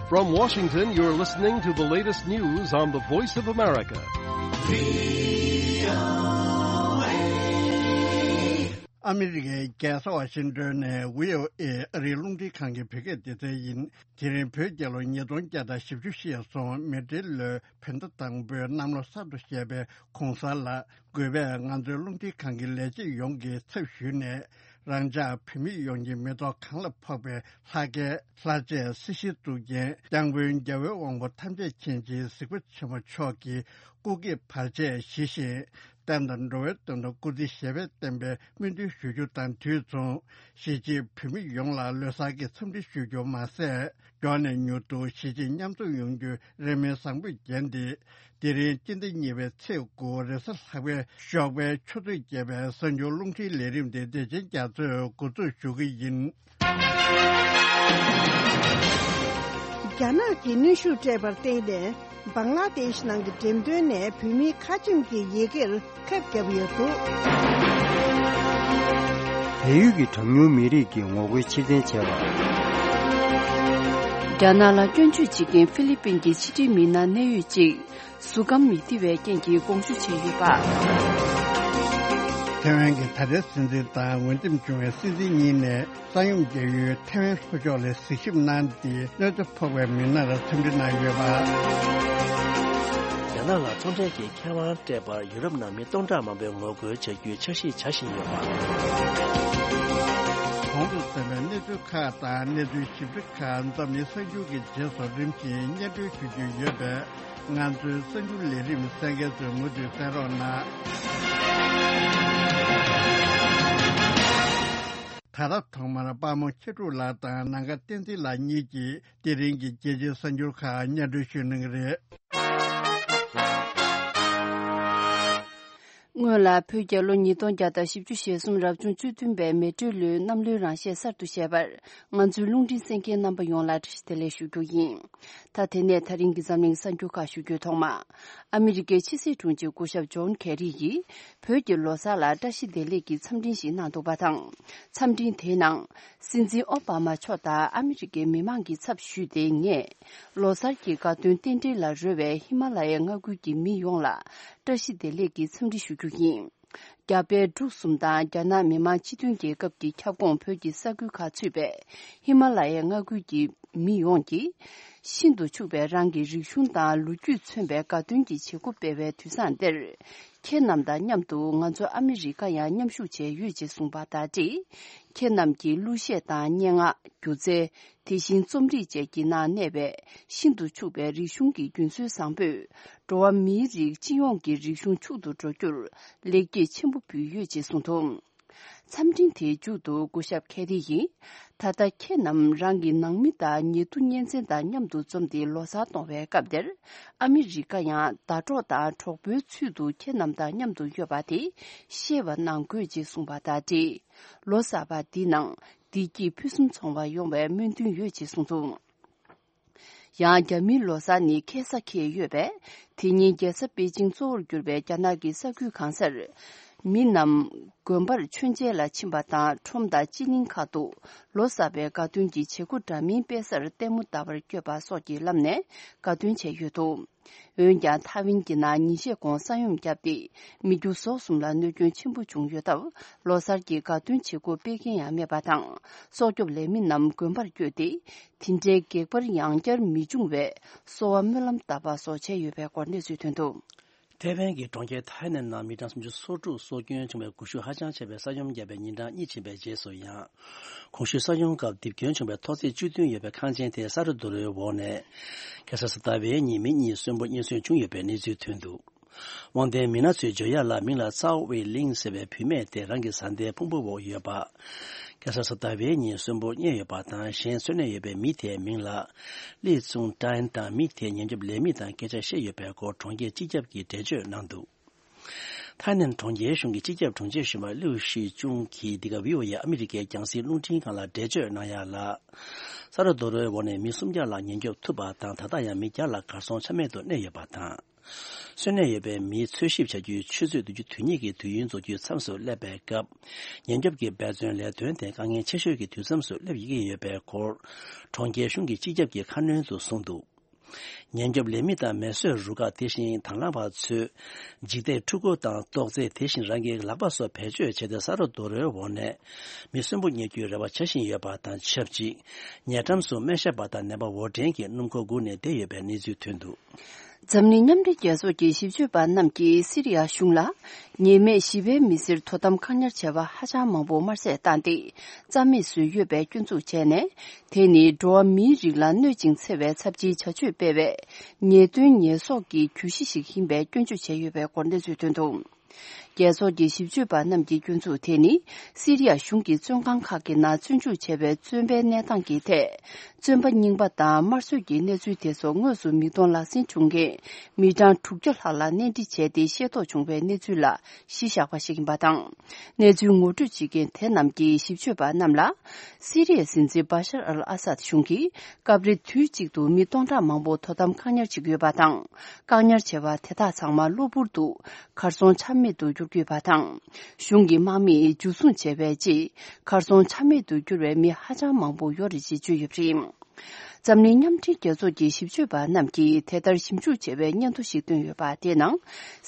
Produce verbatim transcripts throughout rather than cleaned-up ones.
From Washington, you're listening to the latest news on the Voice of America. ཨ་མི་རི་ཀའི་རྒྱལ་ས་ཝ་ཤིང་ཏོན་ནས་བྷི་ཨོ་ཨེ་ཨ་རིའི་རླུང་འཕྲིན་ཁང་གི་བོད་སྐད་སྡེ་ཚན་ཡིན། དེ་རིང་བོད་རྒྱལ་ལོ་ཉིས་སྟོང་བརྒྱ་དང་བཞི་བཅུ་ཞེས་སོང་། མེ་སྤྲེལ་ལོའི་བོད་ཟླ་དང་པོའི་གནམ་ལོ་གསར་དུ་བཞད་པའི་གུང་གསར་ལ། གུས་པས་ང་ཚོའི་རླུང་འཕྲིན་ཁང་གི་ལས་བྱེད་ཡོངས་ཀྱི་ཚབ་ཞུས་ནས། རང་ཅག་བོད་མི་ཡོངས་ཀྱི་མི་ཐོག་གང་ལ་ཕོག་པའི་ལྷ་སྐལ་ལྷ་རྗེ་སྲི་ཞུ་གཙུག་རྒྱན་སྐྱབས་མགོན་རྒྱལ་བའི་དབང་པོ་ཐམས་ཅད་མཁྱེན་ཅིང་གཟིགས་པ་ཆེན་པོ་མཆོག་གི་སྐུ་སྐྱེ་བར་ཆད་ཞི་ཞིང་། བསྟན་དང་འགྲོ་བའི་དོན་དུ་སྐུ་ཚེ་ཞབས་པད་བརྟན་པའི་སྨོན་འདུན་ཞུ་རྒྱུ་དང་དུས་མཚུངས། གཞིས་བྱེས་བོད་མི་ཡོངས་ལ་ལོ་གསར་གྱི་འཚམས་འདྲི་ཞུ་རྒྱུ་མ་ཟད། མགྱོགས་ནས་མྱུར་དུ་གཞིས་བྱེས་མཉམ་འཛོམས་ཡོང་རྒྱུའི་རེ་སྨོན་བཟང་པོས་བརྒྱན་ཏེ། དེ་རིང་སྤྱི་ཟླ་གཉིས་པའི་ཚེས་དགུ་རེས་གཟའ་ལྷག་པའི་ཞོགས་པའི་ཆུ་ཚོད་བརྒྱད་པའི་གསར་འགྱུར་རླུང་འཕྲིན་ལས་རིམ་དེ་བདེ་ཆེན་རྒྱ་མཚོས་འགོ་འཛུགས་ཞུ་གི་ཡིན། རྒྱ་ནག་གིས་གནོན་ཤུགས་སྤྲད་པར་བརྟེན་ནས། བང་ལ་དེཤ་ནང་གི་འགྲེམས་སྟོན་ནས་བོད་མིའི་ཁ་ཆེམས་ཀྱི་ཡི་གེར་ཁབ་བརྒྱབ་ཡོད་འདུག་བལ་ཡུལ་གྱི་གྲངས་ཉུང་མི་རིགས་ཀྱི་ངོ་རྒོལ་ཕྱིར་འཐེན་བྱས་པ། རྒྱ་ནག་ལ་སྐྱོན་བརྗོད་བྱེད་མཁན་ཧྥི་ལི་པིན་གྱི་ཕྱི་འབྲེལ་མི་སྣ་གནད་ཡོད་ཅིག་གཟུགས་ཁམས་མི་བདེ་བའི་རྐྱེན་གྱིས་དགོངས་ཞུ་བྱས་ཡོད་པ། ཐེ་ཝན་གྱི་ད་ལྟའི་སྲིད་འཛིན་དང་འོས་འདེམས་བྱུང་བའི་སྲིད་འཛིན་གཉིས་ནས། ས་ཡོམ་རྒྱག་ཡུལ་ཐེ་ཝན་ལྷོ་ཕྱོགས་ལ་གཟིགས་ཞིབ་གནང་སྟེ། གནོད་འཚེ་ཕོག་པའི་མི་སྣར་འཚམས་འདྲི་གནང་ཡོད་པ། རྒྱ་ནག་ལ་ཚོང་འབྲེལ་གྱི་ཁེ་དབང་སྤྲད་པར་ཡུ་རོབ་ནང་མི་སྟོང་ཕྲག་མང་པོས་ངོ་རྒོལ་བྱ་རྒྱུའི་འཆར་གཞི་བྱ་བཞིན་ཡོད་པ། གོང་དུ་གསན་པའི་གནས་ཚུལ་ཁག་དང་གནས་ཚུལ་ཞིབ་ཕྲ་ཁག་འཛམ་གླིང་གསར་འགྱུར་གྱི་རྗེས་སུ་རིམ་བཞིན་སྙན་སྒྲོན་ཞུ་རྒྱུ་ཡོད་པས། ང་ཚོའི་གསར་འགྱུར་ལས་རིམ་གསན་མཁན་ཚོས་མུ་མཐུད་གསན་རོགས་གནང་། ད་ལྟ་ཐོག་མར་དཔལ་མོ་ཁྱི་ཕྲུག་ལགས་དང་ནམ་མཁའ་བསྟན་འཛིན་ལགས་གཉིས་ཀྱིས་དེ་རིང་གི་རྒྱལ་སྤྱིའི་གསར་འགྱུར་ཁག་སྙན་སྒྲོན་ཞུ་གནང་གི་རེད། སྔོན་ལ་བོད་རྒྱལ་ལོ་ཉིས་སྟོང་བརྒྱ་དང་བཞི་བཅུ་ཞེ་གསུམ་རབ་བྱུང་བཅུ་བདུན་པའི་མེ་སྤྲེལ་ལོའི་གནམ་ལོའི་རང་བཞིན་གསར་དུ་བཞད་པར། ང་ཚོའི་རླུང་འཕྲིན་གསན་མཁན་རྣམ་པ་ཡོངས་ལ་བཀྲ་ཤིས་བདེ་ལེགས་ཞུ་རྒྱུ་ཡིན། ད་དེ་ནས་ད་རིང་གི་འཛམ་གླིང་གསར་འགྱུར་ཁག་ཞུ་རྒྱུའི་ཐོག་མ། ཨ་མི་རི་ཀའི་ཕྱི་སྲིད་དྲུང་ཆེ་སྐུ་ཞབས་ཇོན་ཁེ་རི་ཡིས་བོད་ཀྱི་ལོ་གསར་ལ་བཀྲ་ཤིས་བདེ་ལེགས་ཀྱི་འཚམས་འཕྲིན་ཞིག་གནང་འདུག་པ་དང་། འཚམས་འཕྲིན་དེའི་ནང་། སྲིད་འཛིན་ཨོ་བྷ་མ་མཆོག་དང་ཨ་མི་རི་ཀའི་མི་མང་གི་ཚབ་ཞུས་ཏེ། ངས་ལོ་གསར་གྱི་དགའ་སྟོན་རྟེན་འབྲེལ་ལ་རོལ་བའི་ཧི་མ་ལ་ཡའི་མངའ་ཁུལ་གྱི་མི་ཡོངས་ལ་བཀྲ་ཤིས་བདེ་ལེགས་ཀྱི་འཚམས་འདྲི་ཞུ་རྒྱུ་ཡིན། རྒྱ་བལ་འབྲུག་གསུམ་དང་རྒྱ་ནག་མི་དམངས་སྤྱི་མཐུན་རྒྱལ་ཁབ་ཀྱི་ཁྱབ་ཁོངས་བོད་ཀྱི་ས་ཁུལ་ཁག་ཚུད་པའི་ཧི་མ་ལ་ཡའི་མངའ་ཁུལ་གྱི་མི་ཡོངས་ཀྱིས། ཤིན་ཏུ་ཕྱུག་པའི་རང་གི་རིག་གཞུང་དང་ལོ་རྒྱུས་མཚོན་པའི་དགའ་སྟོན་གྱི་བྱེད་སྒོ་སྤེལ་བའི་དུས་བཟང་འདིར། ཁྱེད་རྣམས་དང་མཉམ་དུ་ང་ཚོ་ཨ་མི་རི་ཀ་ཡང་མཉམ་ཞུགས་བྱས་ཡོད་ཅེས་གསུངས་པ་དང་འབྲེལ། ཁྱེད་རྣམས་ཀྱི་གླུ་གཞས་དང་སྙན་ངག་སྒྱུ་རྩལ། དེ་བཞིན་རྩོམ་རིག་བཅས་ཀྱི་ནང་གནས་པའི་ཤིན་ཏུ་ཕྱུག་པའི་རིག་གཞུང་གི་རྒྱུན་སྲོལ་བཟང་པོས། འགྲོ་བ་མིའི་རིགས་སྤྱི་ཡོངས་ཀྱི་རིག་གཞུང་ཕྱུག་ཏུ་འགྲོ་རྒྱུར་ལེགས་སྐྱེས་ཆེན་པོ་ཕུལ་ཡོད་ཅེས་གསུངས་འདུག་འཚམས་འཕྲིན་དེའི་མཇུག་ཏུ་སྐུ་ཞབས་ཁེ་རི་ཡིས། ད་ལྟ་ཁྱེད་རྣམས་རང་གི་ནང་མི་དང་ཉེ་དུ་གཉེན་ཚན་དང་མཉམ་དུ་འཛོམས་ཏེ་ལོ་གསར་གཏོང་བའི་སྐབས་འདིར། ཨ་མི་རི་ཀ་ཡང་ཟླ་གྲོགས་དང་གྲོགས་པོའི་ཚུལ་དུ་ཁྱེད་རྣམས་དང་མཉམ་དུ་ཡོད་པ་དེ་ཤེས་པ་གནང་དགོས་ཅེས་གསུངས་པ་དང་འབྲེལ། ལོ་གསར་པ་འདིའི་ནང་བདེ་སྐྱིད་ཕུན་སུམ་ཚོགས་པ་ཡོང་བའི་སྨོན་འདུན་ཡོད་ཅེས་གསུངས་འདུག་ཡང་རྒྱ་མིའི་ལོ་གསར་ནི་ཁ་སང་འཁེལ་ཡོད་པས། དེ་ཉིན་རྒྱལ་ས་པེ་ཅིང་གཙོ་བོར་གྱུར་པའི་རྒྱ་ནག་གི་ས་ཁུལ་གང་སར། མི་རྣམས་དགོན་པར་མཆོད་མཇལ་ལ་ཕྱིན་པ་དང་ཁྲོམ་དང་སྤྱི་གླིང་ཁག་ཏུ་ལོ་གསར་པའི་དགའ་སྟོན་གྱི་བྱེད་སྒོ་འདྲ་མིན་སྤེལ་སར་ལྟད་མོ་ལྟ་བར་བསྐྱོད་པ་སོགས་ཀྱི་ལམ་ནས་དགའ་སྟོན་བྱས་ཡོད་འདུག་འོན་ཀྱང་ཐའེ་ཝན་གྱི་ནང་ཉིན་ཤས་གོང་ས་ཡོམ་བརྒྱབ་སྟེ། མི་རྒྱུ་ཟོག་གསུམ་ལ་གནོད་སྐྱོན་ཆེན་པོ་བྱུང་ཡོད་སྟབས། ལོ་གསར་གྱི་དགའ་སྟོན་བྱེད་སྒོ་སྤེལ་མཁན་ཡང་མེད་པ་དང་། སྲོག་སྐྱོབ་ལས་མི་རྣམས་དགོན་པར་བསྐྱོད་དེ། དེ་འདྲའི་སྒེག་པར་ཡང་བསྐྱར་མི་འབྱུང་བའི་གསོལ་བ་སྨོན་ལམ་བཏབ་པ་སོགས་བྱས་ཡོད་པའི་སྐོར་གནས་ཚུལ་ཐོན་འདུག་ཐའེ་ཝན་གྱི་གྲོང་ཁྱེར་ཐའེ་ནན་ནང་མི་གྲངས་སུམ་ཅུ་སོ་དྲུག་སྲོག་སྐྱོན་བྱུང་བའི་འགུལ་ཤུགས་ཧ་ཅང་ཆེ་བའི་ས་ཡོམ་བརྒྱབ་པའི་ཉིན་གྲངས་གཉིས་ཕྱིན་པའི་རྗེས་སུ་ཡང་། གོང་ཞུས་ས་ཡོམ་སྐབས་རྡིབ་སྐྱོན་བྱུང་བའི་ཐོག་བརྩེགས་བཅུ་བདུན་ཡོད་པའི་ཁང་ཆེན་དེ་ས་རུབ་རྡོ་རོལ་འོག་ནས། ཁ་སང་གཟའ་ཟླ་བའི་ཉིན་མི་གཉིས་གསོན་པོ་རྙེད་སོན་བྱུང་ཡོད་པའི་གནས་ཚུལ་ཐོན་འདུག་དབང་ལྡན་མི་སྣ་ཚོས་བརྗོད་ཡག་ལ། མིང་ལ་ཚའོ་ཝེ་ལིང་ཟེར་བའི་བུད་མེད་དེ་རང་གི་བཟའ་ཟླའི་ཕུང་པོའི་འོག་ཡོད་པ། ཁ་སང་གཟའ་ཟླ་བའི་ཉིན་གསོན་པོ་རྙེད་ཡོད་པ་དང་། གཞན་འཚོ་གནས་ཡོད་པའི་མི་དེའི་མིང་ལ་ལི་ཙུང་ཀྲན་དང་། མི་དེས་ཉེན་སྐྱོབ་ལས་མི་དང་སྐད་ཆ་བཤད་ཡོད་པའི་སྐོར་གྲོང་ཁྱེར་སྤྱི་ཁྱབ་ཀྱིས་འགྲེལ་བརྗོད་གནང་འདུག་ཐའི་ནན་གྲོང་ཁྱེར་གཞུང་གི་སྤྱི་ཁྱབ་དྲུང་ཆེ་གཞོན་པ་ལིའུ་ཤི་ཅུང་གིས་འདི་ག་བྷི་ཨོ་ཨེ་ཨ་མི་རི་ཀའི་རྒྱང་སྲིང་རླུང་འཕྲིན་ཁང་ལ་འགྲེལ་བརྗོད་གནང་ཡག་ལ། ས་རུབ་རྡོ་རོལ་འོག་ནས་མི་སུམ་བརྒྱ་ལྷག་ཉེན་སྐྱོབ་ཐུབ་པ་དང་། ད་ལྟ་ཡང་མི་བརྒྱ་ལྷག་གར་སོང་ཆ་མེད་དུ་གནས་ཡོད་པ་དང་། གསོན་གནས་ཡོད་པའི་མིའི་འཚོལ་ཞིབ་བྱ་རྒྱུའི་ཆུ་ཚོད་བདུན་ཅུ་དོན་གཉིས་ཀྱི་དུས་ཡུན་རྫོགས་རྒྱུའི་མཚམས་སུ་སླེབས་པའི་སྐབས། ཉེན་སྐྱོབ་ཀྱི་འབད་བརྩོན་ལས་དོན་དེ་དཀའ་ངལ་ཆེ་ཤོས་ཀྱི་དུས་མཚམས་སུ་སླེབས་ཡོང་གི་ཡོད་པའི་སྐོར། གྲོང་ཁྱེར་གཞུང་གི་སྤྱི་ཁྱབ་ཀྱིས་ཁ་སྣོན་དུ་གསུངས་འདུག་ཉེན་སྐྱོབ་ལས་མི་དང་མེ་གསོད་རུ་ཁག། དེ་བཞིན་དང་བླངས་པ་ཚོས་འཇིག་རྟེན་འཕྲུལ་འཁོར་དང་ཏོག་ཙེ། དེ་བཞིན་རང་གི་ལག་པ་སོགས་བེད་སྤྱོད་བྱས་ཏེ། ས་རོ་རྡོ་རོའི་འོག་ནས་མི་གསོན་པོ་རྙེད་རྒྱུའི་རེ་བ་བྱ་བཞིན་ཡོད་པ་དང་ཆབས་ཅིག་ཉེ་འགྲམ་སུ་སྨན་ཞབས་པ་དང་ནད་པ་འོར་འདྲེན་གྱི་སྣུམ་འཁོར་སྒུག་ནས་བསྡད་ཡོད་པའི་གནས་ཚུལ་ཐོན་འདུག་འཛམ་གླིང་མཉམ་འབྲེལ་རྒྱལ་ཚོགས་ཀྱི་ཞིབ་དཔྱོད་པ་རྣམས་ཀྱིས་སི་རི་ཡ་གཞུང་ལ། ཉེས་མེད་ཞི་བའི་མི་སེར་དོ་དམ་བཀག་ཉར་བྱ་བ་ཧ་ཅང་མང་པོ་དམར་བསད་བཏང་སྟེ། རྩ་མེད་བཟོས་ཡོད་པའི་སྐྱོན་འཛུགས་བྱས་ནས། དེ་ནི་འགྲོ་བ་མིའི་རིགས་ལ་གནོད་ཅིང་འཚེ་བའི་ཚབས་ཆེའི་བྱ་སྤྱོད་སྤེལ་བའི་ཉེས་དོན་ཉེས་གསོག་གི་གྱོད་གཞི་ཞིག་ཡིན་པའི་སྐྱོན་བརྗོད་བྱས་ཡོད་པའི་སྐོར་གནས་ཚུལ་ཐོན་འདུག་རྒྱལ་ཚོགས་ཀྱི་ཞིབ་དཔྱོད་པ་རྣམས་ཀྱི་སྐྱོན་འཛུགས་དེ་ནི། སི་རི་ཡ་གཞུང་གི་བཙོན་ཁང་ཁག་གི་ནང་བཙོན་འཇུག་བྱས་པའི་བཙོན་པའི་གནས་སྟངས་ཀྱི་ཐད། བཙོན་པ་རྙིང་པ་དང་དམར་གསོད་ཀྱི་གནས་ཚུལ་དེ་ཚོ་དངོས་སུ་མིག་མཐོང་ལག་ཟིན་བྱུང་མཁན་མི་གྲངས་དྲུག་བརྒྱ་ལྷག་ལ་གནས་འདྲི་བྱས་ཏེ་ཤེས་རྟོགས་བྱུང་བའི་གནས་ཚུལ་ལ་གཞི་བཞག་པ་ཞིག་ཡིན་པ་དང་། གནས་ཚུལ་ངོ་སྤྲོད་བྱེད་མཁན་དེ་རྣམས་ཀྱིས་ཞིབ་དཔྱོད་པ་རྣམས་ལ། སི་རི་ཡའི་སྲིད་འཛིན་བྷ་ཤར་ཨལ་ཨ་སད་གཞུང་གིས་སྐབས་རེ་དུས་གཅིག་ཏུ་མི་སྟོང་ཕྲག་མང་པོ་དོ་དམ་བཀག་ཉར་བྱེད་ཀྱི་ཡོད་པ་དང་། བཀག་ཉར་བྱས་པ་དེ་དག་ཚང་མ་གློ་བུར་དུ་གར་སོང་ཆ་མེད་དུ་གྱུར་གྱི་ཡོད་པ་དང་། གཞུང་གི་དམག་མིས་འཇུ་བཟུང་བྱས་པའི་རྗེས། གར་སོང་ཆ་མེད་དུ་གྱུར་བའི་མི་ཧ་ཅང་མང་པོ་ཡོད་རེད་ཅེས་བརྗོད་ཡོད་པ་རེད། འཛམ་གླིང་མཉམ་འབྲེལ་རྒྱལ་ཚོགས་ཀྱི་ཞིབ་དཔྱོད་པ་རྣམས་ཀྱིས་དེ་ལྟར་ཞིབ་འཇུག་བྱས་པའི་སྙན་ཐོ་ཞིག་བཏོན་ཡོད་པ། དེའི་ནང་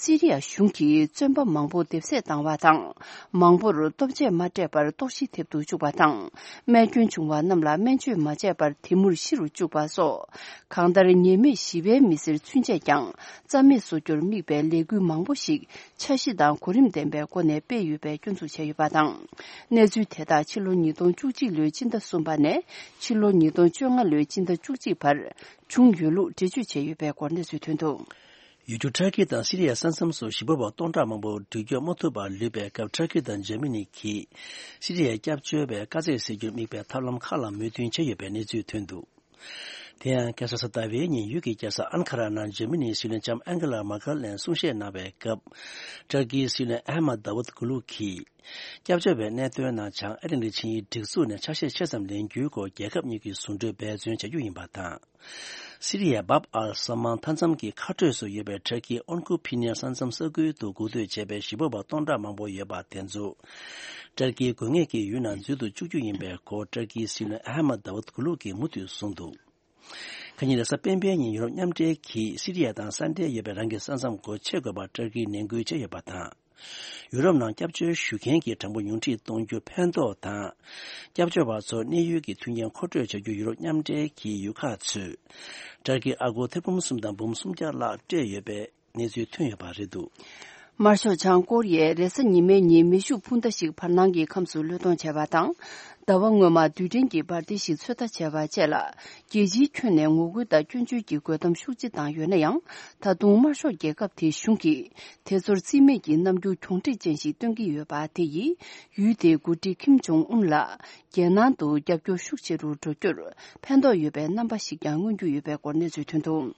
སི་རི་ཡ་གཞུང་གིས་བཙོན་པ་མང་པོ་འདེབས་གསོད་བཏང་བ་དང་། མང་པོར་ལྟོ་ཆས་མ་སྤྲད་པར་ལྟོགས་ཤི་ཐེབས་དུ་བཅུག་པ་དང་། རྨས་སྐྱོན་བྱུང་བ་རྣམས་ལ་སྨན་བཅོས་མ་བྱས་པར་དེ་མུར་ཤི་རུ་བཅུག་པ་སོགས། གང་ལྟར་ཉེས་མེད་ཞི་བའི་མི་སེར་ཚུན་ཆད་ཀྱང་རྩ་མེད་བཟོ་རྒྱུར་དམིགས་པའི་ལས་འགུལ་མང་པོ་ཞིག་འཆར་གཞི་དང་གོ་རིམ་ལྡན་པའི་སྒོ་ནས་སྤེལ་ཡོད་པའི་སྐྱོན་འཛུགས་བྱས་ཡོད་པ་དང་། གནས་ཚུལ་དེ་དག་ཕྱི་ལོ་ཉིས་སྟོང་བཅུ་གཅིག་ལོའི་སྤྱི་ཟླ་གསུམ་པ་ནས་ཕྱི་ལོ་ཉིས་སྟོང་བཅོ་ལྔ་ལོའི་སྤྱི་ཟླ་བཅུ་གཅིག་བར་བྱུང་ཡོད་ལུགས་འགྲེལ་བརྗོད་བྱས་ཡོད་པའི་སྐོར་གནས་ཚུལ་ཐོན་འདུག་ཡུལ་གྲུ་ཊར་ཀི་དང་སི་རི་ཡའི་ས་མཚམས་སུ་ཞི་བ་པ་སྟོང་ཕྲག་མང་པོ་འགྲུལ་སྐྱོད་མ་ཐུབ་པར་ལུས་པའི་སྐབས། ཊར་ཀི་དང་འཇར་མ་ནི་གིས་སི་རི་ཡའི་སྐྱབས་བཅོལ་བའི་དཀའ་ཚེགས་སེལ་རྒྱུར་དམིགས་པའི་ཐབས་ལམ་ཁག་ལ་མོས་མཐུན་བྱས་ཡོད་པའི་གནས་ཚུལ་ཐོན་འདུག་དེ་ཡང་། ཁ་སང་གཟའ་ཟླ་བའི་ཉིན་ཡུལ་གྱི་རྒྱལ་ས་ཨན་ཁ་ར་ནང་འཇར་མ་ནིའི་སྲིད་བློན་ལྕམ་ཨན་གྷེ་ལ་མར་ཀེལ་ནས་གསུང་བཤད་གནང་བའི་སྐབས། ཊར་ཀིའི་སྲིད་བློན་ཨ་ཧ་མད་དཱ་བུད་གུ་ལུ་གིས། སྐྱབས་བཅོལ་བའི་གནད་དོན་ནང་བྱང་ཨེ་ཊ་ལན་ཊིག་ཆིངས་ཡིག་སྒྲིག་འཛུགས་ནས་ཆ་ཤས་ཆེ་ཙམ་ལེན་རྒྱུའི་སྐོར་རྒྱལ་ཁབ་གཉིས་ཀྱིས་ཟུང་འབྲེལ་འབད་བརྩོན་བྱ་རྒྱུ་ཡིན་པ་དང་། སི་རི་ཡའི་བཱབ་ཨལ་ས་མཱན་མཐའ་མཚམས་ཀྱི་ཁ་སྤྲོད་སུ་ཡོད་པའི་ཊར་ཀིའི་ཨོན་ཁུ་ཕི་ནེར་ས་མཚམས་ས་ཁུལ་དུ་འགུག་སྡོད་བྱས་པའི་ཞི་བ་པ་སྟོང་ཕྲག་མང་པོ་ཡོད་པ་དེ་ཚོ། ཊར་ཀིའི་དགོས་ངེས་ཀྱི་ཡུལ་ནང་འཛུལ་དུ་བཅུག་རྒྱུ་ཡིན་པའི་སྐོར། ཊར་ཀིའི་སྲིད་བློན་ཨ་ཧ་མད་དཱ་བུད་གུ་ལུ་གིས་མུ་མཐུད་གསུངས་འདུག་ཁ་ཉིན་རེས་གཟའ་སྤེན་པའི་ཉིན་ཡུ་རོབ་མཉམ་འབྲེལ་གྱིས་སི་རི་ཡ་དང་ས་འབྲེལ་ཡོད་པའི་རང་གི་ས་མཚམས་སྒོ་ཕྱེ་དགོས་པར་ཊར་ཀིས་ནན་སྐུལ་བྱས་ཡོད་པ་དང་། ཡུ་རོབ་ནང་སྐྱབས་བཅོལ་ཞུ་མཁན་གྱི་གྲངས་འབོར་ཉུང་འཕྲི་གཏོང་རྒྱུ་ཕན་ཐོགས་དང་། སྐྱབས་བཅོལ་བ་ཚོར་གནས་ཡུལ་གྱི་མཐུན་རྐྱེན་མཁོ་སྤྲོད་བྱ་རྒྱུར་ཡུ་རོབ་མཉམ་འབྲེལ་གྱི་ཡུལ་ཁག་ཚོས། ཊར་ཀིར་ཨ་སྒོར་ཐེར་འབུམ་གསུམ་དང་འབུམ་སུམ་བརྒྱ་ལྷག་སྤྲད་ཡོད་པའི་གནས་ཚུལ་ཐོན་ཡོད་པ་རེད་འདུག་དམར་ཤོག་བྱང་ཀོ་རི་ཡས་རེས་གཟའ་ཉི་མའི་ཉིན་མེ་ཤུགས་འཕུར་མདའ་ཞིག་བར་སྣང་གི་ཁམས་སུ་གློད་གཏོང་བྱས་པ་དང་། ཟླ་བ་སྔོན་མ་རྡུལ་ཕྲན་གྱི་འབར་མདེལ་ཞིག་ཚོད་ལྟ་བྱས་པ་བཅས་ལ། རྒྱལ་སྤྱིའི་ཁྱོན་ནས་ངོ་རྒོལ་དང་སྐྱོན་བརྗོད་ཀྱི་རྒོལ་གཏམ་ཤུགས་ཆེ་བཏང་ཡོད་ན་ཡང་། ད་དུང་དམར་ཤོག་རྒྱལ་ཁབ་དེའི་གཞུང་གིས་དེ་ཚོར་རྩིས་མེད་ཀྱི་རྣམ་འགྱུར་གྱོང་འཕྲད་ཅན་ཞིག་སྟོན་གྱི་ཡོད་པ་དེ་ཡིས། ཡུལ་དེའི་འགོ་ཁྲིད་ཁིམ་ཇོང་ཨུན་ལ། རྒྱལ་ནང་དུ་རྒྱབ་སྐྱོར་ཤུགས་ཆེ་རུ་འགྲོ་རྒྱུར་ཕན་ཐོགས་ཡོད་པའི་རྣམ་པ་ཞིག་ཀྱང་མངོན་རྒྱུ་ཡོད་པའི་སྐོར་གནས་ཚུལ་ཐོན་འདུག་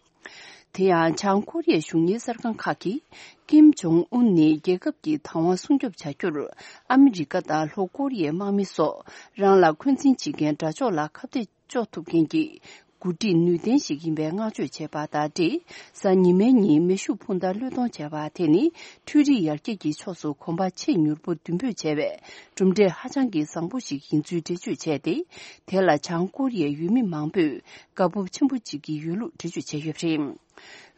དེ་ཡང་། བྱང་ཀོ་རི་ཡའི་གཞུང་གཉེར་གསར་ཁང་ཁག་གིས། ཀིམ་ཇོང་ཨུན་ནི་རྒྱལ་ཁབ་ཀྱི་བདག་དབང་སྲུང་སྐྱོབ་བྱ་རྒྱུར། ཨ་མི་རི་ཀ་དང་ལྷོ་ཀོ་རི་ཡའི་དམག་མི་སོགས་རང་ལ་འཁོན་འཛིན་བྱེད་མཁན་དགྲ་ཕྱོགས་ལ་ཁ་གཏད་གཅོག་ཐུབ་མཁན་གྱི་འགོ་ཁྲིད་ནུས་ལྡན་ཞིག་ཡིན་པའི་བསྔགས་བརྗོད་བྱས་པ་དང་འབྲེལ། གཟའ་ཉི་མའི་ཉིན་མེ་ཤུགས་འཕུར་མདའ་གློད་གཏོང་བྱས་པ་དེ་ནི། འཕྲུལ་རིག་ཡར་རྒྱས་ཀྱི་ཕྱོགས་སུ་གོམ་པ་ཆེས་མྱུར་པོ་མདུན་སྤོས་བྱས་པའི་གྲུབ་འབྲས་ཧ་ཅང་གི་བཟང་པོ་ཞིག་ཡིན་ཚུལ་འགྲེལ་བརྗོད་བྱས་ཏེ། དེ་ལ་བྱང་ཀོ་རི་ཡའི་ཡུལ་མི་མང་པོས་དགའ་སྤོབས་ཆེན་པོ་བྱེད་ཀྱི་ཡོད་ལུགས་འགྲེལ་བརྗོད་བྱས་ཡོད་པ་རེད།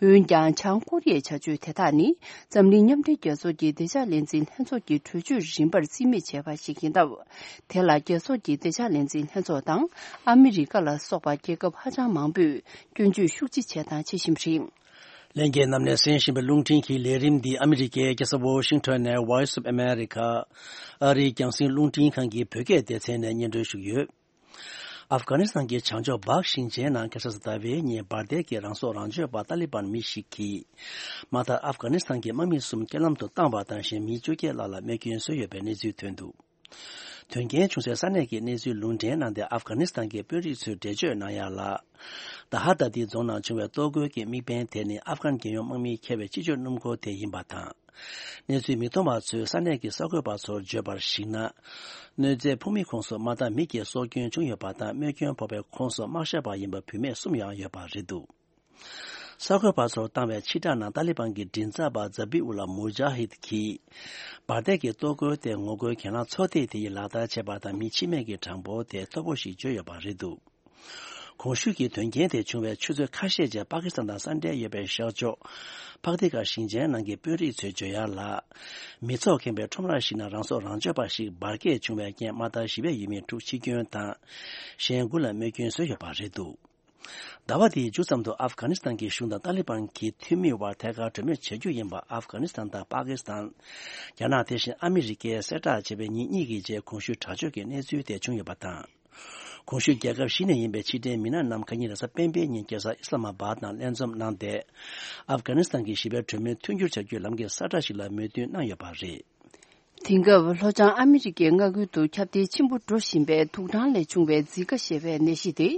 འོན་ཀྱང་། བྱང་ཀོ་རི་ཡའི་བྱ་སྤྱོད་དེ་དག་ནི། འཛམ་གླིང་མཉམ་འབྲེལ་རྒྱལ་ཚོགས་ཀྱི་བདེ་འཇགས་ལས་འཛིན་ལྷན་ཚོགས་ཀྱི་གྲོས་ཆོད་རིམ་པར་རྩིས་མེད་བྱས་པ་ཞིག་ཡིན་སྟབས། དེ་ལ་རྒྱལ་ཚོགས་ཀྱི་བདེ་འཇགས་ལས་འཛིན་ལྷན་ཚོགས་དང་། ཨ་མི་རི་ཀ་ལ་སོགས་པ་རྒྱལ་ཁབ་ཧ་ཅང་མང་པོས་སྐྱོན་བརྗོད་ཤུགས་ཆེ་བྱས་དང་བྱེད་བཞིན་པ་རེད། ལྷན་རྒྱས་རྣམས་ནས་གསན་བཞིན་པའི་རླུང་འཕྲིན་གྱི་ལས་རིམ་འདི་ཨ་མི་རི་ཀའི་རྒྱལ་ས་ཝོ་ཤིང་ཊོན་ནས་Voice of America ཨ་རིའི་རྒྱང་སྲིང་རླུང་འཕྲིན་ཁང་གི་བོད་སྐད་སྡེ་ཚན་ནས་སྙན་སྒྲོན་ཞུས་ཡོད། ཨབ་གྷ་ནི་སི་ཐན་གྱི་བྱང་ཕྱོགས་སྦག་ཞིང་ཆེན་ནང་ཁ་སང་གཟའ་ཟླ་བའི་ཉིན་འབར་མདེལ་གྱིས་རང་སྲོག་རང་གཅོད་པ་ཏཱ་ལི་བན་མི་ཞིག་གིས་མ་མཐར་ཨབ་གྷ་ནི་སི་ཐན་གྱི་དམག་མི་གསུམ་རྐྱེན་ལམ་དུ་བཏང་བ་དང་གཞན་མི་བཅོ་བརྒྱད་ལྷག་ལ་རྨས་སྐྱོན་བཟོས་ཡོད་པའི་གནས་ཚུལ་ཐོན་འདུག་དོན་རྐྱེན་བྱུང་སའི་ས་གནས་ཀྱི་གནས་ཚུལ་ལུང་འདྲེན་གནང་སྟེ། ཨབ་གྷ་ནི་སི་ཐན་གྱི་དཔོན་རིགས་ཚོས་འགྲེལ་བརྗོད་གནང་ཡ་ལ། ད་ཧ་ད་ཏི་རྫོང་ནང་བྱུང་བའི་གཏོར་རྒོལ་གྱི་དམིགས་འབེན་དེ་ནི་ཨབ་གྷན་རྒྱལ་ཡོངས་དམག་མིས་འཁྱེར་བའི་སྤྱི་སྤྱོད་སྣུམ་འཁོར་དེ་ཡིན་པ་དང་། གནས་ཚུལ་མིག་མཐོང་བ་ཚོས་ས་གནས་ཀྱི་གསར་འགོད་པ་ཚོར་བརྗོད་པར་གཞིགས་ན། གནོད་འཚེའི་ཕོག་མི་ཁོངས་སུ་མ་མཐའ་མི་སྐྱེས་སྲོག་སྐྱོན་བྱུང་ཡོད་པ་དང་། རྨས་སྐྱོན་ཕོག་པའི་ཁོངས་སུ་དམག་ཞབས་པ་ཡིན་པ་བུད་མེད་གསུམ་ཡང་ཡོད་པ་རེད་འདུག་གསར་འགོད་པ་ཚོར་བཏང་བའི་ཕྱིར་བསྒྲགས་ནང་ཏཱ་ལི་བན་གྱི་མགྲིན་ཚབ་པ་ཛ་བི་ཨུ་ལ་མུ་ཇཱ་ཧིད་ཀྱིས། འབར་མདེལ་གྱི་གཏོར་རྒོལ་དེ་ངོ་རྒོལ་གྱེན་ལངས་ཚོགས་སྡེ་དེ་ཡིས་ལག་བསྟར་བྱས་པ་དང་། མི་འཆི་རྨས་ཀྱི་གྲངས་འབོར་དེ་མཐོ་པོ་ཞིག་བརྗོད་ཡོད་པ་རེད་འདུག་གོང་ཞུས་ཀྱི་དོན་རྐྱེན་དེ་བྱུང་བའི་ཆུ་ཚོད་ཁ་ཤས་རྗེས། པ་ཀི་སི་ཐན་དང་ས་འབྲེལ་ཡོད་པའི་ཤར་ཕྱོགས་ཕག་ཏི་ཀ་ཞིང་ཆེན་ནང་གི་དཔོན་རིགས་ཚོས་བརྗོད་ཡག་ལ། མི་ཚོགས་ཁེངས་པའི་ཁྲོམ་ར་ཞིག་ནང་རང་སྲོག་རང་གཅོད་པ་ཞིག་འབར་གས་བྱུང་བའི་རྐྱེན་དམག་དར་བཞི་པའི་ཡུལ་མི་དྲུག་འཆི་སྐྱོན་དང་། གཞན་དགུ་ལ་རྨས་སྐྱོན་བཟོས་ཡོད་པ་རེད་འདུག་ཟླ་བ་འདིའི་མཇུག་ཙམ་དུ་ཨབ་གྷ་ནི་སི་ཐན་གྱི་གཞུང་དང་ཏཱ་ལི་བན་གྱི་འཐུས་མིའི་དབར་ཐད་ཀར་གྲོས་མོལ་བྱ་རྒྱུ་ཡིན་པ་ཨབ་གྷ་ནི་སི་ཐན་དང་པ་ཀི་སི་ཐན། རྒྱ་ནག་དེ་བཞིན་ཨ་མི་རི་ཀས་གསལ་བསྒྲགས་བྱས་པའི་ཉིན་གཉིས་ཀྱི་རྗེས་གོང་ཞུས་དྲག་སྤྱོད་ཀྱི་གནས་ཚུལ་དེ་བྱུང་ཡོད་པ་དང་། གོང་ཞུས་རྒྱལ་ཁབ་བཞི་ནས་ཡིན་པའི་ཕྱི་འབྲེལ་མི་སྣ་རྣམས་ཁ་ཉིན་རེས་གཟའ་སྤེན་པའི་ཉིན་རྒྱལ་ས་ཨི་སི་ལ་མ་བཱད་ནང་ལྷན་འཛོམས་གནང་སྟེ། ཨབ་གྷ་ནི་སི་ཐན་གྱི་ཞི་བའི་གྲོས་མོལ་མཐུན་འགྱུར་བྱ་རྒྱུའི་ལམ་གྱི་གསལ་བསྒྲགས་ཤིག་ལ་མོས་མཐུན་གནང་ཡོད་པ་རེད། དེང་སྐབས་ལྷོ་བྱང་ཨ་མི་རི་ཀའི་མངའ་ཁུལ་དུ་ཁྱབ་གདལ་ཆེན་པོ་འགྲོ་བཞིན་པའི་དུག་སྦྲང་ལས་བྱུང་བའི་ཛི་ཀ་ཞེས་པའི་ནད་གཞི་དེ་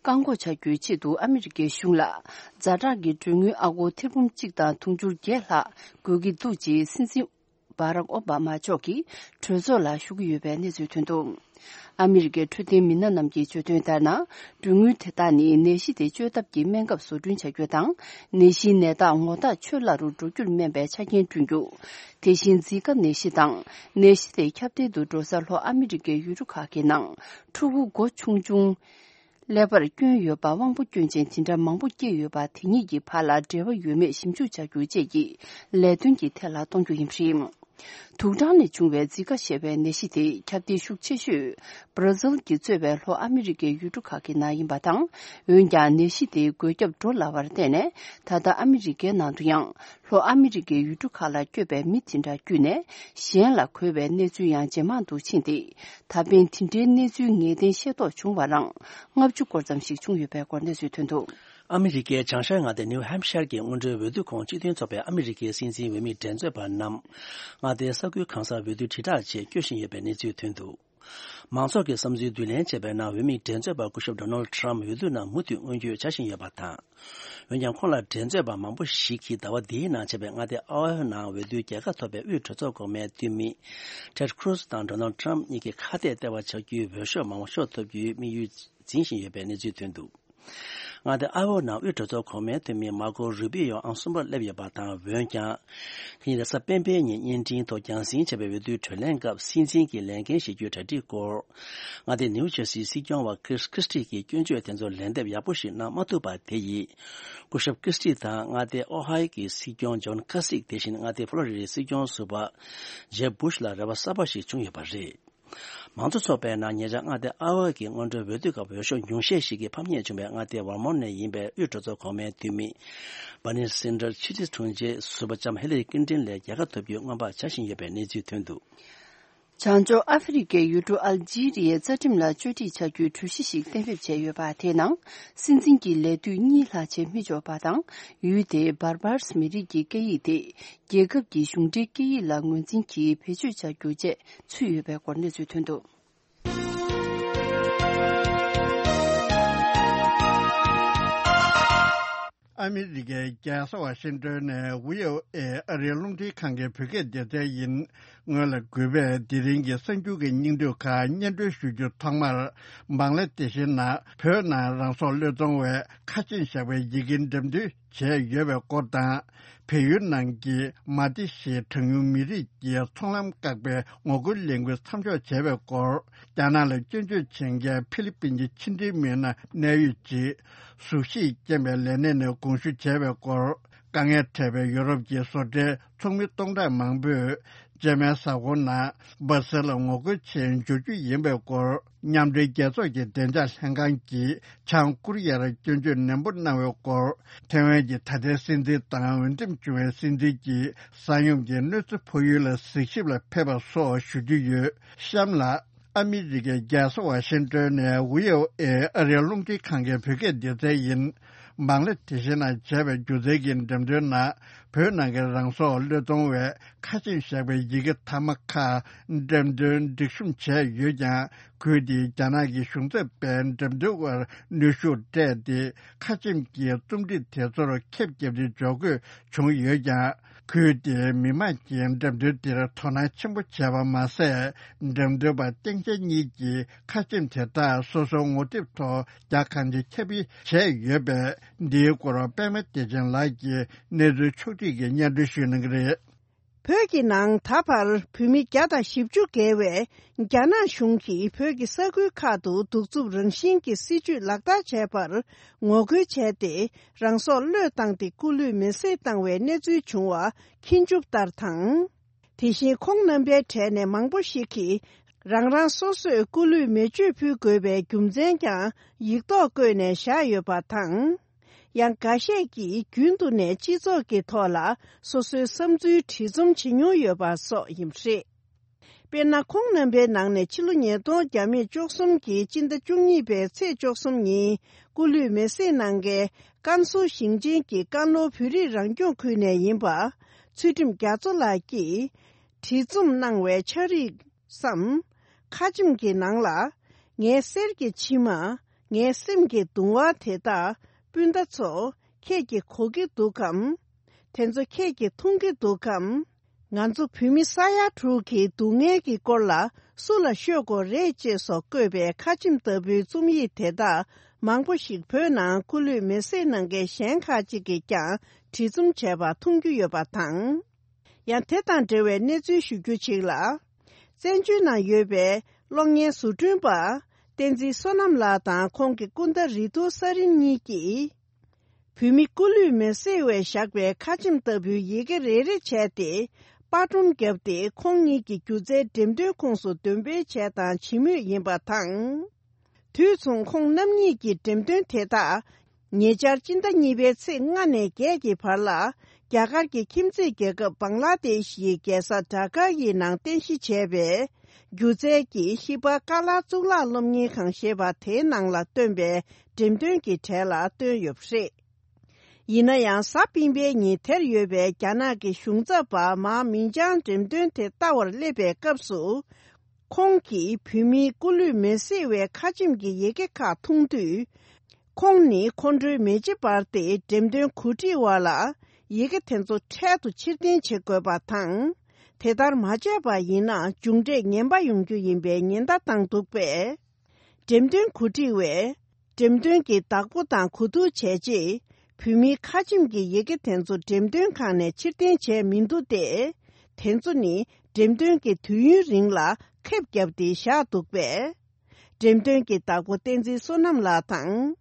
བཀག་འགོག་བྱ་རྒྱུའི་ཆེད་དུ་ཨ་མི་རི་ཀའི་གཞུང་ལ་ཛ་དྲག་གི་གྲོན་དངུལ་ཨ་སྒོར་ཐེར་འབུམ་གཅིག་དང་དུང་ཕྱུར་བརྒྱད་ལྷག་དགོས་ཀྱི་འདུག་ཅེས་སྲིད་འཛིན་བྷ་རག་ཨོ་བྷ་མ་མཆོག་གིས་གྲོས་ཚོགས་ལ་ཞུ་གི་ཡོད་པའི་གནས་ཚུལ་ཐོན་འདུག་ཨ་མི་རི་ཀའི་འཕྲོད་བསྟེན་མི་སྣ་རྣམས་ཀྱིས་བརྗོད་དོན་ལྟར་ན། གྲོན་དངུལ་དེ་དག་ནི་ནད་གཞི་དེ་བཅོས་ཐབས་ཀྱི་སྨན་ཁབ་བཟོ་སྐྲུན་བྱ་རྒྱུ་དང་། ནད་གཞིའི་ནད་རྟགས་ངོ་ཐག་ཆོད་སླ་རུ་འགྲོ་རྒྱུར་སྨན་པའི་ཆ་རྐྱེན་བསྐྲུན་རྒྱུ། དེ་བཞིན་ཛི་ཀ་ནད་གཞི་དང་། ནད་གཞི་དེ་ཁྱབ་གདལ་དུ་འགྲོ་སའི་ལྷོ་ཨ་མི་རི་ཀའི་ཡུལ་གྲུ་ཁག་གི་ནང་ཕྲུ་གུ་མགོ་ཆུང་ཆུང་། ཀླད་པར་སྐྱོན་ཡོད་པ་དབང་པོ་སྐྱོན་ཅན་དེ་འདྲ་མང་པོ་སྐྱེས་ཡོད་པ་དེ་གཉིས་ཀྱི་བར་ལ་འབྲེལ་བ་ཡོད་མེད་ཞིབ་འཇུག་བྱ་རྒྱུ་བཅས་ཀྱི་ལས་དོན་གྱི་ཐད་ལ་གཏོང་རྒྱུ་ཡིན་པ་རེད། དུག་སྦྲང་ལས་བྱུང་བའི་ཛི་ཀ་ཞེས་པའི་ནད་གཞི་དེ་ཁྱབ་གདལ་ཤུགས་ཆེ་ཤོས་བྷ་ར་ཟིལ་གྱིས་གཙོས་པའི་ལྷོ་ཨ་མི་རི་ཀའི་ཡུལ་གྲུ་ཁག་གི་ནང་ཡིན་པ་དང་། འོན་ཀྱང་ནད་གཞི་དེ་འགོས་ཁྱབ་འགྲོ་སླ་བར་བརྟེན་ནས། ད་ལྟ་ཨ་མི་རི་ཀའི་ནང་དུ་ཡང་ལྷོ་ཨ་མི་རི་ཀའི་ཡུལ་གྲུ་ཁག་ལ་བསྐྱོད་པའི་མི་དེ་འདྲ་བརྒྱུད་ནས་གཞན་ལ་འགོས་པའི་གནས་ཚུལ་ཡང་ཇེ་མང་དུ་ཕྱིན་ཏེ། ད་ཕན་དེ་འདྲའི་གནས་ཚུལ་ངེས་གཏན་ཤེས་རྟོགས་བྱུང་བ་རང་ལྔ་བཅུ་སྐོར་ཙམ་ཞིག་བྱུང་ཡོད་པའི་སྐོར་གནས་ཚུལ་ཐོན་འདུག་ཨ་མི་རི་ཀའི་བྱང་ཤར་མངའ་སྡེ་ནིའུ་ཧེམ་ཤར་གྱི་སྔོན་འགྲོའི་འོས་བསྡུ་ཁོངས་སྤྱི་མཐུན་ཚོགས་པའི་ཨ་མི་རི་ཀའི་སྲིད་འཛིན་འོས་མི་འགྲན་རྩོད་པ་རྣམས་མངའ་སྡེའི་ས་ཁུལ་གང་སར་འོས་བསྡུ་དྲིལ་བསྒྲགས་ཆེད་སྐྱོད་བཞིན་ཡོད་པའི་གནས་ཚུལ་ཐོན་འདུག་མང་ཚོགས་ཀྱི་བསམ་ཚུལ་བསྡུ་ལེན་བྱས་པའི་ནང་འོས་མི་འགྲན་རྩོད་པ་སྐུ་ཞབས་ཌོ་ནལ་ཊམ་འོས་བསྡུ་ནང་མུ་མཐུད་མངོན་འགྱུར་བྱ་བཞིན་ཡོད་པ་དང་། འོན་ཀྱང་ཁོང་ལ་འགྲན་རྩོད་པ་མང་པོ་ཞིག་གིས་ཟླ་བ་འདིའི་ནང་བྱས་པའི་མངའ་སྡེ་ཨ་ཧོ་ནང་འོས་བསྡུའི་རྒྱལ་ཁ་ཐོབ་པའི་དབུས་གྲོས་ཚོགས་གོང་མའི་འཐུས་མི་ཊེཌ་ཁུ་རུ་སི་དང་ཌོ་ནལ་ཊམ་གཉིས་ཀྱི་ཁ་གཏད་ལྟེ་བ་ཆགས་རྒྱུའི་འོས་ཤོག་མང་པོ་ཤོར་ཐུབ་རྒྱུའི་དམིགས་ཡུལ་འཛིན་བཞིན་ཡོད་པའི་གནས་ཚུལ་ཐོན་འདུག་མངའ་སྡེ་ཨ་ཧོ་ནང་དབུས་གྲོས་ཚོགས་གོང་མའི་འཐུས་མི་མར་ཀོ་རུ་པི་ཡོ་ཨང་གསུམ་པར་སླེབས་ཡོད་པ་དང་། འོན་ཀྱང་། ཁ་ཉིན་རེས་གཟའ་སྤེན་པའི་ཉིན་བརྙན་འཕྲིན་ཐོག་རྒྱང་སྲིང་བྱས་པའི་འོས་བསྡུའི་གྲོས་གླེང་སྐབས་སྲིད་འཛིན་གྱི་ལས་འགན་བཞེས་རྒྱུའི་གྲ་སྒྲིག་སྐོར། མངའ་སྡེ་ནིའུ་ཇར་སིའི་སྲིད་སྐྱོང་བ་ཁྲིས་ཁྲིས་ཊི་གྱིས་སྐྱོན་བརྗོད་དེ་ཚོར་ལན་འདེབས་ཡག་པོ་ཞིག་གནང་མ་ཐུབ་པ་དེ་ཡིས། སྐུ་ཞབས་ཁྲིས་ཊི་དང་མངའ་སྡེ་ཨོ་ཧའི་གི་སྲིད་སྐྱོང་ཇོན་ཁ་སིག་དེ་བཞིན་མངའ་སྡེ་ཕོ་ལོ་རི་ཌའི་སྲིད་སྐྱོང་ཟུར་པ་ཇེབ་བུ་ཤ་ལ་རེ་བ་གསར་པ་ཞིག་བྱུང་ཡོད་པ་རེད། མང་གཙོ་ཚོགས་པའི་ནང་ཉེ་ཆར་མངའ་སྡེ་ཨ་ཧོ་གི་སྔོན་འགྲོའི་འོས་བསྡུ་སྐབས་འོས་ཤོག་ཉུང་ཤས་ཤིག་གིས་ཕམ་ཉེས་བྱུང་བའི་མངའ་སྡེ་ཝར་མོན་ནས་ཡིན་པའི་དབུས་གྲོས་ཚོགས་གོང་མའི་འཐུས་མི་བྷར་ནི་སན་ཌར་སི་ཕྱི་དྲིལ་དྲུང་ཆེ་ཟུར་པ་ལྕམ་ཧི་ལ་རི་ཀླིན་ཏོན་ལས་རྒྱལ་ཁ་ཐོབ་རྒྱུའི་སྔོན་དཔག་བྱ་བཞིན་ཡོད་པའི་གནས་ཚུལ་ཐོན་འདུག་བྱང་ཕྱོགས་ཨ་ཧྥེ་རི་ཀའི་ཡུལ་གྲུ་ཨལ་ཇི་རི་ཡའི་རྩ་ཁྲིམས་ལ་བཅོས་སྒྲིག་བྱ་རྒྱུའི་གྲོས་གཞི་ཞིག་གཏན་འབེབས་བྱས་ཡོད་པ། དེའི་ནང་སྲིད་འཛིན་གྱི་ལས་དུས་གཉིས་ལྷག་བྱེད་མི་ཆོག་པ་དང་། ཡུལ་དེའི་བར་བར་མི་རིགས་ཀྱི་སྐད་ཡིག་དེ། རྒྱལ་ཁབ་ཀྱི་གཞུང་འབྲེལ་སྐད་ཡིག་ལ་ངོས་འཛིན་གྱིས་བེད་སྤྱོད་བྱ་རྒྱུ་བཅས་ཚུད་ཡོད་པའི་སྐོར་གནས་ཚུལ་ཐོན་འདུག་ཨ་མི་རི་ཀའི་རྒྱལ་ས་ཝ་ཤིང་ཏོན་ནས་བྷི་ཨོ་ཨེ་ཨ་རིའི་རླུང་འཕྲིན་ཁང་གི་བོད་སྐད་སྡེ་ཚན་ཡིན། སྔོན་ལ་གུས་པས་དེ་རིང་གི་གསར་འགྱུར་གྱི་སྙིང་བསྡུས་ཁག་སྙན་སྒྲོན་ཞུ་རྒྱུ། ཐོག་མར་བང་ལ་དེ་ཤི་ནང་བོད་ནང་རང་སྲོག་བློས་གཏོང་བའི་ཁ་ཆེམས་བཞག་པའི་ཡི་གེ་འགྲེམས་སྟོན་བྱས་ཡོད་པའི་སྐོར་དང་། བལ་ཡུལ་ནང་གི་མ་ཏི་ཞེས་གྲངས་ཉུང་མི་རིགས་ཀྱི་ཚོང་ལམ་བཀག་པའི་ངོ་རྒོལ་ལས་འགུལ་མཚམས་འཇོག་བྱས་པའི་སྐོར། རྒྱ་ནག་ལ་སྐྱོན་བརྗོད་བྱེད་མཁན་ཕི་ལི་པིན་གྱི་ཕྱི་འབྲེལ་མི་སྣ་གནད་ཡོད་ཅིག་གཟུགས་གཞིས་རྐྱེན་པས་ལས་གནས་ནས་དགོངས་ཞུ་བྱས་པའི་སྐོར། དཀའ་ངལ་འཕྲད་པའི་ཡོ་རོབ་ཀྱི་བཟོ་གྲྭའི་ཚོགས་མི་སྟོང་ཕྲག་མང་པོས་ཇར་མན་གཟའ་འཁོར་ནང་སྦ་སེལ་ལ་ངོ་རྒོལ་ཆེད་འབྱོར་རྒྱུ་ཡིན་པའི་སྐོར། མཉམ་འབྲེལ་རྒྱལ་ཚོགས་ཀྱི་བདེ་འཇགས་ལྷན་ཁང་གིས་བྱང་ཀོ་རི་ཡར་སྐྱོན་བརྗོད་ནན་པོ་གནང་བའི་སྐོར། ཐེ་ཝན་གྱི་ད་ལྟའི་སྲིད་འཛིན་དང་འོས་འདེམས་བྱུང་བའི་སྲིད་འཛིན་གྱིས་ས་ཡོམ་གྱི་གནོད་འཚེ་ཕོག་ཡུལ་ལ་གཟིགས་ཞིབ་ལ་ཕེབས་པ་སོགས་ཞུ་རྒྱུ་ཡོད། གཤམ་ལ། ཨ་མི་རི་ཀའི་རྒྱལ་ས་ཝ་ཤིང་ཏོན་ནས་བྷི་ཨོ་ཨེ་ཨ་རིའི་རླུང་འཕྲིན་ཁང་གི་བོད་སྐད་སྡེ་ཚན་ཡིན། བང་ལ་དེ་ཤི་ནང་བྱས་པའི་སྒྱུ་རྩལ་གྱི་འགྲེམས་སྟོན་ནང་བོད་ནང་གི་རང་སྲོག་བློས་གཏོང་བའི་ཁ་ཆེམས་བཞག་པའི་ཡི་གེ་མཐའ་མ་ཁག་འགྲེམས་སྟོན་སྒྲིག་གཤོམ་བྱས་ཡོད་ཀྱང་། ཁུལ་དེའི་རྒྱ་ནག་གི་གཞུང་ཚབ་པས་འགྲེམས་སྟོན་པར་གནོན་ཤུགས་སྤྲད་དེ། ཁ་ཆེམས་ཀྱི་རྩོམ་སྒྲིག་དེ་ཚོར་ཁེབས་བརྒྱབ་སྟེ་འཇོག་དགོས་བྱུང་ཡོད་ཀྱང་ ཁུལ་དེའི་མི་མང་གིས་འགྲེམས་སྟོན་དེར་དོ་སྣང་ཆེན་པོ་བྱས་པ་མ་ཟད། འགྲེམས་སྟོན་པ་སྟེང་ཆ་གཉིས་ཀྱིས་ཁ་ཆེམས་དེ་དག་སོ་སོའི་ངོ་དེབ་ཐོག་རྒྱ་གང་ཆེ་ཁྱབ་སྤེལ་བྱས་ཡོད་པས། འདིའི་སྐོར་པད་མ་བདེ་ཆེན་ལགས་ཀྱིས་གནས་ཚུལ་ཕྱོགས་བསྒྲིགས་ཀྱིས་སྙན་སྒྲོན་ཞུ་གནང་གི་རེད། བོད་ཀྱི་ནང་ད་བར་བོད་མི་བརྒྱ་དང་བཞི་བཅུ་བརྒལ་བས་རྒྱ་ནག་གཞུང་གིས་བོད་ཀྱི་ས་ཁུལ་ཁག་ཏུ་གདུག་རྩུབ་རང་བཞིན་གྱི་སྲིད་བྱུས་ལག་བསྟར་བྱས་པར་ངོ་རྒོལ་བྱས་ཏེ། རང་སྲོག་བློས་བཏང་སྟེ་སྐུ་ལུས་མེར་སྲེག་བཏང་བའི་གནས་ཚུལ་བྱུང་བ་མཁྱེན་གྱུར་ལྟར་དང་། དེ་བཞིན་ཁོང་རྣམ་པའི་གྲས་ནས་མང་པོ་ཞིག་གིས་རང་རང་སོ་སོས་སྐུ་ལུས་མེ་མཆོད་ཕུལ་དགོས་པའི་རྒྱུ་མཚན་ཀྱང་ཡིག་ཐོག་བཀོད་ནས་བཞག་ཡོད་པ་དང་། ཡང་འགའ་ཤས་ཀྱིས་རྒྱུན་དུ་ནས་སྤྱི་ཚོགས་ཀྱི་ཐོག་ལ་སོ་སོའི་བསམ་ཚུལ་བྲིས་རྩོམ་བྱེད་མྱོང་ཡོད་པ་སོགས་ཡིན་པ་རེད། དཔེར་ན། ཁོང་རྣམ་པའི་ནང་ནས་ཕྱི་ལོ་ཉིས་སྟོང་བརྒྱ་མེད་བཅུ་གསུམ་གྱི་སྤྱི་ཟླ་བཅུ་གཉིས་པའི་ཚེས་བཅུ་གསུམ་ཉིན་སྐུ་ལུས་མེར་སྲེག་གནང་མཁན་ཀན་སུའུ་ཞིང་ཆེན་གྱི་ཀན་ལྷོ་བོད་རིགས་རང་སྐྱོང་ཁུལ་ནས་ཡིན་པ། ཚུལ་ཁྲིམས་རྒྱ་མཚོ་ལགས་ཀྱིས་བྲིས་རྩོམ་གནང་བའི་ཕྱག་བྲིས་སམ། ཁ་ཆེམས་ཀྱི་ནང་ལ། ངའི་གསེར་གྱི་མཆིལ་མ། ངའི་སེམས་ཀྱི་གདུང་བ་དེ་དག་སྤུན་ཟླ་ཚོ། ཁྱེད་ཀྱིས་གོ་གི་འདུག་གམ། དེ་ཚོ་ཁྱེད་ཀྱིས་མཐོང་གི་འདུག་གམ། ང་ཚོ་བོད་མི་ས་ཡ་དྲུག་གི་སྡུག་བསྔལ་གྱི་སྐོར་ལ་སུ་ལ་ཤོད་དགོས་རེད་ཅེས་སོགས་བཀོད་པའི་ཁ་ཆེམས་ལྟ་བུའི་རྩོམ་ཡིག་དེ་དག་མང་པོ་ཞིག་བོད་ནང་སྐུ་ལུས་མེར་སྲེག་གནང་མཁན་གཞན་ཁག་ཅིག་གིས་ཀྱང་བྲིས་རྩོམ་བྱས་པ་མཐོང་རྒྱུ་ཡོད་པ་དང་། ཡང་དེ་དང་འབྲེལ་བའི་གནས་ཚུལ་ཞུ་རྒྱུ་ཅིག་ལ། བཙན་བྱོལ་ནང་ཡོད་པའི་གློག་བརྙན་བཟོ་སྐྲུན་པ་བསྟན་འཛིན་བསོད་ནམས་ལགས་དང་ཁོང་གི་སྐུ་ཟླ་རིག་ཐོག་ས་རིན་གཉིས་ཀྱིས། བོད་མི་སྐུ་ལུས་མེར་སྲེག་བྱས་བཞག་པའི་ཁ་ཆེམས་ལྟ་བུའི་ཡི་གེ་རེ་རེ་བྱས་ཏེ། པར་སྒྲོམ་བརྒྱབ་སྟེ། ཁོང་གཉིས་ཀྱི་སྒྱུ་རྩལ་འགྲེམས་སྟོན་ཁོངས་སུ་འདོན་སྤེལ་བྱས་དང་བྱེད་མུས་ཡིན་པ་དང་། དུས་མཚུངས་ཁོང་རྣམ་གཉིས་ཀྱི་འགྲེམས་སྟོན་དེ་དག་ཉེ་ཆར་སྤྱི་ཟླ་གཉིས་པའི་ཚེས་ལྔ་ནས་བརྒྱད་ཀྱི་བར་ལ། རྒྱ་གར་གྱི་ཁྱིམ་མཚེས་རྒྱལ་ཁབ་བང་ལ་དེཤ་ཡི་རྒྱལ་ས་ཌ་ཀ་ཡི་ནང་རྟེན་གཞི་བྱས་པའི། སྒྱུ་རྩལ་གྱི་ཤིལ་པ་ཀ་ལ་གཙུག་ལག་སློབ་གཉེར་ཁང་ཞེས་པ་དེའི་ནང་ལ་བཏོན་པའི་འགྲེམས་སྟོན་གྱི་གྲས་ལ་བཏོན་ཡོད་པ་རེད། ཡིན་ན་ཡང་། གཟའ་སྤེན་པའི་ཉིན་དེར་ཡོད་པའི་རྒྱ་ནག་གི་གཞུང་ཚབ་པ་མཱ་མིང་ཅང་འགྲེམས་སྟོན་དེ་ལྟ་བར་སླེབས་པའི་སྐབས་སུ། ཁོང་གིས་བོད་མིའི་སྐུ་ལུས་མེར་སྲེག་བའི་ཁ་ཆེམས་ཀྱི་ཡི་གེ་ཁག་མཐོང་དུས། ཁོང་ནི་ཁོང་ཁྲོའི་མེ་ལྕེ་འབར་ཏེ་འགྲེམས་སྟོན་གོ་སྒྲིག་པ་ལ་ཡི་གེ་དེ་ཚོ་འཕྲལ་དུ་ཕྱིར་འཐེན་བྱེད་དགོས་པ་དང་། དེ་ལྟར་མ་བྱས་པ་ཡིན་ན་མཇུག་འབྲས་ངན་པ་ཡོང་རྒྱུ་ཡིན་པའི་ཉེན་བརྡ་བཏང་འདུག་པས། འགྲེམས་སྟོན་གོ་སྒྲིག་པས། འགྲེམས་སྟོན་གྱི་བདག་པོ་དང་གོ་བསྡུར་བྱས་རྗེས། བོད་མིའི་ཁ་ཆེམས་ཀྱི་ཡི་གེ་དེ་ཚོ་འགྲེམས་སྟོན་ཁང་ནས་ཕྱིར་འཐེན་བྱས་མི་འདུག་སྟེ། དེ་ཚོ་ནི་འགྲེམས་སྟོན་གྱི་དུས་ཡུན་རིང་ལ་ཁེབས་བརྒྱབ་སྟེ་བཞག་འདུག་པས། འགྲེམས་སྟོན་གྱི་བདག་པོ་བསྟན་འཛིན་བསོད་ནམས་ལགས་དང་།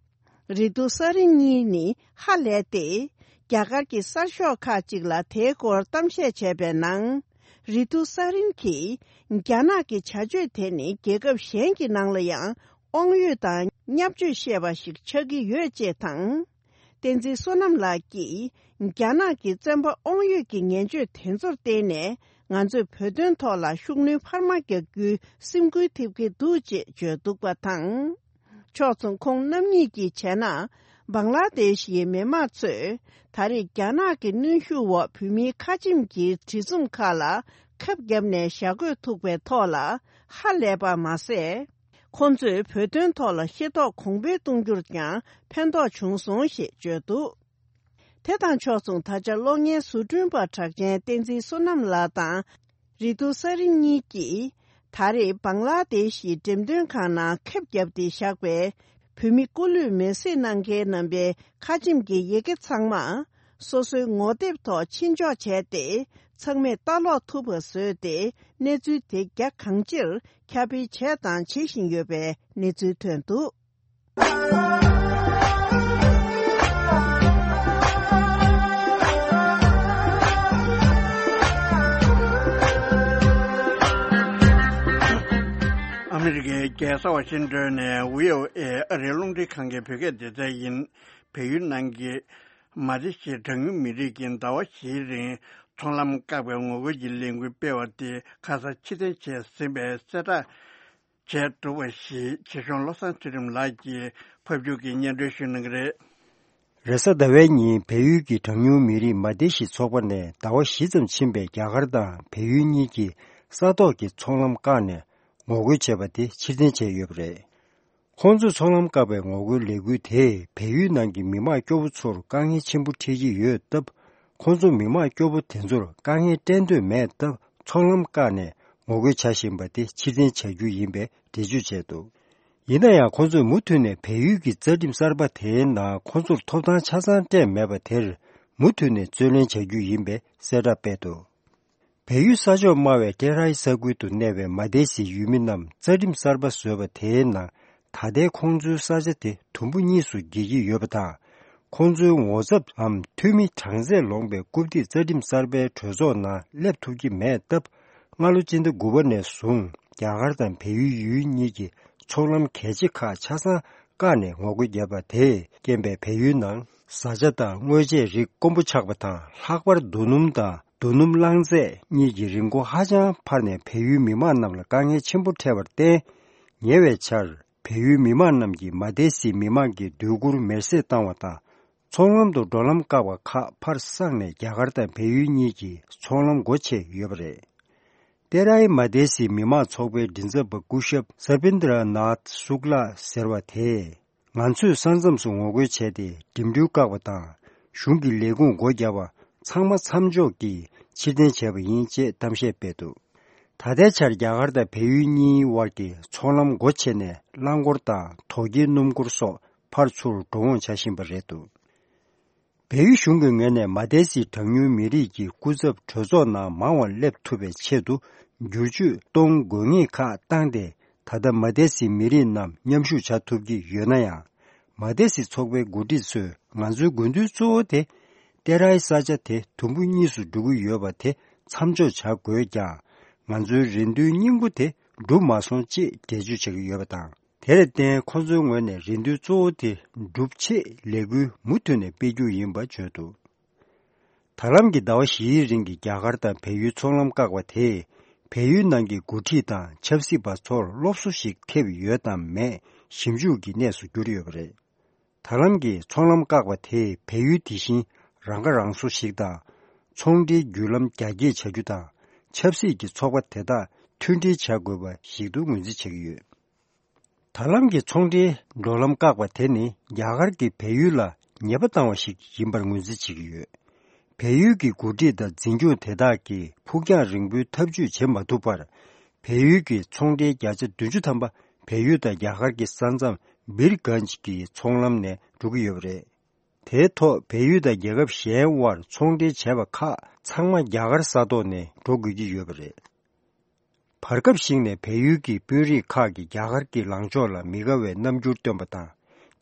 རི་ཐུ་ས་རིན་གཉིས་ནི་ཧ་ལས་ཏེ། རྒྱ་གར་གྱི་གསར་ཤོག་ཁག་ཅིག་ལ་དེའི་སྐོར་གཏམ་བཤད་བྱས་པའི་ནང་། རི་ཐུ་ས་རིན་གྱིས། རྒྱ་ནག་གི་བྱ་སྤྱོད་དེ་ནི་རྒྱལ་ཁབ་གཞན་གྱི་ནང་ལ་ཡང་། དབང་ཡོད་དང་བརྙས་བཅོས་བཤད་པ་ཞིག་ཆགས་ཀྱི་ཡོད་ཅེས་དང་། བསྟན་འཛིན་བསོད་ནམས་ལགས་ཀྱིས། རྒྱ་ནག་གི་བཙོན་པ་དབང་ཡོད་ཀྱི་ངན་སྤྱོད་དེ་ཚོར་བརྟེན་ནས། ང་ཚོས་བོད་དོན་ཐོག་ལ་ཤུགས་སྣོན་འཕར་མ་རྒྱག་རྒྱུའི་སེམས་འགུལ་ཐེབས་ཀྱི་འདུག་ཅེས་བརྗོད་འདུག་པ་དང་། ཕྱོགས་མཚུངས་ཁོང་རྣམ་གཉིས་ཀྱིས་བྱས་ན། བང་ལ་དེཤ་ཡི་མི་དམངས་ཚོས། ད་རེས་རྒྱ་ནག་གི་གནོན་ཤུགས་འོག་བོད་མིའི་ཁ་ཆེམས་ཀྱི་བྲིས་རྩོམ་ཁག་ལ་ཁབ་བརྒྱབ་ནས་ཞྭ་གོས་ཐུག་པའི་ཐོག་ལ་ཧ་ལས་པ་མ་ཟད། ཁོང་ཚོས་བོད་དོན་ཐོག་ལ་ཤེས་རྟོགས་གོང་འཕེལ་གཏོང་རྒྱུར་ཀྱང་ཕན་ཐོགས་བྱུང་སོང་ཞེས་བརྗོད་འདུག་དེ་དང་ཕྱོགས་མཚུངས། ད་ཆ་གློག་བརྙན་བཟོ་སྐྲུན་པ་གྲགས་ཅན་བསྟན་འཛིན་བསོད་ནམས་ལགས་དང་། རི་ཐུ་ས་རིན་གཉིས་ཀྱིས། ད་རེས་བང་ལ་དེཤ་ཡི་འགྲེམས་སྟོན་ཁང་ནང་ཁེབས་བརྒྱབ་སྟེ་བཞག་པའི། བོད་མི་སྐུ་ལུས་མེར་སྲེག་གནང་མཁན་རྣམ་པའི་ཁ་ཆེམས་ཀྱི་ཡི་གེ་ཚང་མ། སོ་སོའི་ངོ་དེབ་ཐོག་ཕྱིར་འཇོག་བྱས་ཏེ། ཚང་མས་ལྟ་ཀློག་ཐུབ་པ་བཟོས་ཏེ། གནས་ཚུལ་དེ་རྒྱ་གང་ཆེར་ཁྱབ་སྤེལ་བྱས་དང་བྱེད་བཞིན་ཡོད་པའི་གནས་ཚུལ་ཐོན་འདུག་ཨ་མི་རི་ཀའི་རྒྱལ་ས་ཝ་ཤིང་ཏོན་ནས་བྷི་ཨོ་ཨེ་ཨ་རིའི་རླུང་འཕྲིན་ཁང་གི་བོད་སྐད་སྡེ་ཚན་ཡིན། བལ་ཡུལ་ནང་གི་མ་ཏི་ཞི་གྲངས་ཉུང་མི་རིགས་ཀྱིས་ཟླ་བ་བཞིའི་རིང་ཚོང་ལམ་བཀག་པའི་ངོ་རྒོལ་གྱི་ལས་འགུལ་སྤེལ་བ་དེ་ཁ་སང་ཕྱིར་འཐེན་བྱས་ཟིན་པའི་གསལ་བསྒྲགས་བྱས་འདུག་པ་ཞིག་ཆེ་གཞུང་བློ་བཟང་ཚུལ་ཁྲིམས་ལགས་ཀྱིས་ཕབ་སྒྱུར་གྱིས་སྙན་སྒྲོན་ཞུ་གནང་གི་རེད། རེས་གཟའ་ཟླ་བའི་ཉིན་བལ་ཡུལ་གྱི་གྲངས་ཉུང་མི་རིགས་མ་ཏི་ཞི་ཚོགས་པ་ནས་ཟླ་བ་བཞི་ཙམ་ཕྱིན་པའི་རྒྱ་གར་དང་བལ་ཡུལ་གཉིས་ཀྱི་ས་ཐོག་གི་ཚོང་ལམ་བཀག་ནས་ངོ་རྒོལ་བྱས་པ་དེ་ཕྱིར་འཐེན་བྱས་ཡོད་པ་རེད། ཁོང་ཚོས་ཚོང་ལམ་བཀག་པའི་ངོ་རྒོལ་ལས་འགུལ་དེས་བལ་ཡུལ་ནང་གི་མི་མང་སྐྱོ་བོ་ཚོར་དཀའ་ངལ་ཆེན་པོ་འཕྲད་ཀྱི་ཡོད་སྟབས། ཁོང་ཚོ་མི་མང་སྐྱོ་པོ་དེ་ཚོར་དཀའ་ངལ་སྤྲད་འདོད་མེད་སྟབས། ཚོང་ལམ་བཀག་ནས་ངོ་རྒོལ་བྱ་བཞིན་པ་དེ་ཕྱིར་འཐེན་བྱ་རྒྱུ་ཡིན་པའི་འགྲེལ་བརྗོད་བྱས་འདུག། ཡིན་ན་ཡང་། ཁོང་ཚོས་མུ་མཐུད་ནས་བལ་ཡུལ་གྱི་རྩ་ཁྲིམས་གསར་པ་དེའི་ནང་ཁོང་ཚོར་ཐོབ་ཐང་ཆ་ཚང་སྤྲད་མེད་པ་དེར་མུ་མཐུད་ནས་རྩོད་ལེན་བྱ་རྒྱུ་ཡིན་པའི་གསལ་བསྒྲགས་སྤེལ་འདུག། བལ་ཡུལ་ས་ཕྱོགས་དམའ་བའི་ཏེ་རའི་ས་ཁུལ་དུ་གནས་པའི་མ་ཏེ་སིའི་ཡུལ་མི་རྣམས་རྩ་ཁྲིམས་གསར་པ་བཟོས་པ་དེའི་ནང་། ད་ལྟའི་ཁོང་ཚོའི་ས་ཆ་དེ་དུམ་བུ་གཉིས་སུ་འགྱེལ་གྱི་ཡོད་པ་དང་། ཁོང་ཚོའི་ངོ་ཚབ་འམ་འཐུས་མི་གྲངས་ཚད་ལོངས་པའི་རྐུབ་སྟེགས་རྩ་ཁྲིམས་གསར་པའི་གྲོས་ཚོགས་ནང་སླེབས་ཐུབ་ཀྱི་མེད་སྟབས། སྔ་ལོ་སྤྱི་ཟླ་དགུ་པ་ནས་བཟུང་རྒྱ་གར་དང་བལ་ཡུལ་ཡུལ་གཉིས་ཀྱི་ཚོང་ལམ་གལ་ཆེ་ཁག་ཆ་ཚང་བཀག་ནས་ངོ་རྒོལ་བརྒྱབ་པ་དེས་རྐྱེན་པས། བལ་ཡུལ་ནང་བཟའ་བཅའ་དང་དངོས་ཆས་རིགས་དཀོན་པོ་ཆགས་པ་དང་། ལྷག་པར་རྡོ་སྣུམ་དང་རྡོ་སྣུམ་རླངས་རྫས་གཉིས་ཀྱི་རིན་གོང་ཧ་ཅང་འཕར་ནས། བལ་ཡུལ་མི་མང་རྣམས་ལ་དཀའ་ངལ་ཆེན་པོ་འཕྲད་པར་བརྟེན། ཉེ་བའི་ཆར་བལ་ཡུལ་མི་མང་རྣམས་ཀྱིས་མ་ཏེ་སིའི་མི་མང་གི་སྡོད་གུར་མེར་སྲེག་བཏང་བ་དང་། ཚོང་ལམ་དུ་འགྲོ་ལམ་བཀག་པ་ཁག་ཕར་བསགས་ནས། རྒྱ་གར་དང་བལ་ཡུལ་གཉིས་ཀྱི་ཚོང་ལམ་སྒོ་ཕྱེ་ཡོད་པ་རེད། ཏེ་རའི་མ་ཏེ་སིའི་མི་མང་ཚོགས་པའི་མགྲིན་ཚབ་པ་སྐུ་ཞབས་སར་པིན་དྲ་ནཱཐ་སུག་ལ་ཟེར་བ་དེས། ང་ཚོས་ས་མཚམས་སུ་ངོ་རྒོལ་བྱས་ཏེ། འགྲིམ་འགྲུལ་བཀག་པ་དང་། གཞུང་གི་ལས་ཁུངས་སྒོ་བརྒྱབ་པ་ཚང་མ་མཚམས་འཇོག་གིས་ཕྱིར་འཐེན་བྱས་པ་ཡིན་ཅེས་གཏམ་བཤད་སྤེལ་འདུག། ད་ལྟའི་ཆར་རྒྱ་གར་དང་བལ་ཡུལ་གཉིས་དབར་གྱི་ཚོང་ལམ་སྒོ་ཕྱེ་ནས། རླངས་འཁོར་དང་དོས་སྐྱེལ་སྣུམ་འཁོར་སོགས་ཕར་ཚུར་འགྲོ་འོང་བྱ་བཞིན་པ་རེད་འདུག། བལ་ཡུལ་གཞུང་གི་ངོས་ནས་མ་ཏེ་སི་གྲངས་ཉུང་མི་རིགས་ཀྱི་སྐུ་ཚབ་གྲོས་ཚོགས་ནང་མང་བ་སླེབས་ཐུབ་པའི་ཆེད་དུ་བསྒྱུར་བཅོས་གཏོང་དགོས་ངེས་ཁག་བཏང་སྟེ། ད་ལྟ་མ་ཏེ་སི་མི་རིགས་རྣམས་མཉམ་ཞུགས་བྱ་ཐུབ་ཀྱི་ཡོད་ན་ཡང་། མ་ཏེ་སི་ཚོགས་པའི་འགོ་ཁྲིད་ཚོས། ང་ཚོའི་དགོས་འདུན་གཙོ་བོ་དེ་ཏེ་རའི་ས་ཆ་དེ་དུམ་བུ་གཉིས་སུ་འགྲོ་གི་ཡོད་པ་དེ་མཚམས་འཇོག་བྱ་དགོས་ཀྱང་། ང་ཚོའི་རེ་འདུན་སྙིང་པོ་དེ་འགྲུབ་མ་སོང་ཅེས་འགྲེལ་བརྗོད་བྱེད་ཀྱི་ཡོད་པ་དང་། དེར་བརྟེན། ཁོ་ཚོའི་ངོས་ནས་རེ་འདུན་གཙོ་བོ་དེ་འགྲུབ་ཆེད་ལས་འགུལ་མུ་མཐུད་ནས་སྤེལ་རྒྱུ་ཡིན་པ་བརྗོད་འདུག། ད་ལམ་གྱི་ཟླ་བ་བཞིའི་རིང་གི་རྒྱ་གར་དང་བལ་ཡུལ་ཚོང་ལམ་བཀག་པ་དེས། བལ་ཡུལ་ནང་གི་འགོ་ཁྲིད་དང་ཆབ་སྲིད་པ་ཚོར་སློབ་གསོ་ཞིག་ཐེབས་ཡོད་དམ་མེད་ཞིབ་འཇུག་གི་གནས་སུ་གྱུར་ཡོད་པ་རེད། ད་ལམ་གྱི་ཚོང་ལམ་བཀག་པ་དེས་བལ་ཡུལ་དེ་བཞིན་རང་ཁ་རང་གསོ་ཞིག་དང་། ཚོང་འབྲེལ་བརྒྱུད་ལམ་རྒྱ་སྐྱེད་བྱ་རྒྱུ་དང་། ཆབ་སྲིད་ཀྱི་ཚོགས་པ་དེ་དག་མཐུན་སྒྲིལ་བྱ་དགོས་པ་ཞིག་ཏུ་ངོས་འཛིན་བྱེད་ཀྱི་ཡོད། ད་ལམ་གྱི་ཚོང་འབྲེལ་འགྲོ་ལམ་བཀག་པ་དེ་ནི། རྒྱ་གར་གྱིས་བལ་ཡུལ་ལ་ཉེས་པ་བཏང་བ་ཞིག་ཡིན་པར་ངོས་འཛིན་བྱེད་ཀྱི་ཡོད། བལ་ཡུལ་གྱི་འགོ་ཁྲིད་དང་འཛིན་སྐྱོང་དེ་དག་གིས་ཕུགས་རྒྱང་རིང་པོའི་ཐབས་ཇུས་བྱེད་མ་ཐུབ་པར། བལ་ཡུལ་གྱི་ཚོང་འབྲེལ་བརྒྱ་ཆ་བདུན་ཅུ་ཐམ་པ་བལ་ཡུལ་དང་རྒྱ་གར་གྱི་ས་མཚམས་བིར་གྷན་ཇི་གི་ཚོང་ལམ་ནས་འགྲོ་གི་ཡོད་པ་རེད། དེའི་ཐོག་བལ་ཡུལ་དང་རྒྱལ་ཁབ་གཞན་དབར་ཚོང་འབྲེལ་བྱས་པ་ཁག་ཚང་མ་རྒྱ་གར་ས་ཐོག་ནས་འགྲོ་དགོས་ཀྱི་ཡོད་པ་རེད། བར་སྐབས་ཤིག་ནས་བལ་ཡུལ་གྱི་དཔོན་རིགས་ཁག་གིས་རྒྱ་གར་གྱི་ལངས་ཕྱོགས་ལ་མི་དགའ་བའི་རྣམ་འགྱུར་སྟོན་པ་དང་།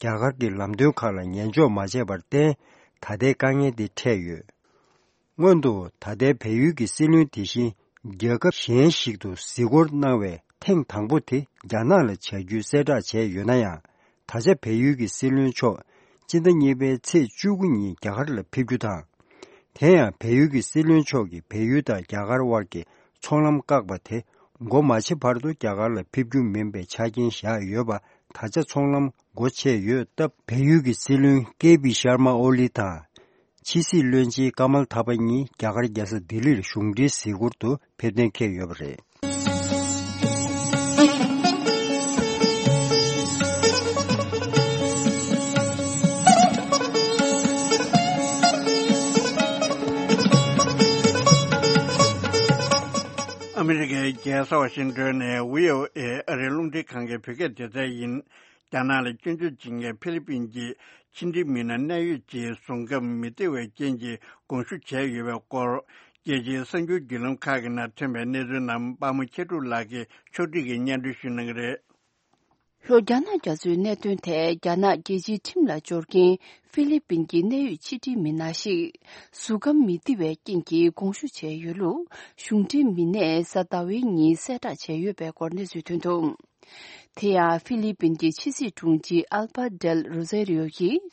རྒྱ་གར་གྱི་ལམ་སྟོན་ཁག་ལ་ཉན་འཇོག་མ་བྱས་པར་བརྟེན། ད་ལྟའི་དཀའ་ངལ་འདི་འཕྲད་ཡོད། སྔོན་དུ་ད་ལྟའི་བལ་ཡུལ་གྱི་སྲིད་བློན་དེ་བཞིན་རྒྱལ་ཁབ་གཞན་ཞིག་ཏུ་གཟིགས་སྐོར་གནང་བའི་ཐེངས་དང་པོ་དེ་རྒྱ་ནག་ལ་བྱ་རྒྱུའི་གསལ་བསྒྲགས་བྱས་ཡོད་ན་ཡང་། ད་ཆ་བལ་ཡུལ་གྱི་སྲིད་བློན་མཆོག་སྤྱི་ཟླ་གཉིས་པའི་ཚེས་བཅུ་དགུ་ཉིན་རྒྱ་གར་ལ་ཕེབས་རྒྱུ་དང་། དེ་ཡང་བལ་ཡུལ་གྱི་སྲིད་བློན་མཆོག་གིས་བལ་ཡུལ་དང་རྒྱ་གར་དབར་གྱི་ཚོང་ལམ་བཀག་པ་དེ་སྒོ་མ་ཕྱེ་བར་དུ་རྒྱ་གར་ལ་ཕེབས་རྒྱུ་མིན་པའི་ཆ་རྐྱེན་བཞག་ཡོད་པ། ད་ཆ་ཚོང་ལམ་སྒོ་ཕྱེ་ཡོད་སྟབས། བལ་ཡུལ་གྱི་སྲིད་བློན་ཀེ་པི་ཤར་མ་ཨོ་ལི་དང་། ཕྱི་སྲིད་བློན་ཆེན་ཀ་མལ་ཐ་པ་གཉིས་རྒྱ་གར་རྒྱལ་ས་ལྡི་ལིར་གཞུང་འབྲེལ་གཟིགས་སྐོར་དུ་ཕེབས་གཏན་འཁེལ་ཡོད་པ་རེད། ཨ་མི་རི་ཀའི་རྒྱལ་ས་ཝ་ཤིང་ཏོན་ནས་བྷི་ཨོ་ཨེ་ཨ་རིའི་རླུང་འཕྲིན་ཁང་གི་བོད་སྐད་སྡེ་ཚན་ཡིན། རྒྱ་ནག་ལ་སྐྱོན་བརྗོད་བྱེད་མཁན་ཧྥི་ལི་པིན་གྱི་ཕྱི་འབྲེལ་མི་སྣ་གནད་ཡོད་ཅིག་བཟུང་སྐབས་མི་བདེ་བའི་རྐྱེན་གྱིས་དགོངས་ཞུ་བྱས་ཡོད་པའི་སྐོར། རྒྱལ་སྤྱིའི་གསར་འགྱུར་བརྒྱུད་ལམ་ཁག་གི་ནང་ཐོན་པའི་གནས་ཚུལ་རྣམས་པདྨ་མཁས་གྲུབ་ལགས་ཀྱིས་ཕྱོགས་སྒྲིག་གིས་སྙན་སྒྲོན་ཞུ་གནང་གི་རེད། ལྷོ་རྒྱ་ནག་རྒྱ་མཚོའི་གནད་དོན་ཐད་རྒྱ་ནག་རྒྱལ་སྤྱིའི་ཁྲིམས་ལ་སྦྱོར་མཁན་ཧྥི་ལི་པིན་གྱི་གནད་ཡོད་ཕྱི་འབྲེལ་མི་སྣ་ཞིག་གཟུགས་ཁམས་མི་བདེ་བའི་རྐྱེན་གྱིས་དགོངས་ཞུ་བྱས་ཡོད་ལུགས་གཞུང་འབྲེལ་མི་སྣས་གཟའ་ཟླ་བའི་ཉིན་གསལ་བསྒྲགས་བྱས་ཡོད་པའི་སྐོར་གནས་ཚུལ་ཐོན་འདུག། དེ་ཡང་ཧྥི་ལི་པིན་གྱི་ཕྱི་སྲིད་དྲུང་ཆེ་ཨལ་པ་ཌེལ་རོ་ཟེ་རི་ཡོ་ཡིས་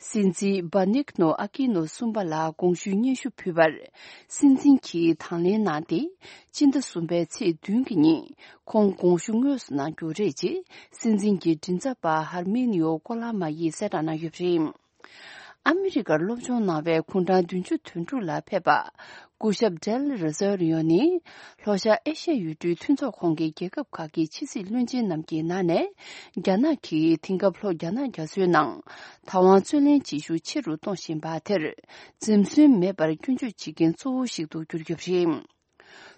སྲིད་འཛིན་སྦ་ནིག་ནོ་ཨ་ཀི་ནོ་གསུམ་པ་ལ་དགོངས་ཞུའི་སྙན་ཞུ་ཕུལ་བར། སྲིད་འཛིན་གྱིས་དང་ལེན་གནང་སྟེ། སྤྱི་ཟླ་གསུམ་པའི་ཚེས་བདུན་གྱི་ཉིན་ཁོང་དགོངས་ཞུ་དངོས་སུ་གནང་རྒྱུ་རེད་ཅེས་སྲིད་འཛིན་གྱི་མགྲིན་ཚབ་པ་ཧར་མེ་ནི་ཡོ་ཀོ་ལ་མ་ཡིས་གསལ་བསྒྲགས་གནང་ཡོད་པ་རེད། ཨ་མི་རི་ཀར་སློབ་སྦྱོང་གནང་བའི་དགུང་གྲངས་བདུན་ཅུ་དོན་དྲུག་ལ་ཕེབས་པ། སྐུ་ཞབས་ཌེལ་རི་ཟོ་རི་ཡོ་ནི། ལྷོ་ཤར་ཨེ་ཤ་ཡ་ཡུལ་གྲུའི་མཐུན་ཚོགས་ཁོངས་ཀྱི་རྒྱལ་ཁབ་ཁག་གི་ཕྱི་སྲིད་བློན་ཆེན་རྣམས་ཀྱི་ནང་ནས། རྒྱ་ནག་གིས་དེང་སྐབས་ལྷོ་རྒྱ་ནག་རྒྱ་མཚོའི་ནང་། དང་བ་རྩོད་ལེན་བྱེད་ཤུགས་ཆེ་རུ་གཏོང་བཞིན་པ་དེར། འཛེམ་ཟོན་མེད་པར་སྐྱོན་བརྗོད་བྱེད་མཁན་གཙོ་བོ་ཞིག་ཏུ་གྱུར་ཡོད་པ་རེད།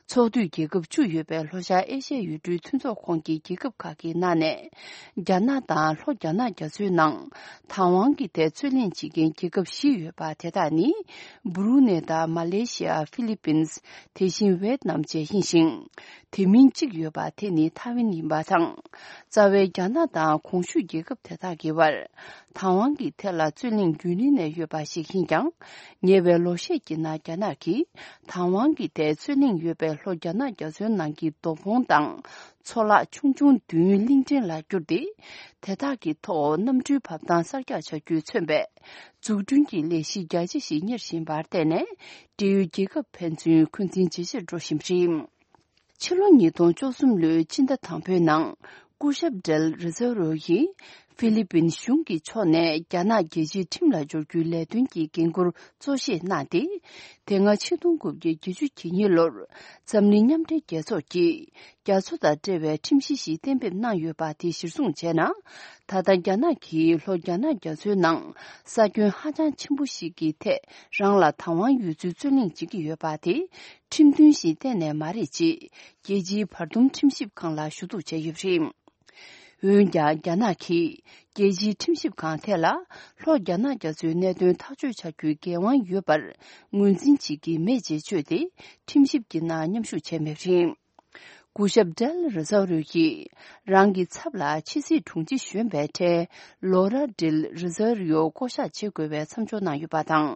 ཚོགས་འཐུས་རྒྱལ་ཁབ་བཅུ་ཡོད་པའི་ལྷོ་ཤར་ཨེ་ཤ་ཡའི་ཡུལ་གྲུའི་མཐུན་ཚོགས་ཁོངས་ཀྱི་རྒྱལ་ཁབ་ཁག་གི་ནང་ནས། རྒྱ་ནག་དང་ལྷོ་རྒྱ་ནག་རྒྱ་མཚོའི་ནང་། དང་བ་གི་ཐད་རྩོད་གླེང་བྱེད་མཁན་རྒྱལ་ཁབ་བཞི་ཡོད་པ་དེ་དག་ནི། སྦུ་རུ་ནེ་དང་མ་ལེ་ཤི་ཡ། ཧྥི་ལི་པིན། དེ་བཞིན་ཝེད་ནམ་བཅས་ཡིན་ཞིང་། དེ་མིན་གཅིག་ཡོད་པ་དེ་ནི་ཐའེ་ཝན་ཡིན་པ་དང་། རྩ་བའི་རྒྱ་ནག་དང་གོང་ཞུས་རྒྱལ་ཁབ་དེ་དག་གི་བར། དང་བ་གི་ཐད་ལ་རྩོད་གླེང་རྒྱུན་རིང་ནས་ཡོད་པ་ཞིག་ཡིན་ཀྱང་། ཉེ་བའི་ལོ་ཤས་ཀྱི་ནང་རྒྱ་ནག་གིས་དང་བ་གི་ཐད་རྩོད་གླེང་ཡོད་པའི་ལྷོ་རྒྱ་ནག་རྒྱ་མཚོའི་ནང་གི་རྡོ་ཕོང་དང་ཚོ་ལག་ཆུང་ཆུང་བདུན་གླིང་ཕྲན་ལ་བསྒྱུར་ཏེ། དེ་དག་གི་ཐོག་གནམ་གྲུའི་བབས་ཐང་གསར་རྒྱག་བྱ་རྒྱུས་མཚོན་པའི་འཛུགས་སྐྲུན་གྱི་ལས་གཞི་རྒྱ་ཆེ་ཞིག་གཉེར་བཞིན་པར་བརྟེན་ནས། འབྲེལ་ཡོད་རྒྱལ་ཁབ་ཕན་ཚུན་འཁོན་འཛིན་ཇེ་ཆེར་འགྲོ་བཞིན་པ་རེད། ཕྱི་ལོ་ཉིས་སྟོང་བཅུ་གསུམ་ལོའི་སྤྱི་ཟླ་དང་པོའི་ནང་སྐུ་ཞབས་ཌེལ་རི་ཟོ་རོ་ཡིས་ཧྥི་ལི་པིན་གཞུང་གི་ཕྱོགས་ནས་རྒྱ་ནག་རྒྱལ་སྤྱིའི་ཁྲིམས་ལ་སྦྱོར་རྒྱུའི་ལས་དོན་གྱི་འགན་འཁུར་གཙོ་བཞེས་གནང་སྟེ། དེ་སྔ་ཆིག་སྟོང་དགུ་བརྒྱ་བརྒྱད་ཅུ་གྱ་གཉིས་ལོར་འཛམ་གླིང་མཉམ་འབྲེལ་རྒྱལ་ཚོགས་ཀྱིས་རྒྱ་མཚོ་དང་འབྲེལ་བའི་ཁྲིམས་གཞི་ཞིག་གཏན་འབེབས་གནང་ཡོད་པ་དེ་གཞིར་བཟུང་བྱས་ན། ད་ལྟ་རྒྱ་ནག་གིས་ལྷོ་རྒྱ་ནག་རྒྱ་མཚོའི་ནང་ས་ཁྱོན་ཧ་ཅང་ཆེན་པོ་ཞིག་གི་ཐད་རང་ལ་དང་བ་ཡོད་ཚུལ་རྩོད་གླེང་བྱེད་ཀྱི་ཡོད་པ་དེ། ཁྲིམས་མཐུན་ཞིག་གཏན་ནས་མ་རེད་ཅེས་རྒྱལ་སྤྱིའི་བར་འདུམ་ཁྲིམས་ཞིབ་ཁང་ལ་ཞུ་གཏུག་བྱས་ཡོད་པ་རེད། འོན་ཀྱང་རྒྱ་ནག་གིས་རྒྱལ་སྤྱིའི་ཁྲིམས་ཞིབ་ཁང་དེ་ལ་ལྷོ་རྒྱ་ནག་རྒྱ་མཚོའི་གནད་དོན་ཐག་གཅོད་བྱ་རྒྱུའི་འགན་དབང་ཡོད་པར་ངོས་འཛིན་བྱེད་ཀྱི་མེད་ཅེས་བརྗོད་དེ། ཁྲིམས་ཞིབ་ཀྱི་ནང་མཉམ་ཞུགས་བྱས་མེད་པ་རེད། སྐུ་ཞབས་ཌེལ་རི་ཟོ་རིའོ་ཡིས་རང་གི་ཚབ་ལ་ཕྱི་སྲིད་དྲུང་ཆེ་གཞོན་པའི་གྲས་ལོ་ར་ཌེལ་རི་ཟོ་རིའོ་བསྐོ་གཞག་བྱེད་དགོས་པའི་མཚམས་འཇོག་གནང་ཡོད་པ་དང་།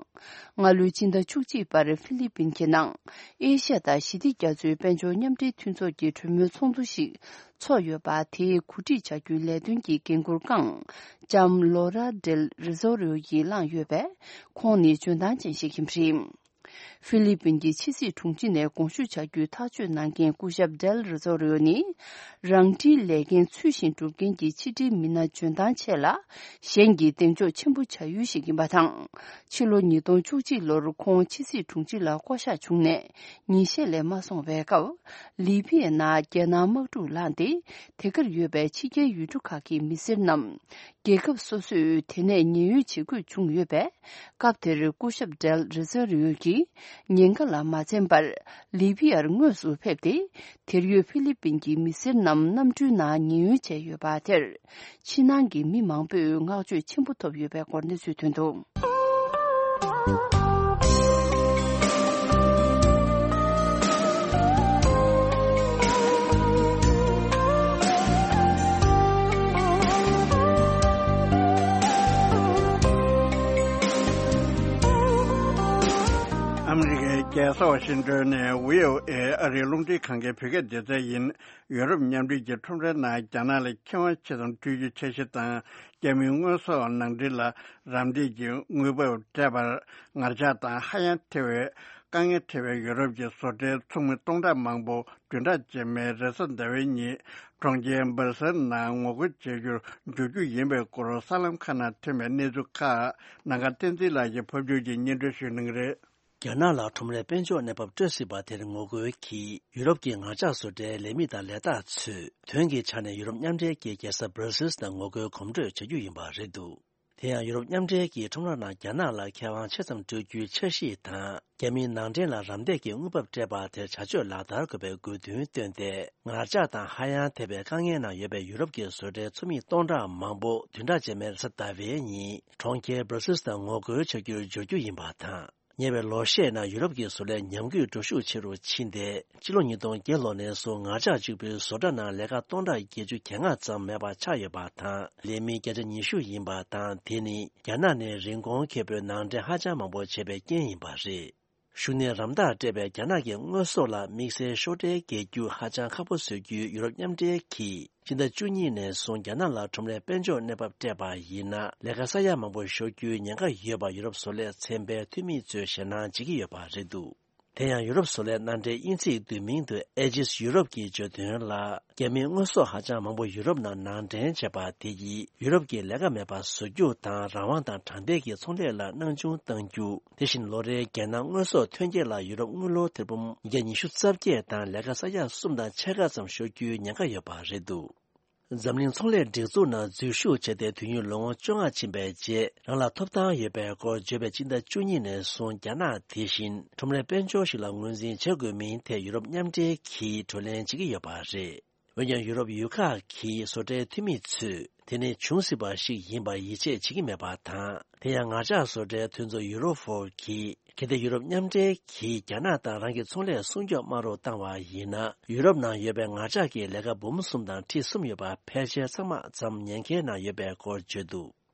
སྔ་ལོའི་ཕྱི་ཟླ་བཅུ་གཅིག་པར་ཧྥི་ལི་པིན་གྱི་ནང་ཨེ་ཤ་ཡ་དང་ཞི་བདེ་རྒྱ་མཚོའི་དཔལ་འབྱོར་མཉམ་འབྲེལ་མཐུན་ཚོགས་ཀྱི་གྲོས་མོལ་ཚོགས་འདུ་ཞིག་ཚོགས་ཡོད་པ། དེའི་གོ་སྒྲིག་བྱ་རྒྱུའི་ལས་དོན་གྱི་འགན་འཁུར་བསྐྱངས་ལྕམ་ལོ་ར་ཌེལ་རི་ཟོ་རིའོ་ཡིས་བླངས་ཡོད་པས། ཁོང་ནི་འཇོན་ཐང་ཅན་ཞིག་ཡིན་པ་རེད། ཧྥི་ལི་པིན་གྱི་ཕྱི་སྲིད་དྲུང་ཆེ་ནས་དགོངས་ཞུ་བྱ་རྒྱུའི་ཐག་གཅོད་གནང་མཁན་སྐུ་ཞབས་ཌེལ་རི་ཟོ་རིའོ་ནི། རང་འཁྲིའི་ལས་འགན་ཚུལ་བཞིན་སྒྲུབ་མཁན་གྱི་ཕྱི་འབྲེལ་མི་སྣ་འཇོན་ཐང་ཆེ་ལ། གཞན་གྱི་གདེང་འཇོག་ཆེན་པོ་བྱ་ཡུལ་ཞིག་ཡིན་པ་དང་། ཕྱི་ལོ་ཉིས་སྟོང་བཅུ་གཅིག་ལོར་ཁོང་ཕྱི་སྲིད་དྲུང་ཆེ་ལ་བསྐོ་གཞག་བྱུང་ནས་ཉིན་ཤས་ལས་མ་སོང་བའི་སྐབས། ལི་བྷི་ཡའི་ནང་རྒྱལ་ནང་དམག་འཁྲུག་ལངས་ཏེ། དེ་གར་ཡོད་པའི་ཕྱི་རྒྱལ་ཡུལ་གྲུ་ཁག་གི་མི་སེར་རྣམས། རྒྱལ་ཁབ་སོ་སོས་དེ་ནས་ཉེན་གཡོལ་བྱེད་དགོས་བྱུང་ཡོད་པས། སྐབས་དེར་སྐུ་ཞབས་ཌེལ་རི་ཟོ་རིའོ་ཡིས་ཉེན་ཁ་ལ་མ་འཛེམས་པར་ལི་བྷི་ཡར་དངོས་སུ་ཕེབས་ཏེ། དེར་ཡོད་ཧྥི་ལི་པིན་གྱི་མི་སེར་རྣམས་གནམ་གྲུའི་ནང་ཉེན་གཡོལ་བྱས་ཡོད་པ་དེར། ཕྱི་ནང་གི་མི་མང་པོས་བསྔགས་བརྗོད་ཆེན་པོ་ཐོབ་ཡོད་པའི་སྐོར་གནས་ཚུལ་ཐོན་འདུག་ཨ་མི་རི་ཀའི་རྒྱལ་ས་ཝ་ཤིང་ཏོན་ནས་བྷི་ཨོ་ཨེ་ཨ་རིའི་རླུང་འཕྲིན་ཁང་གི་བོད་སྐད་སྡེ་ཚན་ཡིན། ཡུ་རོབ་མཉམ་འབྲེལ་གྱི་ཁྲོམ་རའི་ནང་རྒྱ་ནག་ལ་ཁེ་དབང་ཆེ་ཙམ་སྤྲོད་རྒྱུའི་འཆར་གཞི་དང་། རྒྱ་མིའི་དངོས་ཟོག་ནང་འདྲེན་ལ་རམ་འདེགས་ཀྱི་དངུལ་འབབ་སྤྲད་པར་ངར་ལྕགས་དང་ཧ་ཡང་ཐེ་བའི་དཀའ་ངལ་འཕྲད་པའི་ཡུ་རོབ་ཀྱི་བཟོ་གྲྭའི་ཚོགས་མི་སྟོང་ཕྲག་མང་པོ་བདུན་ཕྲག་རྗེས་མའི་རེས་གཟའ་ཟླ་བའི་ཉིན་གྲོང་ཁྱེར་སྦར་སེལ་ནང་ངོ་རྒོལ་བྱེད་རྒྱུར་འཇུག་རྒྱུ་ཡིན་པའི་སྐོར་གསར་ལམ་ཁག་ནང་ཐོན་པའི་གནས་ཚུལ་ཁག་ནམ་མཁའ་བསྟན་འཛིན་ལགས་ཀྱིས་ཕབ་སྒྱུར་གྱིས་སྙན་སྒྲོན་ཞུ་གནང་གི་རེད། རྒྱ་ནག་ལ་ཁྲོམ་རའི་དཔལ་འབྱོར་གནས་བབ་སྤྲོད་སྲིད་པ་དེར་ངོ་རྒོལ་གྱིས་ཡུ་རོབ་ཀྱི་ངར་ལྕགས་བཟོ་གྲྭའི་ལས་མི་དང་ལས་བདག་ཚོས་དོན་གྱི་ཆ་ནས་ཡུ་རོབ་མཉམ་འབྲེལ་གྱི་རྒྱལ་ས་སྦར་སིལ་དུ་ངོ་རྒོལ་གོམ་བགྲོད་བྱ་རྒྱུ་ཡིན་པ་རེད་འདུག་དེ་ཡང་ཡུ་རོབ་མཉམ་འབྲེལ་གྱི་ཁྲོམ་ར་ནང་རྒྱ་ནག་ལ་ཁེ་དབང་ཆེ་ཙམ་སྤྲོད་རྒྱུའི་འཆར་གཞི་དང་། རྒྱ་མིའི་ནང་འདྲེན་ལ་རམ་འདེགས་ཀྱི་དངུལ་འབབ་སྤྲད་པ་དེར་བྱ་སྤྱོད་ལག་བསྟར་དགོས་པའི་དགོས་འདུན་བཏོན་ཏེ། ངར་ལྕགས་དང་ཧ་ཡང་ཐེ་བའི་དཀའ་ངལ་ནང་ཡོད་པའི་ཡུ་རོབ་ཀྱི་བཟོ་གྲྭའི་ཚོགས་མི་སྟོང་ཕྲག་མང་པོ་བདུན་ཕྲག་རྗེས་མའི་རེས་གཟའ་ཟླ་བའི་ཉིན་གྲོང་ཁྱེར་སྦར་སིལ་དུ་ངོ་རྒོལ་བྱ་རྒྱུར་འབྱོར་རྒྱུ་ཡིན་པ་དང་། ཉེ་བའི་ལོ་ཤས་ནང་ཡུ་རོབ་ཀྱི་བཟོ་ལས་ཉམས་རྒུད་འགྲོ་ཤུགས་ཆེ་རུ་ཕྱིན་ཏེ། ཕྱི་ལོ་ཉིས་སྟོང་བརྒྱད་ལོ་ནས་བཟུང་ངར་ལྕགས་གཅིག་པུའི་བཟོ་གྲྭ་ནང་ལས་ཀ་སྟོང་ཕྲག་བརྒྱད་ཅུ་གྱ་ལྔ་ཙམ་མེད་པ་ཆགས་ཡོད་པ་དང་། ལས་མི་བརྒྱ་ཆ་ཉི་ཤུ་ཡིན་པ་དང་། དེ་ནི་རྒྱ་ནག་ནས་རིན་གོང་ཁེ་པོའི་ནང་འདྲེན་ཧ་ཅང་མང་པོ་བྱས་པའི་རྐྱེན་ཡིན་པ་རེད། གཞུང་ནས་རམ་འདེགས་སྤྲད་པའི་རྒྱ་ནག་གི་དངོས་ཟོག་ལ་དམིགས་བསལ་ཤོག་ཁྲལ་འགེལ་རྒྱུ་ཧ་ཅང་ཁག་པོ་བཟོ་རྒྱུའི་ཡུ་རོབ་མཉམ་འབྲེལ་གྱིས། སྤྱི་ཟླ་བཅུ་གཉིས་ནས་བཟུང་རྒྱ་ནག་ལ་ཁྲོམ་རའི་དཔལ་འབྱོར་གནས་བབ་སྤྲད་པ་ཡིན་ན། ལས་ཀ་ས་ཡ་མང་པོ་ཤོར་རྒྱུའི་ཉེན་ཁ་ཡོད་པ་ཡུ་རོབ་བཟོ་ལས་ཚན་པའི་འཐུས་མི་ཚོས་ཞེད་སྣང་བྱེད་ཀྱི་ཡོད་པ་རེད་འདུག་དེ་ཡང་ཡུ་རོབ་བཟོ་ལས་མནའ་འབྲེལ་དབྱིན་ཚིག་བསྡུས་མིང་དུ་Aegis Europe གྱིས་བརྗོད་དོན་ལ། རྒྱ་མིའི་དངོས་ཟོག་ཧ་ཅང་མང་པོ་ཡུ་རོབ་ནང་ནང་འདྲེན་བྱས་པ་དེ་ཡིས་ཡུ་རོབ་ཀྱི་ལས་ཀ་མེད་པ་བཟོ་རྒྱུ་དང་། རང་དབང་དང་དྲང་བདེན་གྱི་ཚོང་ལས་ལ་སྣང་ཆུང་གཏང་རྒྱུ། དེ་བཞིན་ལོ་རེའི་རྒྱལ་ནང་དངོས་ཟོག་ཐོན་སྐྱེད་ལ་ཡུ་རོབ་དངུལ་ལོར་ཐེར་འབུམ་བརྒྱ་ཉི་ཤུ་རྩ་བརྒྱད་དང་ལས་ཀ་ས་ཡ་གསུམ་དང་ཕྱེད་ཀ་ཙམ་ཤོར་རྒྱུའི་ཉེན་ཁ་ཡོད་པ་རེད་འདུག་འཛམ་གླིང་ཚོང་ལས་སྒྲིག་འཛུགས་ནང་འཛུལ་ཞུགས་བྱས་ཏེ་དུས་ཡུན་ལོ་ངོ་བཅོ་ལྔ་ཕྱིན་པའི་རྗེས། རང་ལ་ཐོབ་ཐང་ཡོད་པའི་སྐོར་བརྗོད་པའི་སྤྱི་ཟླ་བཅུ་གཉིས་ནས་བཟུང་རྒྱ་ནག་དེ་བཞིན་ཁྲོམ་རའི་དཔལ་འབྱོར་ཞིག་ལ་ངོས་འཛིན་བྱེད་དགོས་མིན་ཐད་ཡུ་རོབ་མཉམ་འབྲེལ་གྱིས་བགྲོ་གླེང་བྱེད་ཀྱི་ཡོད་པ་རེད། འོན་ཀྱང་ཡུ་རོབ་ཡུལ་ཁག་གི་བཟོ་གྲྭའི་འཐུས་མི་ཚོས་དེ་ནི་འབྱུང་སྲིད་པ་ཞིག་ཡིན་པར་ཡིད་ཆེས་བྱེད་ཀྱི་མེད་པ་དང་། དེ་ཡང་ངར་ལྕགས་བཟོ་གྲྭའི་མཐུན་ཚོགས་Euro four གིས། གལ་ཏེ་ཡུ་རོབ་མཉམ་འབྲེལ་གྱིས་རྒྱ་ནག་དང་རང་གི་ཚོང་ལས་སྲུང་སྐྱོབ་དམའ་རུ་བཏང་བ་ཡིན་ན། ཡུ་རོབ་ནང་ཡོད་པའི་ངར་ལྕགས་ཀྱི་ལས་ཀ་འབུམ་གསུམ་དང་ཁྲི་གསུམ་ཡོད་པ་ཕལ་ཆེར་ཚང་མ་ཙམ་ཉེན་ཁའི་ནང་ཡོད་པའི་སྐོར་བརྗོད་འདུག་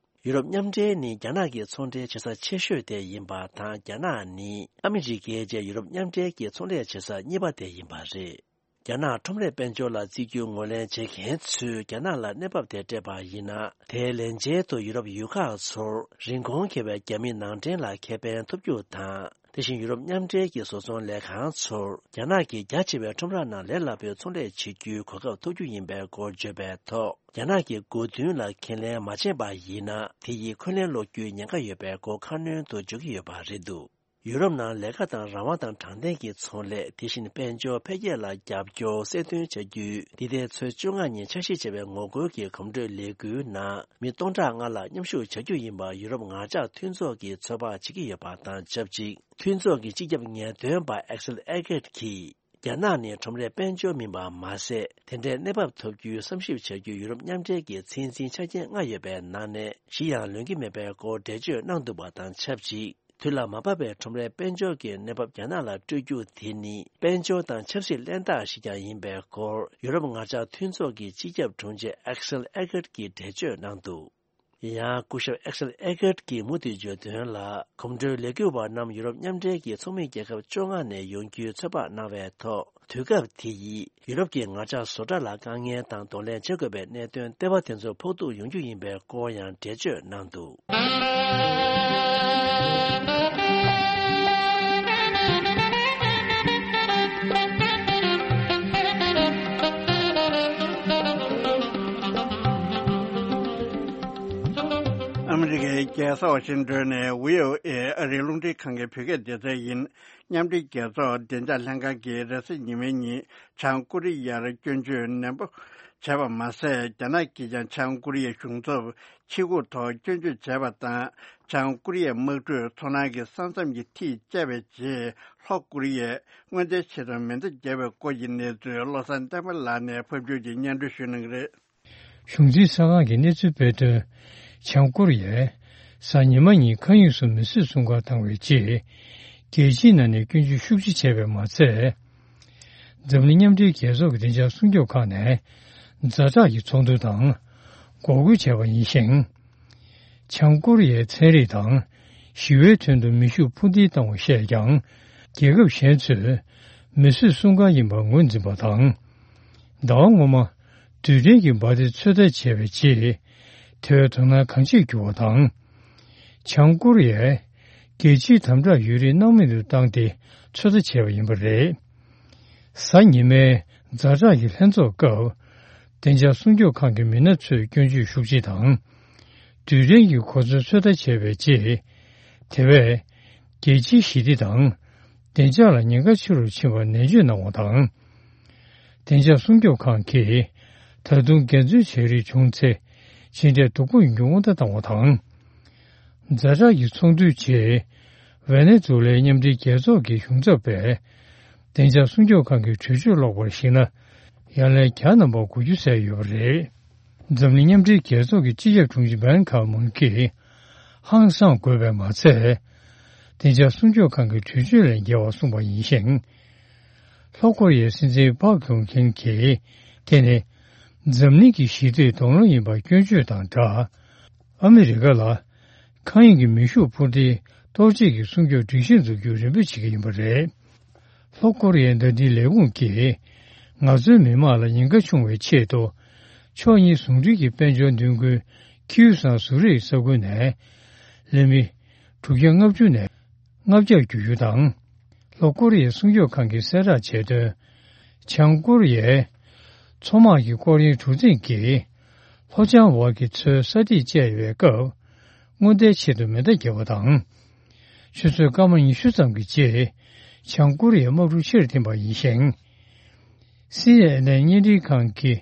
ཡུ་རོབ་མཉམ་འབྲེལ་ནི་རྒྱ་ནག་གི་ཚོང་འབྲེལ་བྱེད་ས་ཆེ་ཤོས་དེ་ཡིན་པ་དང་། རྒྱ་ནག་ནི་ཨ་མི་རི་ཀའི་རྗེས་ཡུ་རོབ་མཉམ་འབྲེལ་གྱི་ཚོང་ལས་བྱེད་ས་གཉིས་པ་དེ་ཡིན་པ་རེད། རྒྱ་ནག་ཁྲོམ་རའི་དཔལ་འབྱོར་ལ་བརྩི་རྒྱུའི་ངོས་ལེན་བྱེད་མཁན་ཚོས་རྒྱ་ནག་ལ་གནས་བབ་དེ་སྤྲད་པ་ཡིན་ན། དེའི་ལན་ཆེད་དུ་ཡུ་རོབ་ཡུལ་ཁག་ཚོར་རིན་གོང་ཁེ་བའི་རྒྱ་མི་ནང་འདྲེན་ལ་ཁེ་ཕན་ཐོབ་རྒྱུ་དང་། དེ་བཞིན་ཡུ་རོབ་མཉམ་འབྲེལ་གྱི་བཟོ་ཚོང་ལས་ཁང་ཚོར་རྒྱ་ནག་གི་རྒྱ་ཆེ་བའི་ཁྲོམ་ར་ནང་ལས་སླ་པོའི་ཚོང་ལས་བྱེད་རྒྱུའི་གོ་སྐབས་ཐོབ་རྒྱུ་ཡིན་པའི་སྐོར་བརྗོད་པའི་ཐོག་རྒྱ་ནག་གི་སྒོ་མདུན་ལ་ཁས་ལེན་མ་བྱས་པ་ཡིན་ན། དེ་ཡིས་འཁོན་ལན་སློག་རྒྱུའི་ཉེན་ཁ་ཡོད་པའི་སྐོར་ཁ་སྣོན་དུ་འཇོག་གི་ཡོད་པ་རེད་འདུག་ཡུ་རོབ་ནང་ལས་ཀ་དང་རང་དབང་དང་དྲང་བདེན་གྱི་ཚོང་ལས། དེ་བཞིན་དཔལ་འབྱོར་འཕེལ་རྒྱས་ལ་རྒྱབ་སྐྱོར་གསལ་སྟོན་བྱ་རྒྱུའི་འདི་ཟླའི་ཚེས་བཅོ་ལྔ་ཉིན་འཆར་གཞི་བྱས་པའི་ངོ་རྒོལ་གྱི་གོམ་བགྲོད་ལས་འགུལ་ནང་མི་སྟོང་ཕྲག་ལྔ་ལྷག་མཉམ་ཞུགས་བྱ་རྒྱུ་ཡིན་པ་ཡུ་རོབ་ངར་ལྕགས་མཐུན་ཚོགས་ཀྱིས་ཚོད་དཔག་བྱེད་ཀྱི་ཡོད་པ་དང་ཆབས་ཅིག་མཐུན་ཚོགས་ཀྱི་སྤྱི་ཁྱབ་ངེས་སྟོན་པ་Axel Egert གྱིས། རྒྱ་ནག་ནི་ཁྲོམ་རའི་དཔལ་འབྱོར་མིན་པ་མ་ཟད། དེ་འདྲའི་གནས་བབ་ཐོབ་རྒྱུའི་བསམ་ཞིབ་བྱ་རྒྱུའི་ཡུ་རོབ་མཉམ་འབྲེལ་གྱི་ཚད་འཛིན་ཆ་རྐྱེན་ལྔ་ཡོད་པའི་ནང་ནས་བཞི་ཡང་ལོན་གྱི་མེད་པའི་སྐོར་འགྲེལ་བརྗོད་གནང་འདུག་པ་དང་ཆབས་ཅིག་དུས་ལ་མ་བབ་པའི་ཁྲོམ་རའི་དཔལ་འབྱོར་གྱི་གནས་བབ་རྒྱ་ནག་ལ་སྤྲོད་རྒྱུ་དེ་ནི་དཔལ་འབྱོར་དང་ཆབ་སྲིད་གླེན་རྟགས་ཤིག་ཀྱང་ཡིན་པའི་སྐོར་ཡུ་རོབ་ངར་ལྕགས་མཐུན་ཚོགས་ཀྱི་སྤྱི་ཁྱབ་དྲུང་ཆེ་Axel Egert གྱིས་འགྲེལ་བརྗོད་གནང་འདུག་ཡང་སྐུ་ཞབས་Axel Egert གྱིས་མུ་མཐུད་བརྗོད་དོན་ལ། གོམ་བགྲོད་ལས་འགུལ་བ་རྣམས་ཡུ་རོབ་མཉམ་འབྲེལ་གྱི་ཚོགས་མི་རྒྱལ་ཁབ་བཅོ་ལྔ་ནས་ཡོང་རྒྱུའི་ཚོད་དཔག་གནང་བའི་ཐོག་དུས་སྐབས་དེ་ཡིས་ཡུ་རོབ་ཀྱི་ངར་ལྕགས་བཟོ་གྲྭ་ལ་དཀའ་ངལ་དང་གདོང་ལེན་བྱེད་དགོས་པའི་གནད་དོན་ལྟེ་བ་དེ་ཚོ་ཕོག་ཐུག་ཡོང་རྒྱུ་ཡིན་པའི་སྐོར་ཡང་འགྲེལ་བརྗོད་གནང་འདུག་ཨ་མི་རི་ཀའི་རྒྱལ་ས་ཝ་ཤིང་ཏོན་ནས་བྷི་ཨོ་ཨེ་ཨ་རིའི་རླུང་འཕྲིན་ཁང་གི་བོད་སྐད་སྡེ་ཚན་ཡིན། མཉམ་འབྲེལ་རྒྱལ་ཚོགས་བདེ་འཇགས་ལྷན་ཁང་གིས་རེས་གཟའ་ཉི་མའི་ཉིན་བྱང་ཀོ་རི་ཡར་སྐྱོན་བརྗོད་ནན་པོ་བྱས་པ་མ་ཟད། རྒྱ་ནག་གིས་ཀྱང་བྱང་ཀོ་རི་ཡའི་གཞུང་ཚབ་ཕྱི་སྒོ་ཐོག་སྐྱོན་བརྗོད་བྱས་པ་དང་། བྱང་ཀོ་རི་ཡའི་དམག་གྲུས་མཚོ་ནང་གི་ས་མཚམས་ཀྱི་མཐིལ་བཅད་པའི་རྗེས། ལྷོ་ཀོ་རི་ཡས་སྔོན་རྩིས་ཆེད་དུ་མེ་མདའ་བརྒྱབ་པའི་སྐོར་གྱི་གནས་ཚུལ་བློ་བཟང་བསྟན་པ་ལགས་ནས་ཕབ་སྒྱུར་གྱིས་སྙན་སྒྲོན་ཞུ་གནང་གི་རེད། གཞུང་འཛིན་གསར་ཁང་གིས་གནས་ཚུལ་སྤེལ་དོན། བྱང་ཀོ་རི་ཡས་གཟའ་ཉི་མ་ཉིན་མཁའ་དབྱིངས་སུ་མི་བཟོས་སྲུང་སྐར་བཏང་བའི་རྗེས། རྒྱལ་སྤྱིའི་ནང་ནས་སྐྱོན་བརྗོད་ཤུགས་ཆེ་བྱས་པས་མ་ཚད། འཛམ་གླིང་མཉམ་འབྲེལ་རྒྱལ་ཚོགས་ཀྱི་བདེ་འཇགས་སྲུང་སྐྱོབ་ཁང་ནས་ཛ་དྲག་གི་ཚོགས་འདུ་དང་འགོག་རྒོལ་བྱས་པ་ཡིན་ཞིང་། བྱང་ཀོ་རི་ཡའི་ཚན་རིག་དང་ཞི་བའི་དོན་དུ་མེ་ཤུགས་འཕུར་མདེལ་བཏང་བ་བཤད་ཀྱང་། རྒྱལ་ཁབ་གཞན་ཚོས་མེ་གསོད་སྲུང་སྐར་ཡིན་པར་ངོས་འཛིན་པ་དང་། ཟླ་བ་སྔོན་མ་རྡུལ་ཕྲན་གྱི་འབར་མདེལ་ཚོད་ལྟ་བྱས་པའི་རྗེས། དེ་བས་དོ་སྣང་གང་ཆེར་གྱུར་བ་དང་། བྱང་ཀོ་རི་ཡས་རྒྱལ་སྤྱིའི་དམ་དྲག་ཡུན་རིང་སྣང་མེད་དུ་བཏང་སྟེ་ཚོད་ལྟ་བྱས་པ་ཡིན་པ་རེད། གཟའ་ཉི་མའི་ཛ་དྲག་གི་ལྷན་ཚོགས་སྐབས། བདེ་འཇགས་སྲུང་སྐྱོབ་ཁང་གི་མི་སྣ་ཚོས་སྐྱོན་བརྗོད་ཤུགས་ཆེ་དང་། རྡུལ་ཕྲན་གྱི་གོ་མཚོན་ཚོད་ལྟ་བྱས་པའི་རྗེས། དེ་བས། རྒྱལ་སྤྱིའི་ཞི་བདེ་དང་། བདེ་འཇགས་ལ་ཉེན་ཁ་ཆེ་རུ་ཕྱིན་པར་ནན་བརྗོད་གནང་བ་དང་། བདེ་འཇགས་སྲུང་སྐྱོབ་ཁང་གིས། ད་དུང་འགན་འཛོལ་བྱས་རིགས་བྱུང་ཚེ། ཇི་འདྲའི་སྡུག་པོ་ཡིན་རྒྱུ་སྔོན་བརྡ་བཏང་བ་དང་། ཛ་དྲག་གི་ཚོགས་འདུའི་རྗེས། ཝེ་ནེ་ཛུ་ལའི་མཉམ་འབྲེལ་རྒྱལ་ཚོགས་ཀྱི་གཞུང་ཚབ་པས། བདེ་འཇགས་སྲུང་སྐྱོབ་ཁང་གི་གྲོས་ཆོད་ཀློག་པར་གཞིགས་ན། ཡང་ལན་བརྒྱ་ནང་པར་གོ་རྒྱུ་གསལ་ཡོད་པ་རེད། འཛམ་གླིང་མཉམ་འབྲེལ་རྒྱལ་ཚོགས་ཀྱི་སྤྱི་ཁྱབ་དྲུང་ཆེ་བན་ཁར་མུན་གྱིས། ཧང་སངས་དགོས་པས་མ་ཚད། བདེ་འཇགས་སྲུང་སྐྱོབ་ཁང་གི་གྲོས་ཆོད་ལས་འགལ་བ་གསུངས་པ་ཡིན་ཞིང་། ལྷོ་ཀོ་རི་ཡའི་སྲིད་འཛིན་པག་ཀྱུང་ཁེན་གྱིས། དེ་ནི། འཛམ་གླིང་གི་ཞི་བདེའི་གདོང་ལེན་ཡིན་པར་སྐྱོན་བརྗོད་དང་སྦྲགས། ཨ་མི་རི་ཀ་ལ། མཁའ་དབྱིངས་ཀྱི་མེ་ཤུགས་འཕུར་མདེལ་གཏོར་བྱེད་ཀྱི་སྲུང་སྐྱོབ་སྒྲིག་གཞི་འཛུགས་རྒྱུར་རེ་འབོད་བྱེད་ཀྱི་ཡིན་པ་རེད། ལྷོ་ཀོ་རི་ཡའི་མདའ་མདུན་ལས་ཁུངས་ཀྱིས། ང་ཚོའི་མི་དམངས་ལ་ཉེན་ཁ་ཆུང་བའི་ཆེད་དུ། ཕྱོགས་གཉིས་ཟུང་འབྲེལ་གྱི་དཔལ་འབྱོར་མདུན་སྐྱོད་ཁྱིའུ་སང་ཟུར་རེའི་ས་ཁུལ་ནས། ལས་མི། དྲུག་བརྒྱ་ལྔ་བཅུ་ནས། ལྔ་བརྒྱར་བསྒྱུར་རྒྱུ་དང་། ལྷོ་ཀོ་རི་ཡའི་སྲུང་སྐྱོབ་ཁང་གིས་གསལ་བསྒྲགས་བྱས་དོན། བྱང་ཀོ་རི་ཡའི་མཚོ་དམག་གི་སྐོར་གཡེང་གྲུ་གཟིངས་ཀྱིས་ལྷོ་བྱང་འོག་གི་མཚོའི་ས་ཐིག་བཅད་ཡོད་པའི་སྐབས། སྔོན་བརྡའི་ཆེད་དུ་མེ་མདའ་བརྒྱབ་པ་དང་། ཆུ་ཚོད་སྐར་མ་ཉི་ཤུ་ཙམ་གྱི་རྗེས། བྱང་ཀོ་རི་ཡའི་དམག་གྲུ་ཕྱིར་འཐེན་པ་ཡིན་ཞིང་། སི་ཨེན་ཨེན་བརྙན་འཕྲིན་ཁང་གི་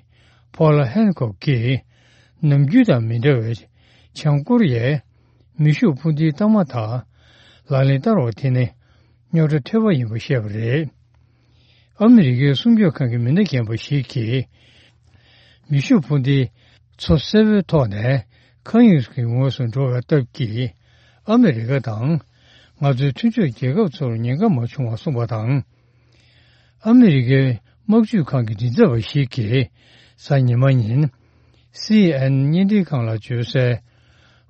ཕོ་ལ་ཧན་ཀོག་གིས། ནམ་རྒྱུན་དང་མི་འདྲ་བའི་བྱང་ཀོ་རི་ཡའི་མེ་ཤུགས་འཕུར་མདེལ་གཏའ་མ་དག་ལག་ལེན་བསྟར་བ་དེ་ནི་རྙོག་དྲ་ཐོལ་པ་ཡིན་པ་བཤད་པ་རེད། ཨ་མི་རི་ཀའི་སྲུང་སྐྱོབ་ཁང་གི་མི་སྣ་རྒན་པ་ཞིག་གིས། མེ་ཤུགས་འཕུར་མདེལ་མཚོ་སེར་པོའི་ཐོག་ནས་མཁའ་དབྱིངས་ཀྱི་ངོས་སུ་འགྲོ་བའི་སྟབས་ཀྱིས། ཨ་མི་རི་ཀ་དང་ང་ཚོའི་མཐུན་ཕྱོགས་རྒྱལ་ཁབ་ཚོར་ཉེན་ཁ་མ་བྱུང་བ་གསུངས་པ་དང་། ཨ་མི་རི་ཀའི་དམག་ཇུས་ཁང་གི་མགྲིན་ཚབ་པ་ཞིག་གིས་གཟའ་ཉི་མ་ཉིན། སི་ཨེན་ཨེན་བརྙན་འཕྲིན་ཁང་ལ་བརྗོད་གསལ།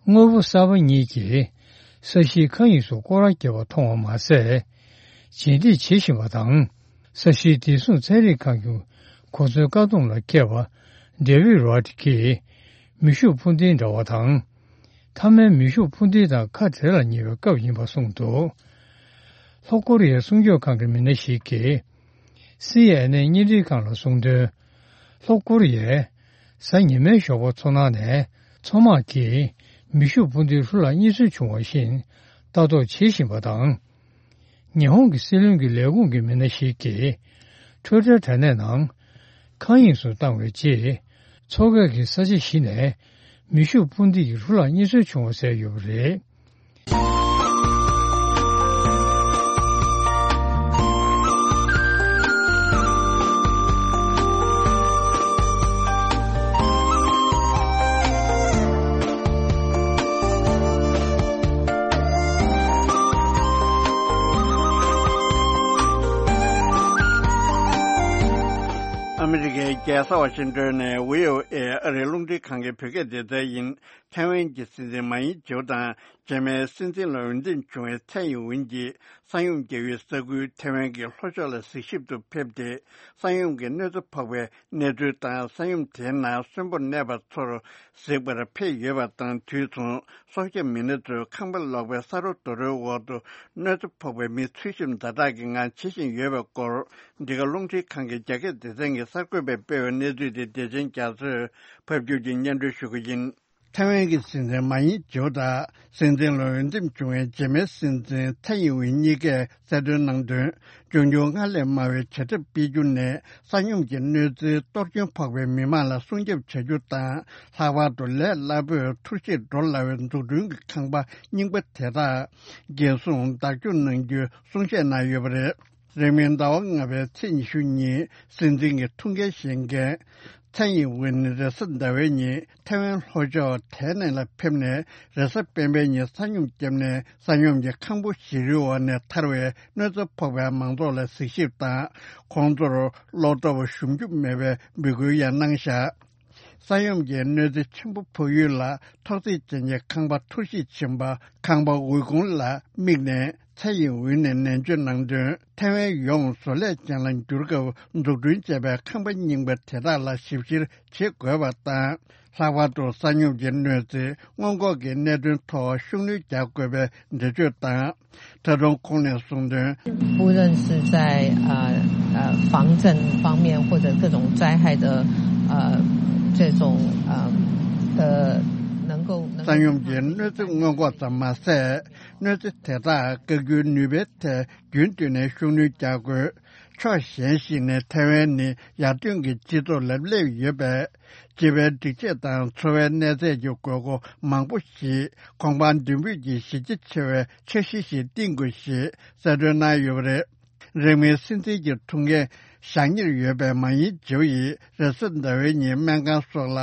དངོས་པོ་གསར་པ་གཉིས་ཀྱིས་ས་གཞིའི་མཁའ་དབྱིངས་སུ་སྐོར་ར་བརྒྱབ་པ་མཐོང་བ་མ་ཟད། རྗེས་འདེད་བྱེད་བཞིན་པ་དང་། ས་གཞིའི་བདེ་སྲུང་ཚན་རིག་ཁང་གི་གོ་མཚོན་བཀག་སྡོམ་ལ་འཁེལ་བ། ཌེ་ཝིད་རོ་ཌི་གིས་མེ་ཤུགས་འཕུར་མདེལ་འདྲ་བ་དང་། མཐའ་མའི་མེ་ཤུགས་འཕུར་མདེལ་དང་ཁ་བྲལ་ལ་ཉེ་བའི་སྐབས་ཡིན་པ་གསུངས་འདུག་ལྷོ་ཀོ་རི་ཡའི་སྲུང་སྐྱོབ་ཁང་གི་མི་སྣ་ཞིག་གིས། སི་ཨེན་ཨེན་བརྙན་འཕྲིན་ཁང་ལ་གསུངས་དོན། ལྷོ་ཀོ་རི་ཡས། གཟའ་ཉི་མའི་ཞོགས་པ་མཚོ་ནང་ནས། མཚོ་དམག་གིས། མེ་ཤུགས་འཕུར་མདེལ་ལྷུ་ལག་གཉིས་ཚོན་བྱུང་བ་བཞིན། ལྟ་རྟོག་བྱེད་བཞིན་པ་དང་། ཉི་ཧོང་གི་སྲིད་བློན་གྱི་ལས་ཁུངས་ཀྱི་མི་སྣ་ཞིག་གིས། ཊུའི་ཊར་དྲ་གནས་ནང་། མཁའ་དབྱིངས་སུ་བཏང་བའི་རྗེས། མཚོ་ཁ་གི་ས་ཆ་བཞི་ནས། མེ་ཤུགས་འཕུར་མདེལ་གྱི་ལྷུ་ལག་གཉིས་ཚོན་བྱུང་བ་གསལ་ཡོད་པ་རེད། ཨ་མི་རི་ཀའི་རྒྱལ་ས་ཝ་ཤིང་ཏོན་ནས་བྷི་ཨོ་ཨེ་ཨ་རིའི་རླུང་འཕྲིན་ཁང་གི་བོད་སྐད་སྡེ་ཚན་ཡིན། ཐའེ་ཝན་གྱི་སྲིད་འཛིན་མ་ཡིན་ཇེའུ་དང་རྗེས་མའི་སྲིད་འཛིན་ལ་འོས་འདེམས་བྱུང་བའི་ཚའེ་ཡིན་ཝིན་གྱིས་ས་ཡོམ་བརྒྱབ་པའི་ས་ཁུལ་ཐའེ་ཝན་གྱི་ལྷོ་ཕྱོགས་ལ་གཟིགས་ཞིབ་ཏུ་ཕེབས་ཏེ། ས་ཡོམ་གྱི་གནོད་འཚེ་ཕོག་པའི་གནས་ཚུལ་དང་། ས་ཡོམ་དེའི་ནང་གསོན་པོར་གནས་པ་ཚོར་གཟིགས་པར་ཕེབས་ཡོད་པ་དང་། དུས་མཚུངས་སྲོག་སྐྱོབ་མི་སྣ་ཚོས་ཁང་པ་ལོག་པའི་ས་རོ་རྡོ་རོའི་འོག་ཏུ་གནོད་འཚེ་ཕོག་པའི་མི་འཚོལ་ཞིབ་ཛ་དྲག་གི་ངང་བྱེད་བཞིན་ཡོད་པའི་སྐོར། འདི་ག་རླུང་འཕྲིན་ཁང་གི་རྒྱ་སྐད་སྡེ་ཚན་གྱི་གསར་འགོད་པས་སྤེལ་བའི་གནས་ཚུལ་དེ་བདེ་ཆེན་རྒྱ་མཚོས་ཕབ་སྒྱུར་གྱིས་སྙན་སྒྲོན་ཞུ་གི་ཡིན། ཐའེ་ཝན་གྱི་སྲིད་འཛིན་མ་ཡིན་ཇེའུ་དང་སྲིད་འཛིན་ལ་འོས་འདེམས་བྱུང་བའི་རྗེས་མའི་སྲིད་འཛིན་ཚའེ་ཡིན་ཝིན་གཉིས་ཀས་གསལ་སྟོན་གནང་དོན། འབྱུང་འགྱུར་སྔར་ལས་དམའ་བའི་བྱ་ཐབས་སྤེལ་རྒྱུ་ནས་ས་ཡོམ་གྱི་གནོད་འཚེ་གཏོར་སྐྱོན་ཕོག་པའི་མི་མང་ལ་སྲུང་སྐྱོབ་བྱ་རྒྱུ་དང་། ལྷག་པར་དུ་ལས་སླ་པོས་འཐུར་ཞིག་འགྲོ་སླ་བའི་འཛུགས་སྐྲུན་གྱི་ཁང་པ་རྙིང་པ་དེ་དག་འགན་སྲུང་བདག་སྐྱོང་གནང་རྒྱུའི་གསུང་བཤད་གནང་ཡོད་པ་རེད། རིང་མིན་ཟླ་བ་ལྔ་པའི་ཚེས་ཉི་ཤུ་ཉིན་སྲིད་འཛིན་གྱི་ཐུགས་འགན་བཞེས་མཁན་ཚའེ་ཡིན་ཝིན་རེས་གཟའ་ཟླ་བའི་ཉིན་ཐའེ་ཝན་ལྷོ་ཕྱོགས་ཐའེ་ནན་ལ་ཕེབས་ནས། རེས་གཟའ་སྤེན་པའི་ཉིན་ས་ཡོམ་བརྒྱབ་ནས། ས་ཡོམ་གྱི་ཁང་བུ་བཞི་རིའི་འོག་ནས་ཐར་བའི་གནོད་འཚེ་ཕོག་པའི་མང་ཚོགས་ལ་གཟིགས་ཞིབ་དང་། ཁོང་ཚོར་བློ་སྟོབས་ཞུམ་རྒྱུ་མེད་པའི་འབོད་སྐུལ་ཡང་གནང་བཞག་ས་ཡོམ་གྱི་གནོད་འཚེ་ཆེན་པོ་ཕོག་ཡུལ་ལ་ཐོག་བརྩེགས་ཅན་གྱི་ཁང་པ་འཐུར་ཞིག་ཕྱིན་པ། ཁང་པ་འོད་སྐུད་ལ་དམིགས་ནས་ཚའེ་ཡིན་ཝིན་ནས་ནན་བརྗོད་གནང་དོན། ཐའེ་ཝན་ཡོངས་བཟོ་ལས་ཅན་ལ་འགྱུར་སྐབས་འཛུགས་སྐྲུན་བྱས་པའི་ཁང་པ་རྙིང་པ་དེ་དག་ལ་ཞིབ་བཤེར་བྱེད་དགོས་པ་དང་། ལྷག་པར་དུ་ས་ཡོམ་གྱི་གནོད་འཚེ་སྔོན་འགོག་གི་གནད་དོན་ཐོག་ཤུགས་སྣོན་རྒྱག་དགོས་པའི་འགྲེལ་བརྗོད་དང་། ད་དུང་ཁོང་ནས་གསུངས་དོན། 不论是在呃呃防震方面，或者各种灾害的呃这种呃的能够能够 ས་ཡོམ་གྱི་གནོད་འཚེ་སྔོན་འགོག་ཙམ་མ་ཟད། གནོད་འཚེ་དེ་དག་བཀག་རྒྱུའི་ནུས་པའི་ཐད་རྒྱུན་མཐུད་ནས་ཤུགས་སྣོན་རྒྱག་དགོས། ཕྱོགས་གཞན་ཞིག་ནས་ཐའེ་ཝན་ནི་ཡར་ཐོན་གྱི་སྤྱི་ཚོགས་ལ་སླེབས་ཡོད་པས། སྤྱི་པའི་སྒྲིག་ཆས་དང་འཚོ་བའི་གནས་ཚད་ཀྱི་དགོས་མཁོ་མང་པོ་ཞིག་གོང་འཕང་མདུན་སྤོས་ཀྱི་གཞི་རྒྱ་ཆེ་བའི་འཆར་གཞི་ཞིག་བཏིང་དགོས་ཞེས་གསལ་སྟོན་གནང་ཡོད་པ་རེད། རིང་མིན་སྲིད་འཛིན་གྱི་ཐུགས་འགན་བཞག་ཉེར་ཡོད་པའི་མ་ཡིན་ཇེའུ་ཡིས་རེས་གཟའ་ཟླ་བའི་ཉིན་སྨན་ཁང་སོགས་ལ་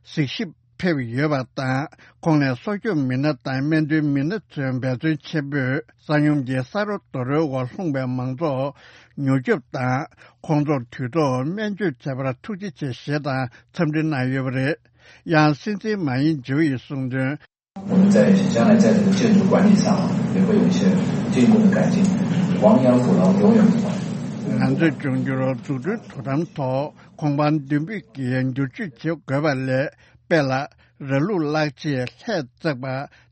གཟིགས་ཞིབ་ཕེབས་ཡོད་པ་དང་། ཁོང་ནས་སྲོག་སྐྱོབ་མི་སྣ་དང་སྨན་དོན་མི་སྣ་ཚོའི་འབད་བརྩོན་ཆེན་པོས་ས་ཡོམ་གྱི་ས་རོ་རྡོ་རོའི་འོག་ལྷུང་པའི་མང་ཚོགས་མྱུར་སྐྱོབ་དང་། ཁོང་ཚོར་དུས་ཐོག་སྨན་བཅོས་བྱས་པར་ཐུགས་རྗེ་ཆེ་ཞེས་དང་འཚམས་འདྲི་གནང་ཡོད་པ་རེད། ཡང་སྲིད་འཛིན་མ་ཡིན་ཇེའུ་ཡིས་གསུངས་དོན། 我们在将来在这个建筑管理上也会有一些进一步的改进。亡羊补牢永远不晚。 ང་ཚོས་འབྱུང་འགྱུར་འཛུགས་སྐྲུན་དོ་དམ་ཐོག་གོང་འཕང་མདུན་སྤོས་ཀྱི་བསྒྱུར་བཅོས་བྱེད་དགོས་པ་ལས། དཔེ་ལ། ར་ལུག་བརླག་རྗེས་ལྷས་བཙགས་པ།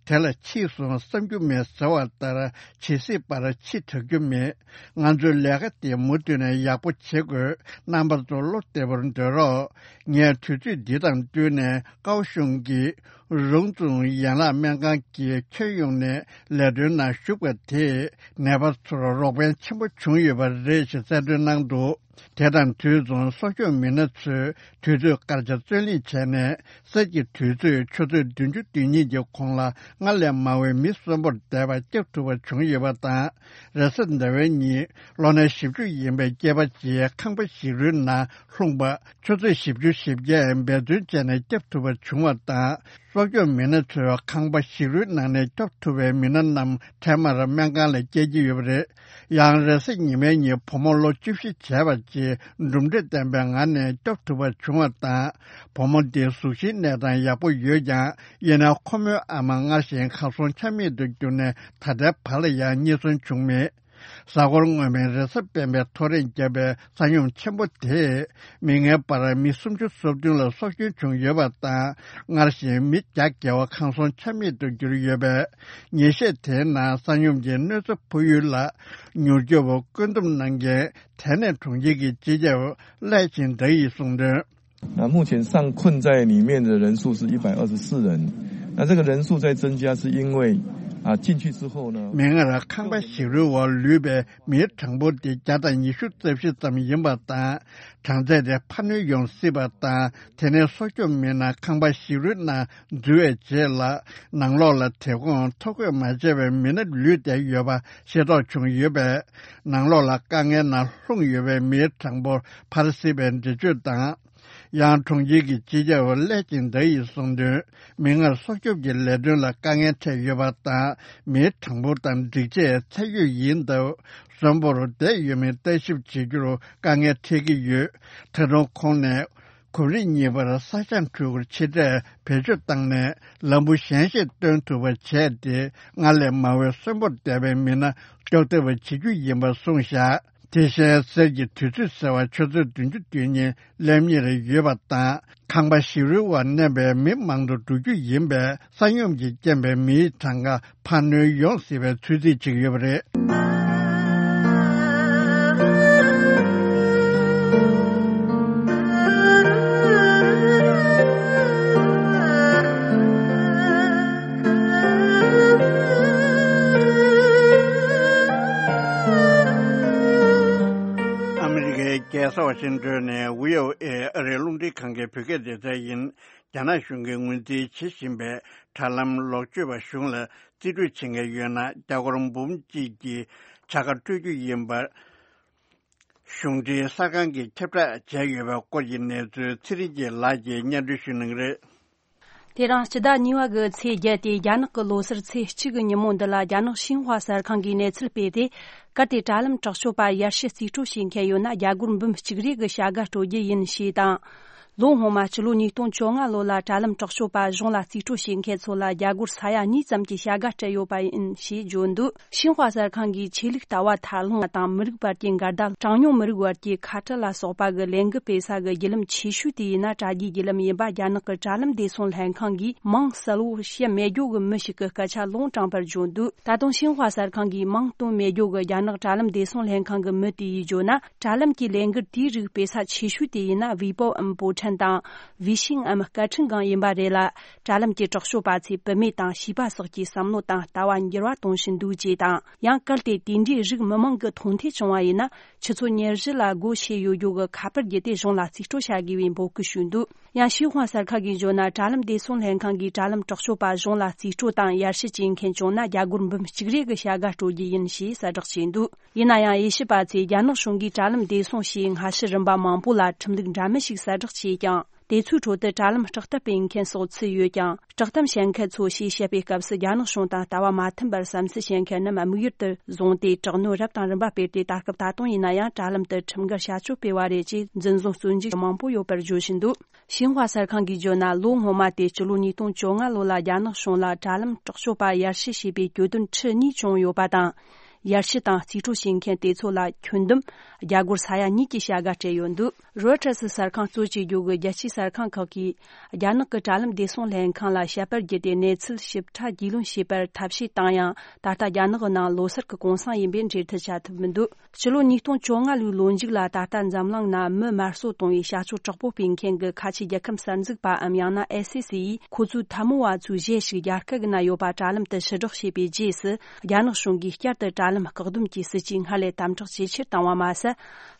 དེ་ལ་ཕྱིས་སུ་བསམ་རྒྱུ་མེད་ཟེར་བ་ལྟར། ཇི་སྲིད་བར་ཕྱི་དྲག་རྒྱུ་མེད། ང་ཚོའི་ལས་ཀ་དེ་མུ་མཐུད་ནས་ཡག་པོ་བྱེད་དགོས། རྣམ་པ་ཚོ་བློ་བདེ་པོར་སྡོད་རོགས། ངས་དུས་ཚོད་འདི་དང་བསྟུན་ནས་ཀའོ་ཤུང་གི་རུང་ཙུང་ཡན་ལག་སྨན་ཁང་གི་ཁྱོན་ཡོངས་ནས་ལས་དོན་ནང་ཞུགས་པ་དེས་ནད་པ་ཚོར་རོགས་ཕན་ཆེན་པོ་བྱུང་ཡོད་པ་རེད་ཞེས་གསལ་སྟོན་གནང་འདུག་དེ་དང་དུས་མཚུངས་གསོ་སྐྱོང་མི་སྣ་ཚོས་དུས་ཚོད་སྐར་ཆ་བརྩོན་ལེན་བྱས་ནས། གསེར་གྱི་དུས་ཚོད་ཆུ་ཚོད་བདུན་ཅུ་དོན་གཉིས་ཀྱི་གོང་ལ་སྔར་ལས་མང་བའི་མི་གསོན་པོར་བསྡད་པ་སྐྱོབ་ཐུབ་པ་བྱུང་ཡོད་པ་དང་། རེས་གཟའ་ཟླ་བའི་ཉིན་ལོ་ན་བཞི་བཅུ་ཡིན་པའི་སྐྱེས་པ་ཅིག་ཁང་པ་ཞིག་རུའི་ནང་ལྷུང་བ། ཆུ་ཚོད་བཞི་བཅུ་ཞེ་བརྒྱད་འབད་བརྩོན་བྱས་ནས་སྐྱོབ་ཐུབ་པ་བྱུང་བ་དང་། གསོ་སྐྱོང་མི་སྣ་ཚོས་ཁང་པ་ཞིག་རུའི་ནང་ནས་སྐྱོབ་ཐུབ་པའི་མི་སྣ་རྣམས་འཕྲལ་མར་སྨན་ཁང་ལ་བསྐྱལ་གྱི་ཡོད་པ་རེད། ཡང་རེས་གཟའ་ཉི་མའི་ཉིན་བུ་མོ་ལོ་བཅུ་བཞི་བྱས་པ་ཅིག་གྲུབ་འབྲས་ལྡན་པའི་ངང་ནས་སྐྱོབ་ཐུབ་པ་བྱུང་བ་དང་། བུ་མོ་དེའི་གཟུགས་གཞིའི་གནས་སྟངས་ཡག་པོ་ཡོད་ཀྱང་། ཡིན་ནའང་ཁོ་མོའི་ཨ་མ་སྔར་བཞིན་གར་སོང་ཆ་མེད་དུ་གྱུར་ནས། ད་ལྟའི་བར་ལ་ཡང་རྙེད་སོན་བྱུང་མེད། གཟའ་འཁོར་སྔོན་མའི་རེས་གཟའ་སྤེན་པའི་ཐོ་རེངས་བརྒྱབ་པའི་ས་ཡོམ་ཆེན་པོ་དེས་མིག་སྔའི་བར་མི་སུམ་ཅུ་སོ་བདུན་ལ་སྲོག་སྐྱོན་བྱུང་ཡོད་པ་དང་། སྔར་བཞིན་མི་བརྒྱ་བརྒལ་བ་གར་སོང་ཆ་མེད་དུ་གྱུར་ཡོད་པས། ཉིན་ཤས་དེའི་ནང་ས་ཡོམ་གྱི་གནོད་འཚེ་ཕོག་ཡུལ་ལ་མྱུར་སྐྱོབ་བཀོད་འདོམས་གནང་མཁན་ཐེ་ནེ་གྲོང་ཁྱེར་གྱི་སྤྱི་ཁྱབ་ལའེ་ཆིང་ཏེ་ཡིས་གསུངས་དོན། 那目前尚困在里面的人数是一百二十四人，那这个人数在增加，是因为啊进去之后呢，མིག་སྔར་ཁང་པ་ཞིག་རུའི་འོག་ལུས་པའི་མིའི་གྲངས་འབོར་དེ་བརྒྱ་དང་ཉི་ཤུ་རྩ་བཞི་ཙམ་ཡིན་པ་དང་། གྲངས་ཚད་དེ་འཕར་སྣོན་ཡོང་སྲིད་པ་དང་། དེ་ནས་གསོ་སྐྱོབ་མི་སྣ་ཁང་པ་ཞིག་རུའི་ནང་འཛུལ་བའི་རྗེས་ལ། ནང་ལོགས་ལ་དེ་གོང་ཐོ་འགོད་མ་བྱས་པའི་མི་སྣ་ལུས་བསྡད་ཡོད་པ་ཤེས་རྟོགས་བྱུང་ཡོད་པས། ནང་ལོགས་ལ་དཀའ་ངལ་ནང་ལྷུང་ཡོད་པའི་མིའི་གྲངས་འབོར་འཕར་སྲིད་པའི་འགྲེལ་བརྗོད་དང་། ཡང་གྲོང་ཁྱེར་གྱི་སྤྱི་ཁྱབ་ལའེ་ཆིང་ཏེ་ཡིས་གསུངས་དོན། མིག་སྔར་སྲོག་སྐྱོབ་ཀྱི་ལས་དོན་ལ་དཀའ་ངལ་འཕྲད་ཡོད་པ་དང་། མིའི་གྲངས་འབོར་དང་སྒྲིག་ཆས་ཚད་ཡོད་ཡིན་སྟབས། གསོན་པོར་བསྡད་ཡོད་མེད་ལྟ་ཞིབ་བྱེད་རྒྱུར་དཀའ་ངལ་འཕྲད་ཀྱི་ཡོད། ད་དུང་ཁོང་ནས། གོམ་རིམ་གཉིས་པར་ས་ཞིང་འཕྲུལ་འཁོར་ཆེ་གྲས་བེད་སྤྱོད་བཏང་ནས། ལམ་བུ་ཞན་ཤོས་སྟོན་ཐུབ་པ་བྱས་ཏེ། སྔར་ལས་མང་བའི་གསོན་པོར་བསྡད་པའི་མི་སྣ་སྐྱོབ་ཐུབ་པ་བྱེད་རྒྱུ་ཡིན་པ་གསུངས་བཞག་དེ་བཞིན་གསེར་གྱི་དུས་ཚོད་ཟེར་བ་ཆུ་ཚོད་བདུན་ཅུ་དོན་གཉིས་སླེབས་ཉེར་ཡོད་པ་དང་། ཁང་པ་ཞིག་རུའི་འོག་གནས་པའི་མི་མང་དུ་འགྲོ་རྒྱུ་ཡིན་པས། ས་ཡོམ་གྱི་རྐྱེན་པས་མིའི་གྲངས་ཀ་འཕར་སྣོན་ཡོང་སྲིད་པའི་ཚོད་རྩིས་བྱེད་ཀྱི་ཡོད་པ་རེད། ཨ་མི་རི་ཀའི་རྒྱལ་ས་ཝ་ཤིང་ཏོན་ནས་བྷི་ཨོ་ཨེ་ཨ་རིའི་རླུང་འཕྲིན་ཁང་གི་བོད་སྐད་སྡེ་ཚན་ཡིན། རྒྱ་ནག་གཞུང་གིས་ངོས་འཛིན་བྱེད་བཞིན་པའི་དྲ་ལམ་ལོག་སྤྱོད་པ་གཞུང་ལ་རྩིས་སྤྲོད་བྱེད་མཁན་ཡོད་ན། རྒྱ་སྒོར་འབུམ་གཅིག་གི་བྱ་དགའ་སྤྲོད་རྒྱུ་ཡིན་པ། གཞུང་འབྲེལ་གསར་ཁང་གིས་ཁྱབ་བསྒྲགས་བྱས་ཡོད་པའི་སྐོར་གྱི་གནས་ཚུལ་ཚེ་རིང་སྐྱིད་ལགས་ཀྱིས་སྙན་སྒྲོན་ཞུ་གནང་གི་རེད། དེ་རིང་སྤྱི་ཟླ་གཉིས་པ་གི་ཚེས་བརྒྱད་དེ། རྒྱ་ནག་གི་ལོ་སར་ཚེས་གཅིག་གི་ཉིན་མོ་འདི་ལ། རྒྱ་ནག་ཤིན་ཧྭ་གསར་ཁང་གིས་གནས་ཚུལ་སྤེལ་ཏེ། གལ་ཏེ་དྲ་ལམ་དྲག་སྤྱོད་པ་ཡར་ཞུ་རྩིས་སྤྲོད་བྱེད་མཁན་ཡོད་ན། རྒྱ་སྒོར་འབུམ་གཅིག་རེ་གི་བྱ་དགའ་སྤྲོད་རྒྱུ་ཡིན་ཞེས་དང་། ལོ་སྔོན་མ་ཕྱི་ལོ་ཉིས་སྟོང་བཅོ་ལྔ་ལོ་ལ་དྲ་ལམ་དྲག་སྤྱོད་པ་གཞུང་ལ་རྩིས་སྤྲོད་བྱེད་མཁན་ཚོ་ལ་རྒྱ་སྒོར་ས་ཡ་གཉིས་ཙམ་གྱི་བྱ་དགའ་སྤྲད་ཡོད་པ་ཡིན་ཞེས་བརྗོད་འདུག་ཤིན་ཧྭ་གསར་ཁང་གིས་ཆོས་ལུགས་ལྟ་བ་མཐའ་ལྷུང་བ་དང་། མི་རིགས་བར་གྱི་འགལ་ཟླ། གྲངས་ཉུང་མི་རིགས་བར་གྱི་ཁ་བྲལ་ལ་སོགས་པ་གི་ལས་འགུལ་སྤེལ་ས་གི་བརྒྱུད་ལམ་ཆེ་ཤོས་དེ་ཡིན་ན། དྲ་རྒྱའི་བརྒྱུད་ལམ་ཡིན་པ། རྒྱ་ནག་གི་དྲ་ལམ་བདེ་སྲུང་ལྷན་ཁང་གིས་མིང་གསལ་བོ་བཤད་མེད་རྒྱུ་གི་མི་ཞིག་གི་སྐད་ཆ་ལུང་དྲངས་པར་བརྗོད་འདུག་ད་དུང་ཤིན་ཧྭ་གསར་ཁང་གིས་མིང་སྟོན་མེད་རྒྱུ་གི་རྒྱ་ནག་དྲ་ལམ་བདེ་སྲུང་ལྷན་ཁང་གི་མི་དེ་ཡིས་བརྗོད་ན། དྲ་ལམ་གྱི་ལས་འགུལ་དེའི་རིགས་སྤེལ་ས་ཆེ་ཤོས་དེ་ཡིན་ན། ཝི་པོའམ་པོ་ཁྲན་དང་། ཝི་ཤིང་འམ་སྐད་འཕྲིན་སྒང་ཡིན་པ་རེད་ལ། དྲ་ལམ་གྱི་དྲག་སྤྱོད་པ་ཚོས་བུད་མེད་དང་བྱིས་པ་སོགས་ཀྱི་བསམ་བློ་དང་ལྟ་བ་འགྱུར་བ་གཏོང་བཞིན་འདུག་ཅེས་དང་། ཡང་གལ་ཏེ་དེ་འདྲའི་རིགས་མི་མང་གི་མཐོང་ཐོས་བྱུང་བ་ཡིན་ན། ཆུ་ཚོད་ཉེར་བཞི་ལ་སྒོ་ཕྱེ་ཡོད་རྒྱུ་གི་ཁ་པར་བརྒྱུད་དེ་གཞུང་ལ་རྩིས་སྤྲོད་བྱ་དགོས་པའི་འབོད་སྐུལ་ཞུས་འདུག་ཡང་ཤིན་ཧྭ་གསར་ཁང་གིས་བརྗོད་ན། དྲ་ལམ་བདེ་སྲུང་ལྷན་ཁང་གིས་དྲ་ལམ་དྲག་སྤྱོད་པ་གཞུང་ལ་རྩིས་སྤྲོད་དང་ཡར་ཞུ་བྱེད་མཁན་བྱུང་ན། རྒྱ་སྒོར་འབུམ་གཅིག་རེ་གི་བྱ་དགའ་སྤྲོད་རྒྱུ་ཡིན་ཞེས་གསལ་བསྒྲགས་བྱས་འདུག་ཡིན་ན་ཡང་། དབྱེ་ཞིབ་པ་ཚོས་རྒྱ་ནག་གཞུང་གིས་དྲ་ལམ་བདེ་སྲུང་ཞེས་སྔ་ཕྱི་རིམ་པ་མང་པོ་ལ་ཁྲིམས་ལུགས་འདྲ་མིན་ཞིག་གསལ་བསྒྲགས་བྱས་ཀྱང་། དེ་ཚོའི་ཁྲོད་དུ་དྲ་ལམ་བསྲེག་གཏམ་སྤེལ་མཁན་སོགས་ཚུད་ཡོད་ཀྱང་། བསྲེག་གཏམ་བཤད་མཁན་ཚོ་ཞེས་བཤད་པའི་སྐབས་སུ། རྒྱ་ནག་གཞུང་དང་ལྟ་བ་མ་མཐུན་པར་བསམ་ཚུལ་བཤད་མཁན་རྣམས་དམིགས་ཡུལ་དུ་བཟུང་སྟེ། དྲག་གནོན་རབ་དང་རིམ་པ་སྤེལ་ཏེ། ད་སྐབས་ད་དུང་ཡིན་ན་ཡང་། དྲ་ལམ་དུ་ཁྲིམས་འགལ་བྱ་སྤྱོད་སྤེལ་བ་རེད་ཅེས་འཛིན་བཟུང་བཙོན་འཇུག་མང་པོ་ཡོད་པར་བརྗོད་བཞིན་འདུག་ཤིན་ཧྭ་གསར་ཁང་གིས་བརྗོད་ན། ལོ་སྔོན་མ་སྟེ་སྤྱི་ལོ་ཉིས་སྟོང་བཅོ་ལྔ་ལོ་ལ། རྒྱ་ནག་གཞུང་ལ་དྲ་ལམ་དྲག་སྤྱོད་པ་ཡར་ཞུ་བྱས་པའི་གྱོད་དོན་ཁྲི་གཉིས་བྱུང་ཡོད་པ་དང་། ཡར་ཞུ་དང་རྩིས་སྤྲོད་བྱེད་མཁན་དེ་ཚོ་ལ་ཁྱོན་བསྡོམས་རྒྱ་སྒོར་ས་ཡ་གཉིས་ཀྱི་བྱ་དགའ་སྤྲད་ཡོད་འདུག་རོའི་ཊར་སི་གསར་ཁང་གཙོ་བྱས་རྒྱུ་གི་རྒྱལ་སྤྱིའི་གསར་ཁང་ཁག་གིས་རྒྱ་ནག་གི་དྲ་ལམ་བདེ་སྲུང་ལྷན་ཁང་ལ་དཔྱད་པར་བརྒྱུད་དེ་གནས་ཚུལ་ཞིབ་ཕྲ་རྒྱུས་ལོན་བྱས་པར་ཐབས་ཤེས་བཏང་ཡང་། ད་ལྟ་རྒྱ་ནག་གི་ནང་ལོ་སར་གྱི་གུང་སེང་ཡིན་པས་འགྲེལ་བསྡུར་བྱ་ཐུབ་མི་འདུག་སྤྱི་ལོ་ཉིས་སྟོང་བཅོ་ལྔ་ལོའི་ལོ་མཇུག་ལ་ད་ལྟ་འཛམ་གླིང་ན་མི་དམར་གསོད་གཏོང་བའི་བྱ་སྤྱོད་དྲག་པོ་སྤེལ་མཁན་གྱི་ཁ་ཆེ་རྒྱལ་ཁམས་གསར་འཛུགས་པའམ་ཡང་ན་ཨེ་སི་སི་ཡིས་ཁོ་ཚོའི་འཐབ་མོ་བ་ཚོའི་གཞས་ཤིག་རྒྱ་སྐད་ཀྱི་ནང་ཡོད་པ་དྲ་ལམ་དུ་ཕྱིར་བསྒྲགས་བྱས་པའི་རྗེས་སུ། རྒྱ་ནག་གཞུང་གིས་བསྐྱར་དུ་དྲ་ལམ་བཀག་སྡོམ་གྱི་སྲིད་ཇུས་སྔར་ལས་དམ་དྲག་ཇེ་ཆེར་བཏང་བ་མ་ཟད།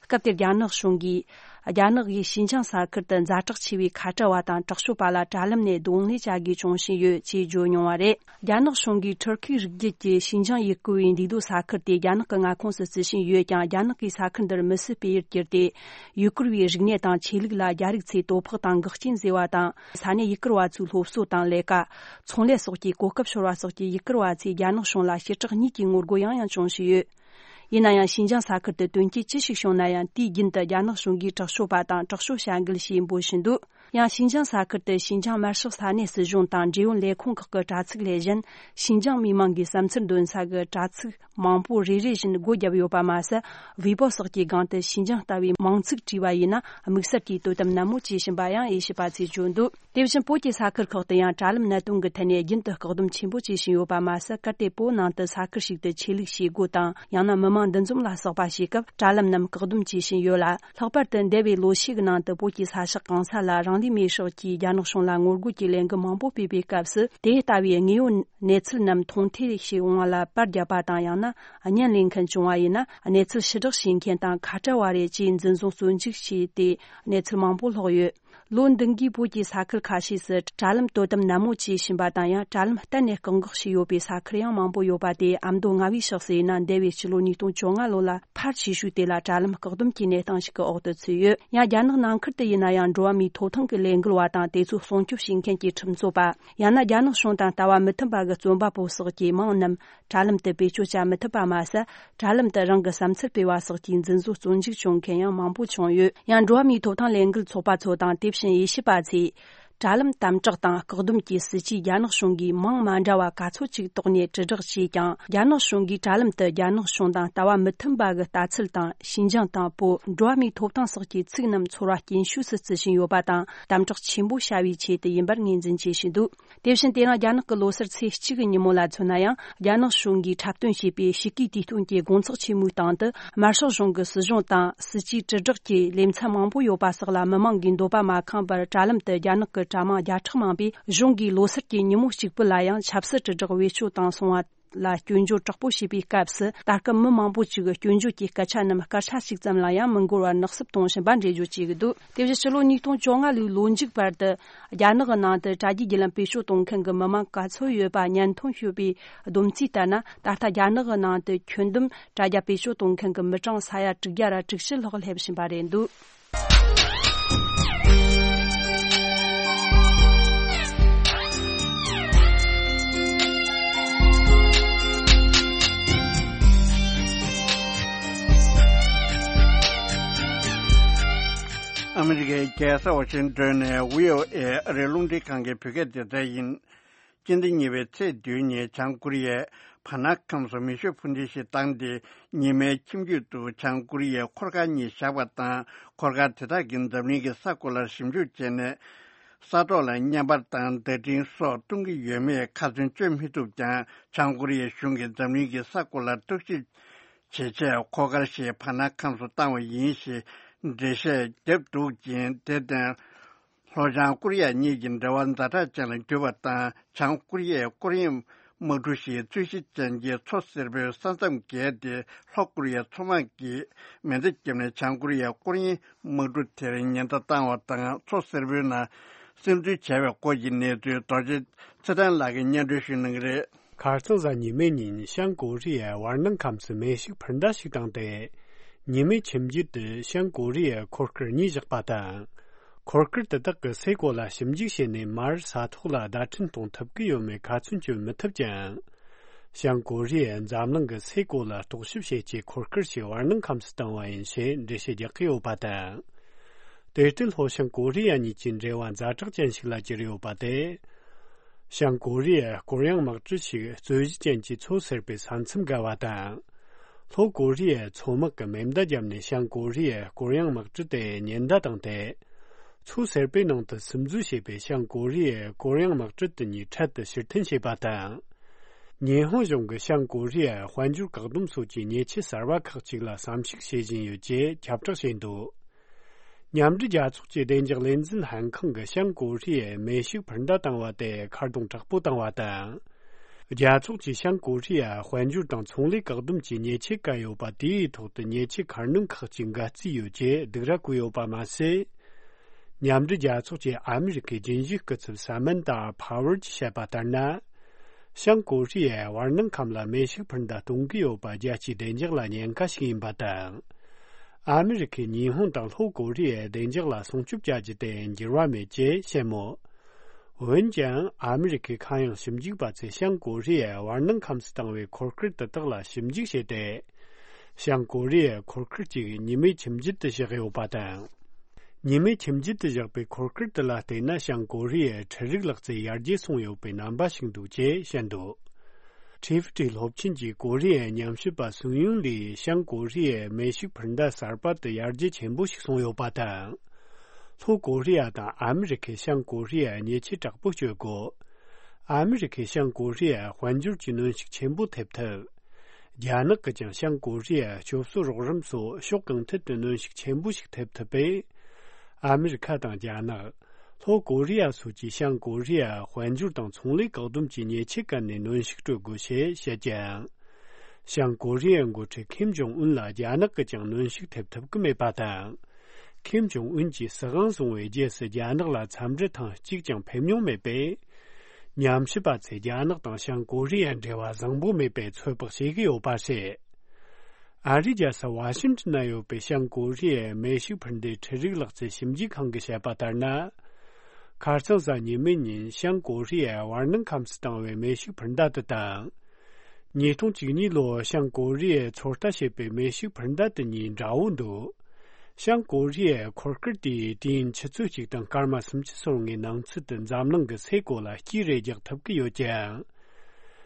སྐབས་དེར་རྒྱ་ནག་གཞུང་གིས། རྒྱ་ནག་གིས་ཞིན་ཅང་ས་ཁུལ་དུ་ཛ་དྲག་ཆེ་བའི་ཁ་བྲལ་བ་དང་དྲག་སྤྱོད་པ་ལ་དྲ་ལམ་ནས་རྡུང་ལེན་བྱ་དགོས་བྱུང་བཞིན་ཡོད་ཅེས་བརྗོད་མྱོང་བ་རེད། རྒྱ་ནག་གཞུང་གིས་ཊར་ཁིའི་རིགས་རྒྱུད་ཀྱི་ཞིན་ཅང་ཡུ་གུར་བའི་འདུས་སྡོད་ས་ཁུལ་དེ་རྒྱ་ནག་གི་མངའ་ཁོངས་སུ་བརྩི་བཞིན་ཡོད་ཀྱང་། རྒྱ་ནག་གིས་ས་ཁུལ་འདིར་མི་སེར་སྤེལ་ཡུལ་བསྒྱུར་ཏེ། ཡུ་གུར་བའི་རིག་གནས་དང་ཆོས་ལུགས་ལ་རྒྱ་རིགས་ཚོས་དོ་ཕོག་དང་འགོག་རྐྱེན་བཟོས་པ་དང་། ས་གནས་ཡུ་གུར་བ་ཚོའི་སློབ་གསོ་དང་ལས་ཀ། ཚོང་ལས་སོགས་ཀྱི་གོ་སྐབས་ཤོར་བ་སོགས་ཀྱི་ཡུ་གུར་བ་ཚོས་རྒྱ་ནག་གཞུང་ལ་ཕྱིར་བསྒྲགས་གཉིས་ཀྱི་ངོ་རྒོལ་ཡང་ཡང་བྱུང་བཞིན་ཡོད། ཡིན་ན་ཡང་ཞིན་ཅང་ས་ཁུལ་དུ་དོན་རྐྱེན་ཅི་ཞིག་བྱུང་ན་ཡང་དུས་རྒྱུན་དུ་རྒྱ་ནག་གཞུང་གིས་དྲག་སྤྱོད་པ་དང་དྲག་སྤྱོད་བྱ་འགུལ་ཞེས་འབོད་བཞིན་འདུག་ཡང་ཞིན་ཅང་ས་ཁུལ་དུ་ཞིན་ཅང་དམར་ཤོག་ས་གནས་སྲིད་གཞུང་དང་འབྲེལ་ཡོད་ལས་ཁུངས་ཁག་གི་དྲ་ཚིགས་ལས་གཞན། ཞིན་ཅང་མི་མང་གི་བསམ་ཚུལ་འདོན་ས་གི་དྲ་ཚིགས་མང་པོ་རེ་རེ་བཞིན་སྒོ་བརྒྱབ་ཡོད་པ་མ་ཟད། ཝེ་པོ་སོགས་ཀྱི་སྒང་དུ་ཞིན་ཅང་ལྟ་བུའི་མིང་ཚིག་བྲིས་པ་ཡིན་ན་དམིགས་བསལ་གྱིས་དོ་དམ་ནན་མོ་བྱེད་བཞིན་པ་ཡང་དབྱེ་ཞིབ་པ་ཚོས་བརྗོད་འདུག་དེ་བཞིན་བོད་ཀྱི་ས་ཁུལ་ཁག་ཏུ་ཡང་དྲ་ལམ་གནད་དོན་གྱི་ཐད་ནས་རྒྱུན་དུ་བཀག་སྡོམ་ཆེན་པོ་བྱེད་བཞིན་ཡོད་པ་མ་ཟད། གལ་ཏེ་བོད་ནང་དུ་ས་ཁུལ་ཞིག་ཏུ་ཆོས་ལུགས་བྱེད་སྒོ་དང་ཡང་ན་མི་མང་འདུ་འཛོམས་ལ་སོགས་པ་བྱེད་སྐབས་དྲ་ལམ་རྣམས་བཀག་སྡོམ་བྱེད་བཞིན་ཡོད་ལ། ལྷག་པར་དུ་འདས་པའི་ལོ་ཤས་ཀྱི་ནང་དུ་བོད་ཀྱི་ས་ཕྱོགས་གང་ས་ལ་རང་ལུས་མེར་སྲེག་གིས་རྒྱ་ནག་གཞུང་ལ་ངོ་རྒོལ་གྱི་ལས་འགུལ་མང་པོ་སྤེལ་བའི་སྐབས་སུ། དེ་ལྟ་བུའི་དངོས་ཡོད་གནས་ཚུལ་རྣམས་མཐོང་ཐོས་བྱེད་དབང་ལ་པར་བརྒྱབ་པ་དང་། ཡང་ན་བརྙན་ལེན་མཁན་བྱུང་བ་ཡིན་ན། གནས་ཚུལ་ཕྱིར་བསྒྲགས་བྱེད་མཁན་དང་ཁ་བྲལ་བ་རེད་ཅེས་འཛིན་བཟུང་བཙོན་འཇུག་བྱས་ཏེ་གནས་ཚུལ་མང་པོ་ལྷག་ཡོད། ལོ་འདི་འགའི་བོད་ཀྱི་ས་ཁུལ་ཁ་ཤས་སུ་དྲ་ལམ་དོ་དམ་ནན་མོ་བྱེད་བཞིན་པ་དང་། ཡང་དྲ་ལམ་གཏན་ནས་བཀག་འགོག་བྱས་ཡོད་པའི་ས་ཁུལ་ཡང་མང་པོ་ཡོད་པ་དེ་ཨ་མདོ་རྔ་བའི་ཕྱོགས་སུ་ཡིན་ན། འདས་པའི་ཕྱི་ལོ་ཉིས་སྟོང་བཅོ་ལྔ་ལོ་ལ་ཕར་ཕྱིས་ཤུལ་དེ་ལ་དྲ་ལམ་བཀག་སྡོམ་གྱི་གནས་སྟངས་ཤིག་གི་འོག་ཏུ་ཚུད་ཡོད། ཡང་རྒྱ་ནག་ནང་ཁུལ་དུ་ཡིན་ན་ཡང་འགྲོ་བ་མིའི་ཐོབ་ཐང་གི་ལས་འགུལ་བ་དང་དེ་ཚོ་སྲུང་སྐྱོབ་བྱེད་མཁན་གྱི་ཁྲིམས་རྩོད་པ། ཡང་ན་རྒྱ་ནག་གཞུང་དང་ལྟ་བ་མི་མཐུན་པ་གི་རྩོམ་པ་པོ་སོགས་ཀྱི་མིང་རྣམས་དྲ་ལམ་དུ་བེད་སྤྱོད་བྱ་མི་ཐུབ་པ་མ་ཟད། དྲ་ལམ་དུ་རང་གི་བསམ་ཚུལ་སྤེལ་བ་སོགས་ཀྱི་འཛིན་བཟུང་བཙོན་འཇུག་བྱུང་མཁན་ཡང་མང་པོ་བྱུང་ཡོད། ཡང་འགྲོ་བ་མིའི་ཐོབ་ཐང་ལས་འགུལ་ཚོགས་པ་ཚོ་དང་དེ་བཞིན་དབྱེ་ཞིབ་པ་ཚོས། དྲ་ལམ་དམ་དྲག་དང་བཀག་སྡོམ་གྱི་སྲིད་ཇུས་རྒྱ་ནག་གཞུང་གིས་མིང་མ་འདྲ་བ་ག་ཚོད་ཅིག་བཏོགས་ནས་དྲིལ་བསྒྲགས་བྱས་ཀྱང་། རྒྱ་ནག་གཞུང་གིས་དྲ་ལམ་དུ་རྒྱ་ནག་གཞུང་དང་ལྟ་བ་མི་མཐུན་པ་གི་ལྟ་ཚུལ་དང་། ཞིན་ཅང་དང་བོད། འགྲོ་བ་མིའི་ཐོབ་ཐང་སོགས་ཀྱི་ཚིག་རྣམས་ཚོར་བ་སྐྱེན་ཤོས་སུ་བརྩི་བཞིན་ཡོད་པ་དང་། དམ་དྲག་ཆེན་པོ་བྱ་བའི་ཆེད་དུ་ཡིན་པར་ངོས་འཛིན་བྱེད་བཞིན་འདུག་དེ་བཞིན་དེ་རིང་རྒྱ་ནག་གི་ལོ་སར་ཚེས་གཅིག་གི་ཉིན་མོ་ལ་མཚོན་ན་ཡང་། རྒྱ་ནག་གཞུང་གིས་འཁྲབ་སྟོན་བྱས་པའི་ཕྱི་གོས་དུས་སྟོན་གྱི་དགོང་ཚོགས་ཆེན་མོའི་སྟེང་དུ། དམར་ཤོག་གཞུང་གི་སྲིད་གཞུང་དང་སྲིད་ཇུས་དྲིལ་བསྒྲགས་ཀྱི་ལེ་ཚན་མང་པོ་ཡོད་པ་སོགས་ལ་མི་མང་གིས་འདོད་པ་མ་ཁེངས་པར། དྲ་ལམ་དུ་རྒྱ་ནག་གི་དྲ་དམངས་བརྒྱ་ཕྲག་མང་པོས་གཞུང་གིས་ལོ་སར་གྱི་ཉིན་མོ་གཅིག་པུ་ལ་ཡང་ཆབ་སྲིད་དྲིལ་བསྒྲགས་བེད་སྤྱོད་བཏང་སོང་བ་ལ་སྐྱོན་བརྗོད་དྲག་པོ་བྱས་པའི་སྐབས་སུ། ད་སྐབས་མི་མང་པོ་ཅིག་གིས་སྐྱོན་བརྗོད་ཀྱི་སྐད་ཆ་རྣམས་སྐད་ཆ་ཞིག་ཙམ་ལ་ཡང་མི་འགོར་བར་ནག་སུབ་གཏོང་བཞིན་པ་འགྲེལ་བརྗོད་བྱེད་ཀྱི་འདུག་དེ་བཞིན་ཕྱི་ལོ་ཉིས་སྟོང་བཅོ་ལྔ་ལོའི་ལོ་མཇུག་བར་དུ། རྒྱ་ནག་གི་ནང་དུ་དྲ་རྒྱའི་བརྒྱུད་ལམ་བེད་སྤྱོད་གཏོང་མཁན་གྱི་མི་མང་ག་ཚོད་ཡོད་པ་སྙན་ཐོ་ཞུས་པའི་བསྡོམས་རྩིས་ལྟར་ན། ད་ལྟ་རྒྱ་ནག་གི་ནང་དུ་ཁྱོན་བསྡོམས་དྲ་རྒྱ་བེད་སྤྱོད་གཏོང་མཁན་གྱི་མི་གྲངས་ས་ཡ་དྲུག་བརྒྱ་ར་དྲུག་ཅུ་ལྷག་སླེབས་བཞིན་པ་རེད་འདུག་ཨ་མི་རི་ཀའི་རྒྱལ་ས་ཝ་ཤིང་ཏོན་ནས་བྷི་ཨོ་ཨེ་ཨ་རིའི་རླུང་འཕྲིན་ཁང་གི་བོད་སྐད་སྡེ་ཚན་ཡིན། སྤྱི་ཟླ་གཉིས་པའི་ཚེས་བདུན་ཉིན་བྱང་ཀོ་རི་ཡས་བར་ནག་ཁམས་སུ་མེ་ཤུགས་འཕུར་མདེལ་ཞིག་བཏང་སྟེ། ཉི་མའི་ཁྱིམ་རྒྱུད་དུ་བྱང་ཀོ་རི་ཡའི་འཁོར་སྐར་གཉིས་བཞག་པ་དང་། འཁོར་སྐར་དེ་དག་གིས་འཛམ་གླིང་གི་ས་གོ་ལར་ཞིབ་འཇུག་བྱས་ནས། ས་ཐོག་ལ་བརྙན་པར་དང་བརྡ་འཕྲིན་སོགས་སྟོན་གྱི་ཡོད་མེད་ཁ་ཚོན་གཅོད་མི་ཐུབ་ཀྱང་། བྱང་ཀོ་རི་ཡའི་གཞུང་གིས་འཛམ་གླིང་གི་ས་གོ་ལར་བརྟག་ཞིབ་བྱེད་ཆེད་འཁོར་སྐར་ཞིག་བར་ནག་ཁམས་སུ་བཏང་བ་ཡིན་ཞེས་འགྲེལ་བཤད་བརྒྱབ་འདུག་ཅིང་། དེར་བརྟེན། ལྷོ་བྱང་ཀོ་རི་ཡ་གཉིས་ཀྱི་འབྲེལ་བ་ཛ་དྲག་ཅན་ལ་གྱུར་པ་དང་། བྱང་ཀོ་རི་ཡའི་སྐོར་གཡེང་དམག་གྲུ་ཞིག་རྩོད་གཞི་ཅན་གྱི་མཚོ་སེར་པོའི་ས་མཚམས་བརྒལ་ཏེ། ལྷོ་ཀོ་རི་ཡའི་མཚོ་དམག་གིས་མེ་མདའ་བརྒྱབ་ནས་བྱང་ཀོ་རི་ཡའི་སྐོར་གཡེང་དམག་གྲུ་དེར་ཉེན་བརྡ་བཏང་བ་དང་། མཚོ་སེར་པོའི་ནང་སིམ་འཛུལ་བྱས་པའི་སྐོར་གྱི་གནས་ཚུལ་རྡོ་རྗེ་ཚེ་བརྟན་ལགས་ཀྱིས་སྙན་སྒྲོན་ཞུ་གནང་གི་རེད། ཁ་རྩང་གཟའ་ཉི་མའི་ཉིན་བྱང་ཀོ་རི་ཡའི་བར་སྣང་ཁམས་སུ་མེ་ཤུགས་འཕུར་མདའ་ཞིག་བཏང་སྟེ། ཉི་མའི་ཁྱིམ་རྒྱུད་དུ་བྱང་ཀོ་རི་ཡའི་འཁོར་སྐར་གཉིས་བཞག་པ་དང་། འཁོར་སྐར་དེ་དག་གིས་སའི་གོ་ལ་ཞིབ་འཇུག་བྱས་ནས། མར་ས་ཐོག་ལ་བརྡ་འཕྲིན་གཏོང་ཐུབ་ཀྱི་ཡོད་མེད་ཁ་ཚོན་གཅོད་མི་ཐུབ་ཀྱང་། བྱང་ཀོ་རི་ཡས་འཛམ་གླིང་གི་སའི་གོ་ལ་རྟོག་ཞིབ་བྱེད་ཆེད་འཁོར་སྐར་ཞིག་བར་སྣང་ཁམས་སུ་བཏང་བ་ཡིན་ཞེས་འགྲེལ་བཤད་རྒྱག་གི་ཡོད་པ་དང་། དེར་བརྟེན་ལྷོ་བྱང་ཀོ་རི་ཡ་གཉིས་ཀྱི་འབྲེལ་བ་ཛ་དྲག་ཅན་ཞིག་ལ་གྱུར་ཡོད་པ་སྟེ། བྱང་ཀོ་རི་ཡས་སྐོར་གཡེང་དམག་གྲུ་ཞིག་རྩོད་གཞི་ཅན་གྱི་མཚོ་སེར་པོའི་ས་མཚམས་བརྒལ་བ་དང་། ལྷོ་ཀོ་རི་ཡའི་མཚོ་དམག་གིས་མེ་མདའ་བརྒྱབ་ནས་བྱང་ཀོ་རི་ཡའི་ཀོ་རི་ཡང་དམག་གྲུ་དེ་ཉེན་བརྡ་བཏང་སྟེ། མཚོ་སེར་པོའི་ནང་དུ་སིམ་འཛུལ་བྱས་པས། བྱང་ཀོ་རི་ཡའི་ཀོ་རི་ཡང་དམག་གྲུ་དེ་གཉིས་འཕྲལ་དུ་ཕྱིར་འཐེན་བྱས་པ་དང་། ཉི་ཧོང་གཞུང་གིས་བྱང་ཀོ་རི་ཡའི་དཔལ་འབྱོར་བཀག་སྡོམ་སོགས་ཀྱི་ཉེས་ཆད་གསར་བ་ཁག་ཅིག་ལ་བསམ་གཞིག་བྱེད་བཞིན་ཡོད་ཅེས་ཁྱབ་བསྒྲགས་བྱས་འདུག་མཉམ་འབྲེལ་རྒྱལ་ཚོགས་ཀྱི་བདེ་འཇགས་ལས་འཛིན་ལྷན་ཁང་གིས་བྱང་ཀོ་རི་ཡས་མེ་ཤུགས་འཕུར་མདའ་བཏང་བ་དེ་ཁ་རྡུང་དྲག་པོ་བཏང་བ་དང་། རྒྱལ་ཚོགས་ཀྱིས་བྱང་ཀོ་རི་ཡ་དཔལ་འབྱོར་དང་ཚོང་ལས་བཀག་སྡོམ་གྱི་ཉེས་ཆད་བཀལ་ཡོད་པ་དེའི་ཐོག་ཏུ་ཉེས་ཆད་ཁ་སྣོན་ཁག་ཅིག་འགལ་རྩིས་ཡོད་ཅེས་སྡིགས་ར་བསྐུལ་ཡོད་པ་མ་ཟད། མཉམ་འབྲེལ་རྒྱལ་ཚོགས་ཀྱི་ཨ་མི་རི་ཀའི་རྒྱུན་ཞུགས་སྐུ་ཚབ་ས་མན་ཏཱ་ཕ་ཝར་གྱིས་བཤད་པ་ལྟར་ན། བྱང་ཀོ་རི་ཡའི་བར་སྣང་ཁམས་ལ་མེ་ཤུགས་འཕུར་མདའ་གཏོང་གི་ཡོད་པ་རྒྱལ་སྤྱིའི་བདེ་འཇགས་ལ་ཉེན་ཁ་ཞིག་ཡིན་པ་དང་། ཨ་མི་རི་ཁས་ཉི་ཧོང་དང་ལྷོ་ཀོ་རི་ཡའི་བདེ་འཇགས་ལ་སྲུང་སྐྱོབ་བྱ་རྒྱུ་དེ་འགྱུར་བ་མེད་ཅེས་བཤད་མོད། འོན་ཀྱང་ཨ་མི་རི་ཁའི་མཁའ་དབྱིངས་ཞིབ་འཇུག་པ་ཚོས་བྱང་ཀོ་རི་ཡའི་བར་སྣང་ཁམས་སུ་བཏང་བའི་འཁོར་སྐར་དེ་དག་ལ་ཞིབ་འཇུག་བྱས་ཏེ། བྱང་ཀོ་རི་ཡའི་འཁོར་སྐར་གཅིག་ཉི་མའི་ཁྱིམ་རྒྱུད་དུ་བཞག་ཡོད་པ་དང་། ཉི་མའི་ཁྱིམ་རྒྱུད་དུ་བཞག་པའི་འཁོར་སྐར་དེ་ལ་བལྟས་ན། བྱང་ཀོ་རི་ཡའི་འཕྲུལ་རིག་ལག་རྩལ་ཡར་རྒྱས་སོང་ཡོད་པའི་རྣམ་པ་ཞིག་འདུག་ཅེས་བཤད་འདུག་ཁྲི་ཧྥི་ཀྲི་སློབ་ཆེན་གྱི་ཀོ་རི་ཡའི་ཉམས་ཞིབ་པ་སུང་ཡུང་ལིས་བྱང་ཀོ་རི་ཡའི་མེ་ཤུགས་འཕུར་མདའ་གསར་པ་དེ་ཡར་རྒྱས་ཆེན་པོ་ཞིག་སོང་ཡོད་པ་དང་། ལྷོ་ཀོ་རི་ཡ་དང་ཨ་མི་རི་ཁས་བྱང་ཀོ་རི་ཡར་ཉེས་ཆད་དྲག་པོ་གཅོད་དགོས། ཨ་མི་རི་ཁས་བྱང་ཀོ་རི་ཡར་དཔལ་འབྱོར་གྱི་གནོན་ཤུགས་ཆེན་པོ་ཐེབས་ཐུབ། རྒྱ་ནག་གིས་ཀྱང་བྱང་ཀོ་རི་ཡར་སྐྱོབ་གསོ་རོགས་རམ་སོགས་ཕྱོགས་གང་ཐད་དུ་གནོན་ཤུགས་ཆེན་པོ་ཞིག་ཐེབས་ཐུབ་པས། ཨ་མི་རི་ཁ་དང་རྒྱ་ནག་ལྷོ་ཀོ་རི་ཡ་སོགས་ཀྱིས་བྱང་ཀོ་རི་ཡར་དཔལ་འབྱོར་དང་ཚོང་ལས་བཀག་སྡོམ་གྱི་ཉེས་ཆད་བཀལ་ནས་གནོན་ཤུགས་སྤྲོད་དགོས་ཞེས་བཤད་ཀྱང་། བྱང་ཀོ་རི་ཡའི་འགོ་ཁྲིད་ཁིམ་ཇོང་ཨུན་ལ་རྒྱ་ནག་གིས་ཀྱང་གནོན་ཤུགས་ཐེབས་ཐུབ་ཀྱི་མེད་པ་དང་། ཁིམ་ཇོང་ཨུན་གྱིས་སྲིད་དབང་བཟུང་བའི་རྗེས་སུ་རྒྱ་ནག་ལ་འཚམས་འདྲི་ཐེངས་གཅིག་ཀྱང་ཕེབས་མྱོང་མེད་པས། ཉམས་ཞིབ་པ་ཚོས་རྒྱ་ནག་དང་བྱང་ཀོ་རི་ཡའི་འབྲེལ་བ་བཟང་པོ་མེད་པའི་ཚོད་དཔག་བྱེད་ཀྱི་ཡོད་པ་རེད། ཨ་རིའི་རྒྱལ་ས་ཝ་ཤིང་ཏོན་ན་ཡོད་པའི་བྱང་ཀོ་རི་ཡའི་མེ་ཤུགས་འཕུར་མདའི་འཕྲུལ་རིག་ལག་རྩལ་ཞིབ་འཇུག་ཁང་གིས་བཤད་པ་ལྟར་ན། ཁ་རྩང་གཟའ་ཉི་མའི་ཉིན་བྱང་ཀོ་རི་ཡའི་བར་སྣང་ཁམས་སུ་བཏང་བའི་མེ་ཤུགས་འཕུར་མདའ་དེ་དང་། ཉིས་སྟོང་བཅུ་གཉིས་ལོར་བྱང་ཀོ་རི་ཡས་ཚོད་ལྟ་བྱས་པའི་མེ་ཤུགས་འཕུར་མདའ་དེ་གཉིས་འདྲ་བོ་འདུག་བྱང་ཀོ་རི་ཡའི་འཁོར་སྐར་དེས་དུས་ཡུན་ཆུ་ཚོད་གཅིག་དང་སྐར་མ་སུམ་ཅུ་སོ་ལྔའི་ནང་ཚུད་དུ་འཛམ་གླིང་གི་སའི་གོ་ལ་དཀྱིལ་རེ་རྒྱག་ཐུབ་ཀྱི་ཡོད་ཀྱང་།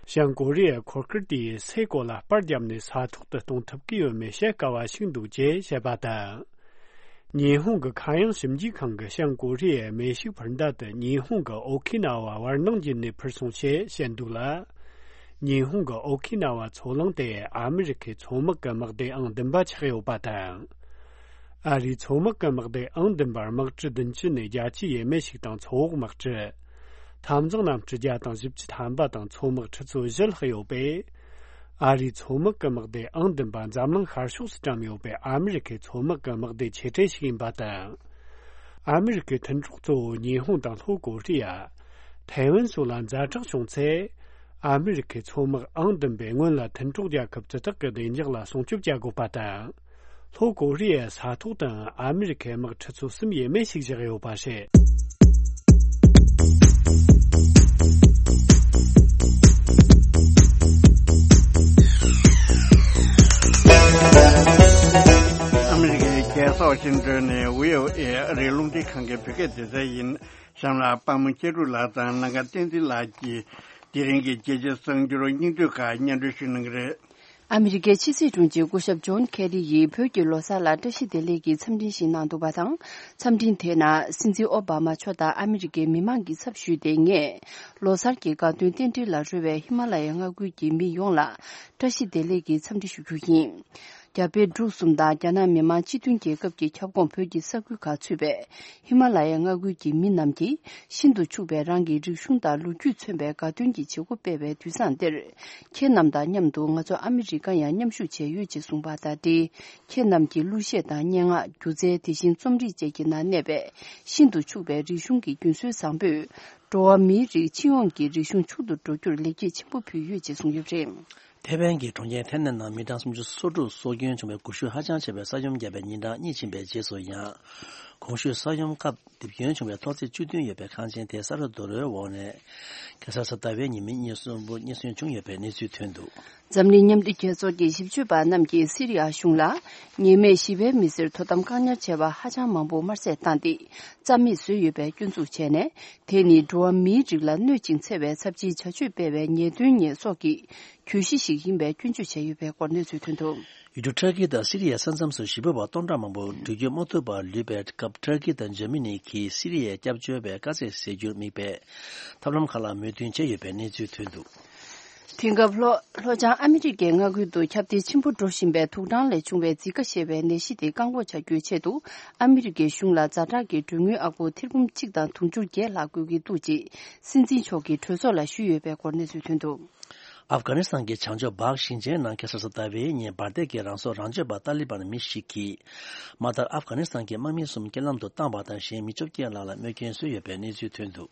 བྱང་ཀོ་རི་ཡའི་འཁོར་སྐར་དེས་སའི་གོ་ལ་སྤར་བརྒྱབ་ནས་ས་ཐོག་ཏུ་གཏོང་ཐུབ་ཀྱི་ཡོད་མེད་བཤད་དཀའ་བ་ཞིག་འདུག་ཅེས་བཤད་པ་དང་། ཉི་ཧོང་གི་མཁའ་དབྱིངས་ཞིབ་འཇུག་ཁང་གིས་བྱང་ཀོ་རི་ཡའི་མེ་ཤུགས་འཕུར་མདའ་དེ་ཉི་ཧོང་གི་ཨོ་ཁི་ན་ཝ་བར་སྣང་བརྒྱུད་ནས་འཕུར་སོང་ཞེས་བཤད་འདུག་ལ། ཉི་ཧོང་གི་ཨོ་ཁི་ན་ཝ་མཚོ་གླིང་དེ་ཨ་མི་རི་ཁའི་མཚོ་དམག་གི་དམག་སྡེ་ཨང་བདུན་པ་ཆགས་ཡོད་པ་དང་། ཨ་རིའི་མཚོ་དམག་གི་དམག་སྡེ་ཨང་བདུན་པར་དམག་གྲུ་བདུན་ཅུ་ནས་བརྒྱད་ཅུ་ཡས་མས་ཤིག་དང་མཚོ་འོག་དམག་གྲུ། འཐབ་འཛིང་གནམ་གྲུ་བརྒྱ་དང་བཞི་བཅུ་ཐམ་པ་དང་མཚོ་དམག་ཁྲི་ཚོ་བཞི་ལྷག་ཡོད་པས། ཨ་རིའི་མཚོ་དམག་གི་དམག་སྡེ་ཨང་བདུན་པ་འཛམ་གླིང་ཤར་ཕྱོགས་སུ་བཀྲམ་ཡོད་པའི་ཨ་མི་རི་ཁའི་མཚོ་དམག་གི་དམག་སྡེ་ཆེ་གྲས་ཤིག་ཡིན་པ་དང་། ཨ་མི་རི་ཁའི་མཐུན་གྲོགས་གཙོ་བོ་ཉི་ཧོང་དང་ལྷོ་ཀོ་རི་ཡ། ཐའེ་ཝན་སོགས་ལ་ཛ་དྲག་བྱུང་ཚེ། ཨ་མི་རི་ཁའི་མཚོ་དམག་ཨང་བདུན་པས་སྔོན་ལ་མཐུན་གྲོགས་རྒྱལ་ཁབ་དེ་དག་གི་བདེ་འཇགས་ལ་སྲུང་སྐྱོབ་བྱ་དགོས་པ་དང་། ལྷོ་ཀོ་རི་ཡའི་ས་ཐོག་ཏུའང་ཨ་མི་རི་ཁའི་དམག་ཁྲི་ཚོ་གསུམ་ཡས་མས་ཤིག་བཞག་ཡོད་པ་རེད། ཨ་མི་རི་ཀའི་རྒྱལ་ས་ཝ་ཤིང་ཏོན་ནས་ཝི་ཨོ་ཨེ་ཨ་རིའི་རླུང་འཕྲིན་ཁང་གི་བོད་སྐད་སྡེ་ཚན་ཡིན། གཤམ་ལ་པདྨ་སྐྱིད་གྲོལ་ལགས་དང་ལྷན་དགའ་བསྟན་འཛིན་ལགས་ཀྱིས་དེ་རིང་གི་རྒྱལ་སྤྱིའི་གསར་འགྱུར་སྙིང་བསྡུས་ཁག་སྙན་སྒྲོན་ཞུ་གནང་གི་རེད། ཨ་མི་རི་ཀའི་ཕྱི་སྲིད་དྲུང་ཆེ་སྐུ་ཞབས་ཇོན་ཁེ་རི་ཡིས་བོད་ཀྱི་ལོ་གསར་ལ་བཀྲ་ཤིས་བདེ་ལེགས་ཀྱི་འཚམས་འཕྲིན་ཞིག་གནང་འདུག་པ་དང་། འཚམས་འཕྲིན་དེའི་ནང་སྲིད་འཛིན་ཨོ་བྷ་མ་མཆོག་དང་ཨ་མི་རི་ཀའི་མི་མང་གི་ཚབ་ཞུས་ཏེ། ངས་ལོ་གསར་གྱི་དགའ་སྟོན་རྟེན་འབྲེལ་ལ་རོལ་བའི་ཧི་མ་ལ་ཡའི་མངའ་ཁུལ་གྱི་མི་ཡོངས་ལ་བཀྲ་ཤིས་བདེ་ལེགས་ཀྱི་འཚམས་འདྲི་ཞུ་རྒྱུ་ཡིན། རྒྱ་བལ་འབྲུག་གསུམ་དང་རྒྱ་ནག་མི་དམངས་སྤྱི་མཐུན་རྒྱལ་ཁབ་ཀྱི་ཁྱབ་ཁོངས་བོད་ཀྱི་ས་ཁུལ་ཁག་ཚུད་པའི་ཧི་མ་ལ་ཡའི་མངའ་ཁུལ་གྱི་མི་རྣམས་ཀྱིས་ཤིན་ཏུ་ཕྱུག་པའི་རང་གི་རིག་གཞུང་དང་ལོ་རྒྱུས་མཚོན་པའི་དགའ་སྟོན་གྱི་བྱེད་སྒོ་སྤེལ་བའི་དུས་བཟང་འདིར། ཁྱེད་རྣམས་དང་མཉམ་དུ་ང་ཚོ་ཨ་མི་རི་ཀར་ཡང་མཉམ་ཞུགས་བྱས་ཡོད་ཅེས་གསུངས་པ་དང་འབྲེལ། ཁྱེད་རྣམས་ཀྱི་གླུ་གཞས་དང་སྙན་ངག་སྒྱུ་རྩལ། དེ་བཞིན་རྩོམ་རིག་བཅས་ཀྱི་ནང་གནས་པའི་ཤིན་ཏུ་ཕྱུག་པའི་རིག་གཞུང་གི་རྒྱུན་སྲོལ་བཟང་པོས། འགྲོ་བ་མིའི་རིགས་སྤྱི་ཡོངས་ཀྱི་རིག་གཞུང་ཕྱུག་ཏུ་འགྲོ་རྒྱུར་ལེགས་སྐྱེས་ཆེན་པོ་ཕུལ་ཡོད་ཅེས་གསུངས་ཡོད་པ་རེད། ཐེ་ཝན་གྱི་གྲོང་ཁྱེར་ཐེན་ནན་ནང་མི་གྲངས་སུམ་ཅུ་སོ་དྲུག་སྲོག་སྐྱོན་བྱུང་བའི་འགུལ་ཤུགས་ཧ་ཅང་ཆེ་བའི་ས་ཡོམ་བརྒྱབ་པའི་ཉིན་གྲངས་གཉིས་ཕྱིན་པའི་རྗེས་སུ་ཡང་། གོང་ཞུས་ས་ཡོམ་སྐབས་རྡིབ་སྐྱོན་བྱུང་བའི་ཐོག་བརྩེགས་བཅུ་བདུན་ཡོད་པའི་ཁང་ཆེན་དེ་ས་རུབ་རྡོ་རོལ་འོག་ནས་ཁ་སང་གཟའ་ཟླ་བའི་ཉི་མའི་ཉིན་གསུམ་པོ་རྙེད་སོན་བྱུང་ཡོད་པའི་གནས་ཚུལ་ཐོན་འདུག། འཛམ་གླིང་མཉམ་འབྲེལ་རྒྱལ་ཚོགས་ཀྱི་ཞིབ་དཔྱོད་པ་རྣམས་ཀྱིས་སི་རི་ཡ་གཞུང་ལ་ཉེས་མེད་ཞི་བའི་མི་སེར་དོ་དམ་བཀག་ཉར་བྱས་པ་ཧ་ཅང་མང་པོ་དམར་བསད་བཏང་སྟེ་རྩ་མེད་བཟོས་ཡོད་པའི་སྐྱོན་འཛུགས་བྱས་ནས། དེ་ནི་འགྲོ་བ་མིའི་རིགས་ལ་གནོད་ཅིང་འཚེ་བའི་ཚབས་ཆེའི་བྱ་སྤྱོད་སྤེལ་བའི་ཉེས་དོན་ཉེས་གསོག་གི་གྱོད་གཞི་ཞིག་ཡིན་པའི་སྐྱོན་བརྗོད་བྱས་ཡོད་པའི་སྐོར་གནས་ཚུལ་ཐོན་འདུག། ཡུལ་གྲུ་ཊར་ཀི་དང་སི་རི་ཡའི་ས་མཚམས་སུ་ཞི་བའི་བ་སྟོང་ཕྲག་མང་པོ་འགྲུལ་སྐྱོད་མ་ཐུབ་པར་ལུས་པའི་སྐབས། ཊར་ཀི་དང་འཇར་མ་ནི་གིས་སི་རི་ཡའི་སྐྱབས་བཅོལ་བའི་དཀའ་ཚེགས་སེལ་རྒྱུར་དམིགས་པའི་ཐབས་ལམ་ཁག་ལ་མོས་མཐུན་བྱས་ཡོད་པའི་གནས་ཚུལ་ཐོན་འདུག། དེང་སྐབས་ལྷོ་ལྷོ་བྱང་ཨ་མི་རི་ཀའི་མངའ་ཁུལ་དུ་ཁྱབ་གདལ་ཆེན་པོ་འགྲོ་བཞིན་པའི་དུག་སྦྲང་ལས་བྱུང་བའི་ཛི་ཀ་ཞེས་པའི་ནད་གཞི་དེ་བཀག་འགོག་བྱ་རྒྱུའི་ཆེད་དུ། ཨ་མི་རི་ཀའི་གཞུང་ལ་ཛ་དྲག་གི་གྲོན་དངུལ་ཨ་སྒོར་ཐེར་འབུམ་གཅིག་དང་དུང་ཕྱུར་བརྒྱད་ལྷག་དགོས་ཀྱི་འདུག་ཅེས་སྲིད་འཛིན་མཆོག་གིས་གྲོས་ཚོགས་ལ་ཞུས་ཡོད་པའི་སྐོར་གནས་ཚུལ་ཐོན་འདུག། ཨབ་གྷ་ནི་སི་ཐན་གྱི་བྱང་ཕྱོགས་བྷག་ཞིང་ཆེན་ནང་ཁ་སང་གཟའ་ཟླ་བའི་ཉིན་འབར་མདེལ་གྱིས་རང་སྲོག་རང་གཅོད་པ་ཏཱ་ལི་བན་མི་ཞིག་གིས། མ་མཐར་ཨབ་གྷ་ནི་སི་ཐན་གྱི་དམག་མི་གསུམ་རྐྱེན་ལམ་དུ་བཏང་བ་དང་། གཞན་མི་བཅོ་བརྒྱད་ལྷག་ལ་རྨས་སྐྱོན་བཟོས་ཡོད་པའི་གནས་ཚུལ་ཐོན་འདུག།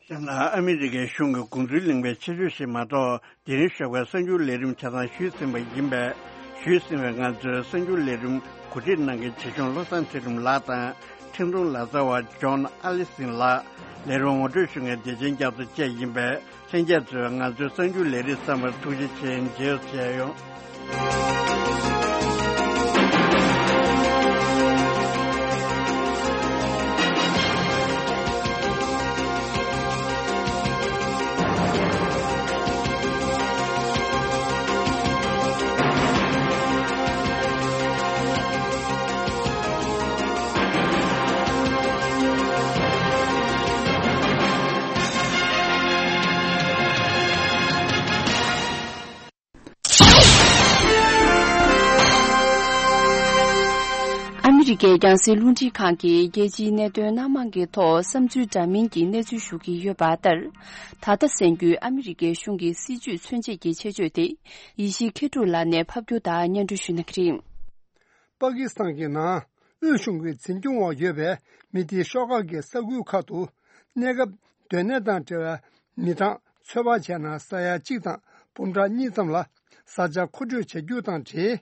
གཞན་ལ་ཨ་མི་རི་ཀའི་གཞུང་གི་དགོངས་ཚུལ་གླེང་བའི་ཆེད་བརྗོད་ཞིག་མ་གཏོགས། དེ་རིང་ཞོགས་པའི་གསར་འགྱུར་ལས་རིམ་ཆ་ཚང་ཞུས་ཟིན་པ་ཡིན་པས། ཞུས་ཟིན་པའི་ང་ཚོའི་གསར་འགྱུར་ལས་རིམ་གོ་སྒྲིག་གནང་མཁན་བྱིས་སྐྱོང་བློ་བཟང་ཚེ་རིང་ལགས་དང་། འཕྲིན་གཏོང་ལག་རྩལ་བ་ཇོན་ཨ་ལི་སིན་ལགས། ལས་རིམ་ངོ་སྤྲོད་ཞུ་མཁན་བདེ་ཆེན་རྒྱ་མཚོ་བཅས་ཡིན་པས། ལྷན་རྒྱས་ཚོས་ང་ཚོའི་གསར་འགྱུར་ལས་རིམ་གསན་པར་ཐུགས་རྗེ་ཆེ། མཇལ་བ་མཇལ་ཡོང་། ཨ་མི་རི་ཀའི་རྒྱང་སྲིང་རླུང་འཕྲིན་ཁང་གིས་རྒྱལ་སྤྱིའི་གནད་དོན་སྣ་མང་གི་ཐོག་བསམ་ཚུལ་འདྲ་མིན་གྱི་གནས་ཚུལ་ཞུ་གི་ཡོད་པ་ལྟར། ད་ལྟ་གསན་རྒྱུའི་ཨ་མི་རི་ཀའི་གཞུང་གི་སྲིད་བྱུས་མཚོན་བྱེད་ཀྱི་ཆེད་བརྗོད་དེ། ཡེ་ཤེས་མཁས་གྲུབ་ལགས་ནས་ཕབ་སྒྱུར་དང་སྙན་སྒྲོན་ཞུ་གནང་གི་རེད། པ་ཀི་སི་ཐན་གྱི་ནང་དབུས་གཞུང་གི་འཛིན་སྐྱོང་འོག་ཡོད་པའི་མི་སྡེ་ཤོག་ཁག་གི་ས་ཁུལ་ཁག་ཏུ་གནས་སྐབས་སྡོད་གནས་དང་འབྲེལ་བའི་མི་གྲངས་ཚོད་དཔག་བྱས་ན་ས་ཡ་གཅིག་དང་འབུམ་ཕྲག་གཉིས་ཙམ་ལ་བཟའ་བཅའ་མཁོ་སྤྲོད་བྱ་རྒྱུ་དང་འབྲེལ།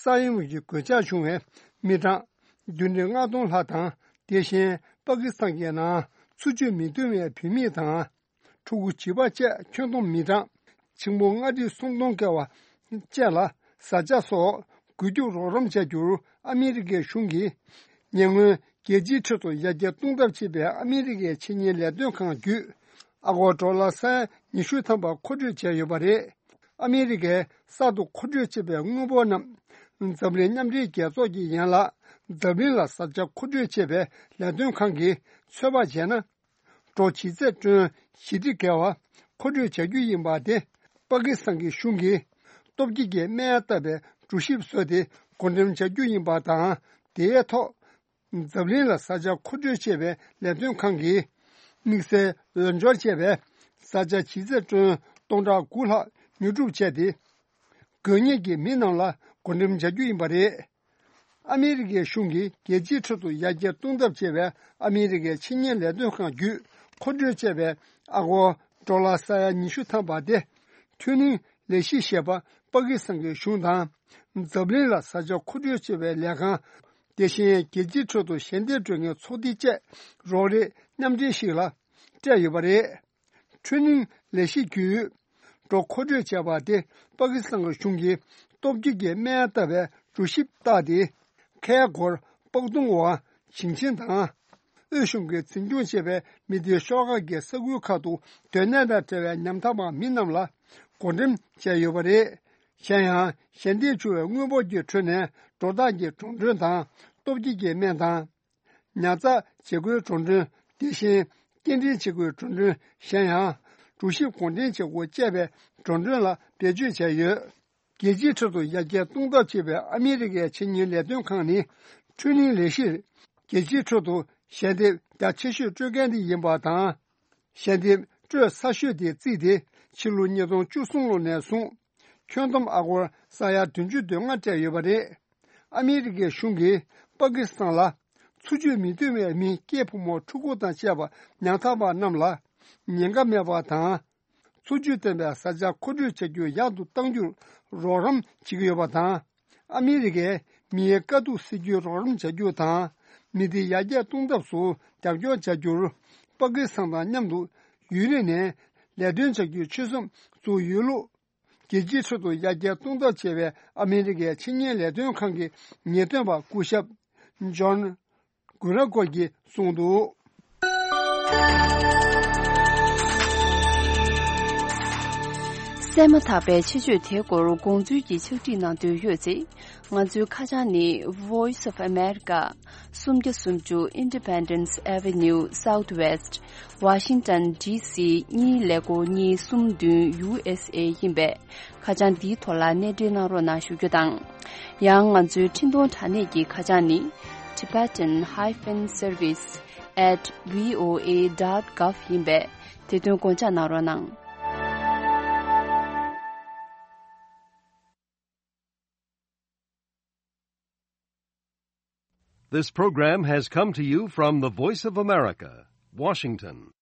ས་ཡོམ་གྱི་གོད་ཆག་བྱུང་བའི་མི་གྲངས་བདུན་ཁྲི་ལྔ་སྟོང་ལྷག་དང་། དེ་བཞིན་པ་ཀི་སི་ཐན་གྱི་ནང་འཚོ་བཅུད་མི་འདང་བའི་བུད་མེད་དང་། ཕྲུ་གུ་བྱིས་པ་བཅས་ཁྱོན་བསྡོམས་མི་གྲངས་ཆིག་སྟོང་ལྔ་ཁྲི་སུམ་སྟོང་བརྒལ་བ་བཅས་ལ་བཟའ་བཅའ་སོགས་རྒུད་སྐྱོབ་རོགས་རམ་བྱ་རྒྱུར་ཨ་མི་རི་ཀའི་གཞུང་གིས་ཉེ་སྔོན་རྒྱལ་སྤྱིའི་ཁྲོད་དུ་ཡར་རྒྱས་གཏོང་ཐབས་བྱེད་པའི་ཨ་མི་རི་ཀའི་ཆེད་གཉེར་ལས་དོན་ཁང་བརྒྱུད། ཨ་སྒོར་ཌོ་ལར་ས་ཡ་ཉི་ཤུ་ཐམ་པ་མཁོ་སྤྲོད་བྱས་ཡོད་པ་རེད། ཨ་མི་རི་ཀས་གསར་དུ་མཁོ་སྤྲོད་བྱས་པའི་དངུལ་འབོར་རྣམས་འཛམ་གླིང་མཉམ་འབྲེལ་རྒྱལ་ཚོགས་ཀྱི་ཡན་ལག་འཛམ་གླིང་ལ་བཟའ་བཅའ་མཁོ་སྤྲོད་བྱེད་པའི་ལས་དོན་ཁང་གིས་ཚོད་དཔག་བྱས་ན། ཌོ་ཆིག་ཚད་ཀྲོན་བཞི་ཁྲི་བརྒལ་བ་མཁོ་སྤྲོད་བྱ་རྒྱུ་ཡིན་པ་དེ། པ་ཀི་སི་ཐན་གྱི་གཞུང་གིས་སྟོབས་སྐྱེད་ཀྱི་སྨན་བཏབ་པའི་གྲུ་གཤིས་བཟོས་ཏེ་བགོ་འགྲེམས་བྱ་རྒྱུ་ཡིན་པ་དང་། དེའི་ཐོག་འཛམ་གླིང་ལ་བཟའ་བཅའ་མཁོ་སྤྲོད་བྱེད་པའི་ལས་དོན་ཁང་གིས་དམིགས་བསལ་འོས་སྦྱོར་བྱས་པའི་བཟའ་བཅའ་ཆིག་ཚད་ཀྲོན་སྟོང་ཕྲག་དགུ་ལྷག་ཉོ་སྒྲུབ་བྱས་ཏེ། དགོས་ངེས་ཀྱི་མི་རྣམས་ལ་བགོ་འགྲེམས་བྱ་རྒྱུ་ཡིན་པ་རེད། ཨ་མི་རི་ཀའི་གཞུང་གིས་རྒྱལ་སྤྱིའི་ཁྲོད་དུ་ཡར་རྒྱས་གཏོང་ཐབས་བྱེད་པའི་ཨ་མི་རི་ཀའི་ཆེད་གཉེར་ལས་དོན་ཁང་བརྒྱུད་མཁོ་སྤྲོད་བྱས་པའི་ཨ་སྒོར་ཌོ་ལར་ས་ཡ་ཉི་ཤུ་ཐམ་པ་དེ། འཕྲུལ་སྣང་ལས་གཞི་ཞེས་པ་པ་ཀི་སི་ཐན་གྱི་གཞུང་དང་། འཛམ་གླིང་ལ་བཟའ་བཅའ་མཁོ་སྤྲོད་བྱེད་པའི་ལས་ཁང་། དེ་བཞིན་རྒྱལ་སྤྱིའི་ཁྲོད་དུ་ཞལ་འདེབས་སྤྲོད་མཁན་ཚོགས་སྡེ་བཅས་རོགས་རེས་མཉམ་འབྲེལ་ཞིག་ལ་སྤྲད་ཡོད་པ་རེད། འཕྲུལ་སྣང་ལས་གཞི་བརྒྱུད་ཌོ་མཁོ་སྤྲོད་བྱས་པ་དེ་པ་ཀི་སི་ཐན་གྱི་གཞུང་གིས་སྟོབས་སྐྱེད་ཀྱི་སྨན་བཏབ་པའི་གྲུ་གཤིས་བཏགས་ཏེ། ཁལ་སྒོར་སྤགས་ཐུང་བ་ཞིང་ཆེན་དང་། དབུས་གཞུང་གིས་འཛིན་སྐྱོང་བྱས་པའི་མི་སྡེའི་ཤོག་ཁག་གི་ས་ཁུལ་ཁག་ཏུ་སྡོད་གནས་དང་འབྲེལ་བའི་ཉམ་ཐག་པ་མི་རྣམས་ལ་བགོ་འགྲེམས་བྱས་ཡོད་པ་རེད། གཞན་ཡང་ཞལ་འདེབས་བྱུང་བའི་དངུལ་འབོར་གྱི་ཁྲོད་ནས་སྒྲོ་བཏགས་ཀྱི་འགྲོ་གྲོན་དང་སྟོབས་སྐྱེད་ཀྱི་སྨན་དང་། ཉར་ཚགས་བྱེད་སྒོའི་འགྲོ་གྲོན། དེ་བཞིན་སྐྱེལ་འདྲེན་བྱེད་སྒོའི་འགྲོ་གྲོན། གཞན་ཡང་གྲུ་གཤིས་གོང་འཕེལ་བྱེད་སྒོ་བཅས་པའི་འགྲོ་གྲོན་ལ་བེད་སྤྱོད་བྱས་ཡོད། རྒྱལ་སྤྱིའི་ཁྲོད་དུ་ཡར་རྒྱས་གཏོང་ཐབས་བྱེད་པའི་ཨ་མི་རི་ཀའི་ཆེད་གཉེར་ལས་དོན་ཁང་ནི་འཕྲུལ་སྣང་ལས་གཞིར་རྒྱལ་སྤྱིའི་ཁྲོད་དུ་ཞལ་འདེབས་རྒྱ་ཆེ་ཤོས་སྤྲོད་མཁན་དེ་ཡིན་པ་དང་། ཞལ་འདེབས་སྤྲོད་གསར་ཤོས་དེ་བརྩིས་ཏེ་ཕྱི་ལོ་ཉིས་སྟོང་བཅུ་གསུམ་ལོ་ནས་བཟུང་ཁྱོན་བསྡོམས་ཨ་སྒོར་ས་ཡ་བདུན་ཅུ་དོན་ལྔ་སྤྲད་ཡོད་པ་རེད། ཨ་མི་རི་ཀའི་གཞུང་གིས་པ་ཀི་སི་ཐན་ལ་འཚོ་བཅུད་མི་འདང་བའི་མི་སྐྱེས་ཕོ་མོ་ཕྲུ་གུ་དང་བཅས་པ་ཉམ་ཐག་པ་རྣམས་ལ་ཉེན་ཁ་མེད་པ་དང་། འཚོ་བཅུད་ལྡན་པའི་བཟའ་བཅའ་མཁོ་སྤྲོད་བྱ་རྒྱུ་ཡག་ཏུ་གཏང་རྒྱུར་རོགས་རམ་བྱེད་ཀྱི་ཡོད་པ་དང་། ཨ་མི་རི་ཀས་མིའི་དཀའ་སྡུག་སེལ་རྒྱུའི་རོགས་རམ་བྱ་རྒྱུ་དང་། མི་སྡེ་ཡར་རྒྱས་གཏོང་ཐབས་སུ་རྒྱབ་སྐྱོར་བྱ་རྒྱུར། པ་ཀི་སི་ཐན་དང་མཉམ་དུ་ཡུན་རིང་ནས་ལས་དོན་བྱ་རྒྱུའི་ཆོད་སེམས་བཙུགས་ཡོད་ལུགས། རྒྱལ་སྤྱིའི་ཁྲོད་དུ་ཡར་རྒྱས་གཏོང་ཐབས་བྱེད་པའི་ཨ་མི་རི་ཀའི་ཆེད་གཉེར་ལས་དོན་ཁང་གི་ངེས་སྟོན་པ་སྐུ་ཞབས་ཇོན་གུ་ར་ཀོ་གིས་གསུངས་འདུག། གསན་མ་ཐག་པའི་ཆེད་བརྗོད་དེའི་སྐོར་དགོངས་ཚུལ་གྱི་ཕྱག་བྲིས་གནང་འདོད་ཡོད་ཚེ། ང་ཚོའི་ཁ་བྱང་ནི། Voice of America། སུམ་བརྒྱ་སུམ་ཅུ། Independence Avenue Southwest། Washington D C གཉིས་ཀླད་ཀོར་གཉིས་གསུམ་བདུན། U S A ཡིན་པས། ཁ་བྱང་འདིའི་ཐོག་ལ་གནས་འབྲེལ་གནང་རོགས་གནང་ཞུ་རྒྱུ་དང་། ཡང་ང་ཚོའི་འཕྲིན་གཏོང་དྲ་གནས་ཀྱི་ཁ་བྱང་ནི། Tibetan hyphen service at V O A dot gov ཡིན་པས། དེ་དོན་དགོངས་འཇགས་གནང་རོགས་གནང་། This program has come to you from the Voice of America, Washington.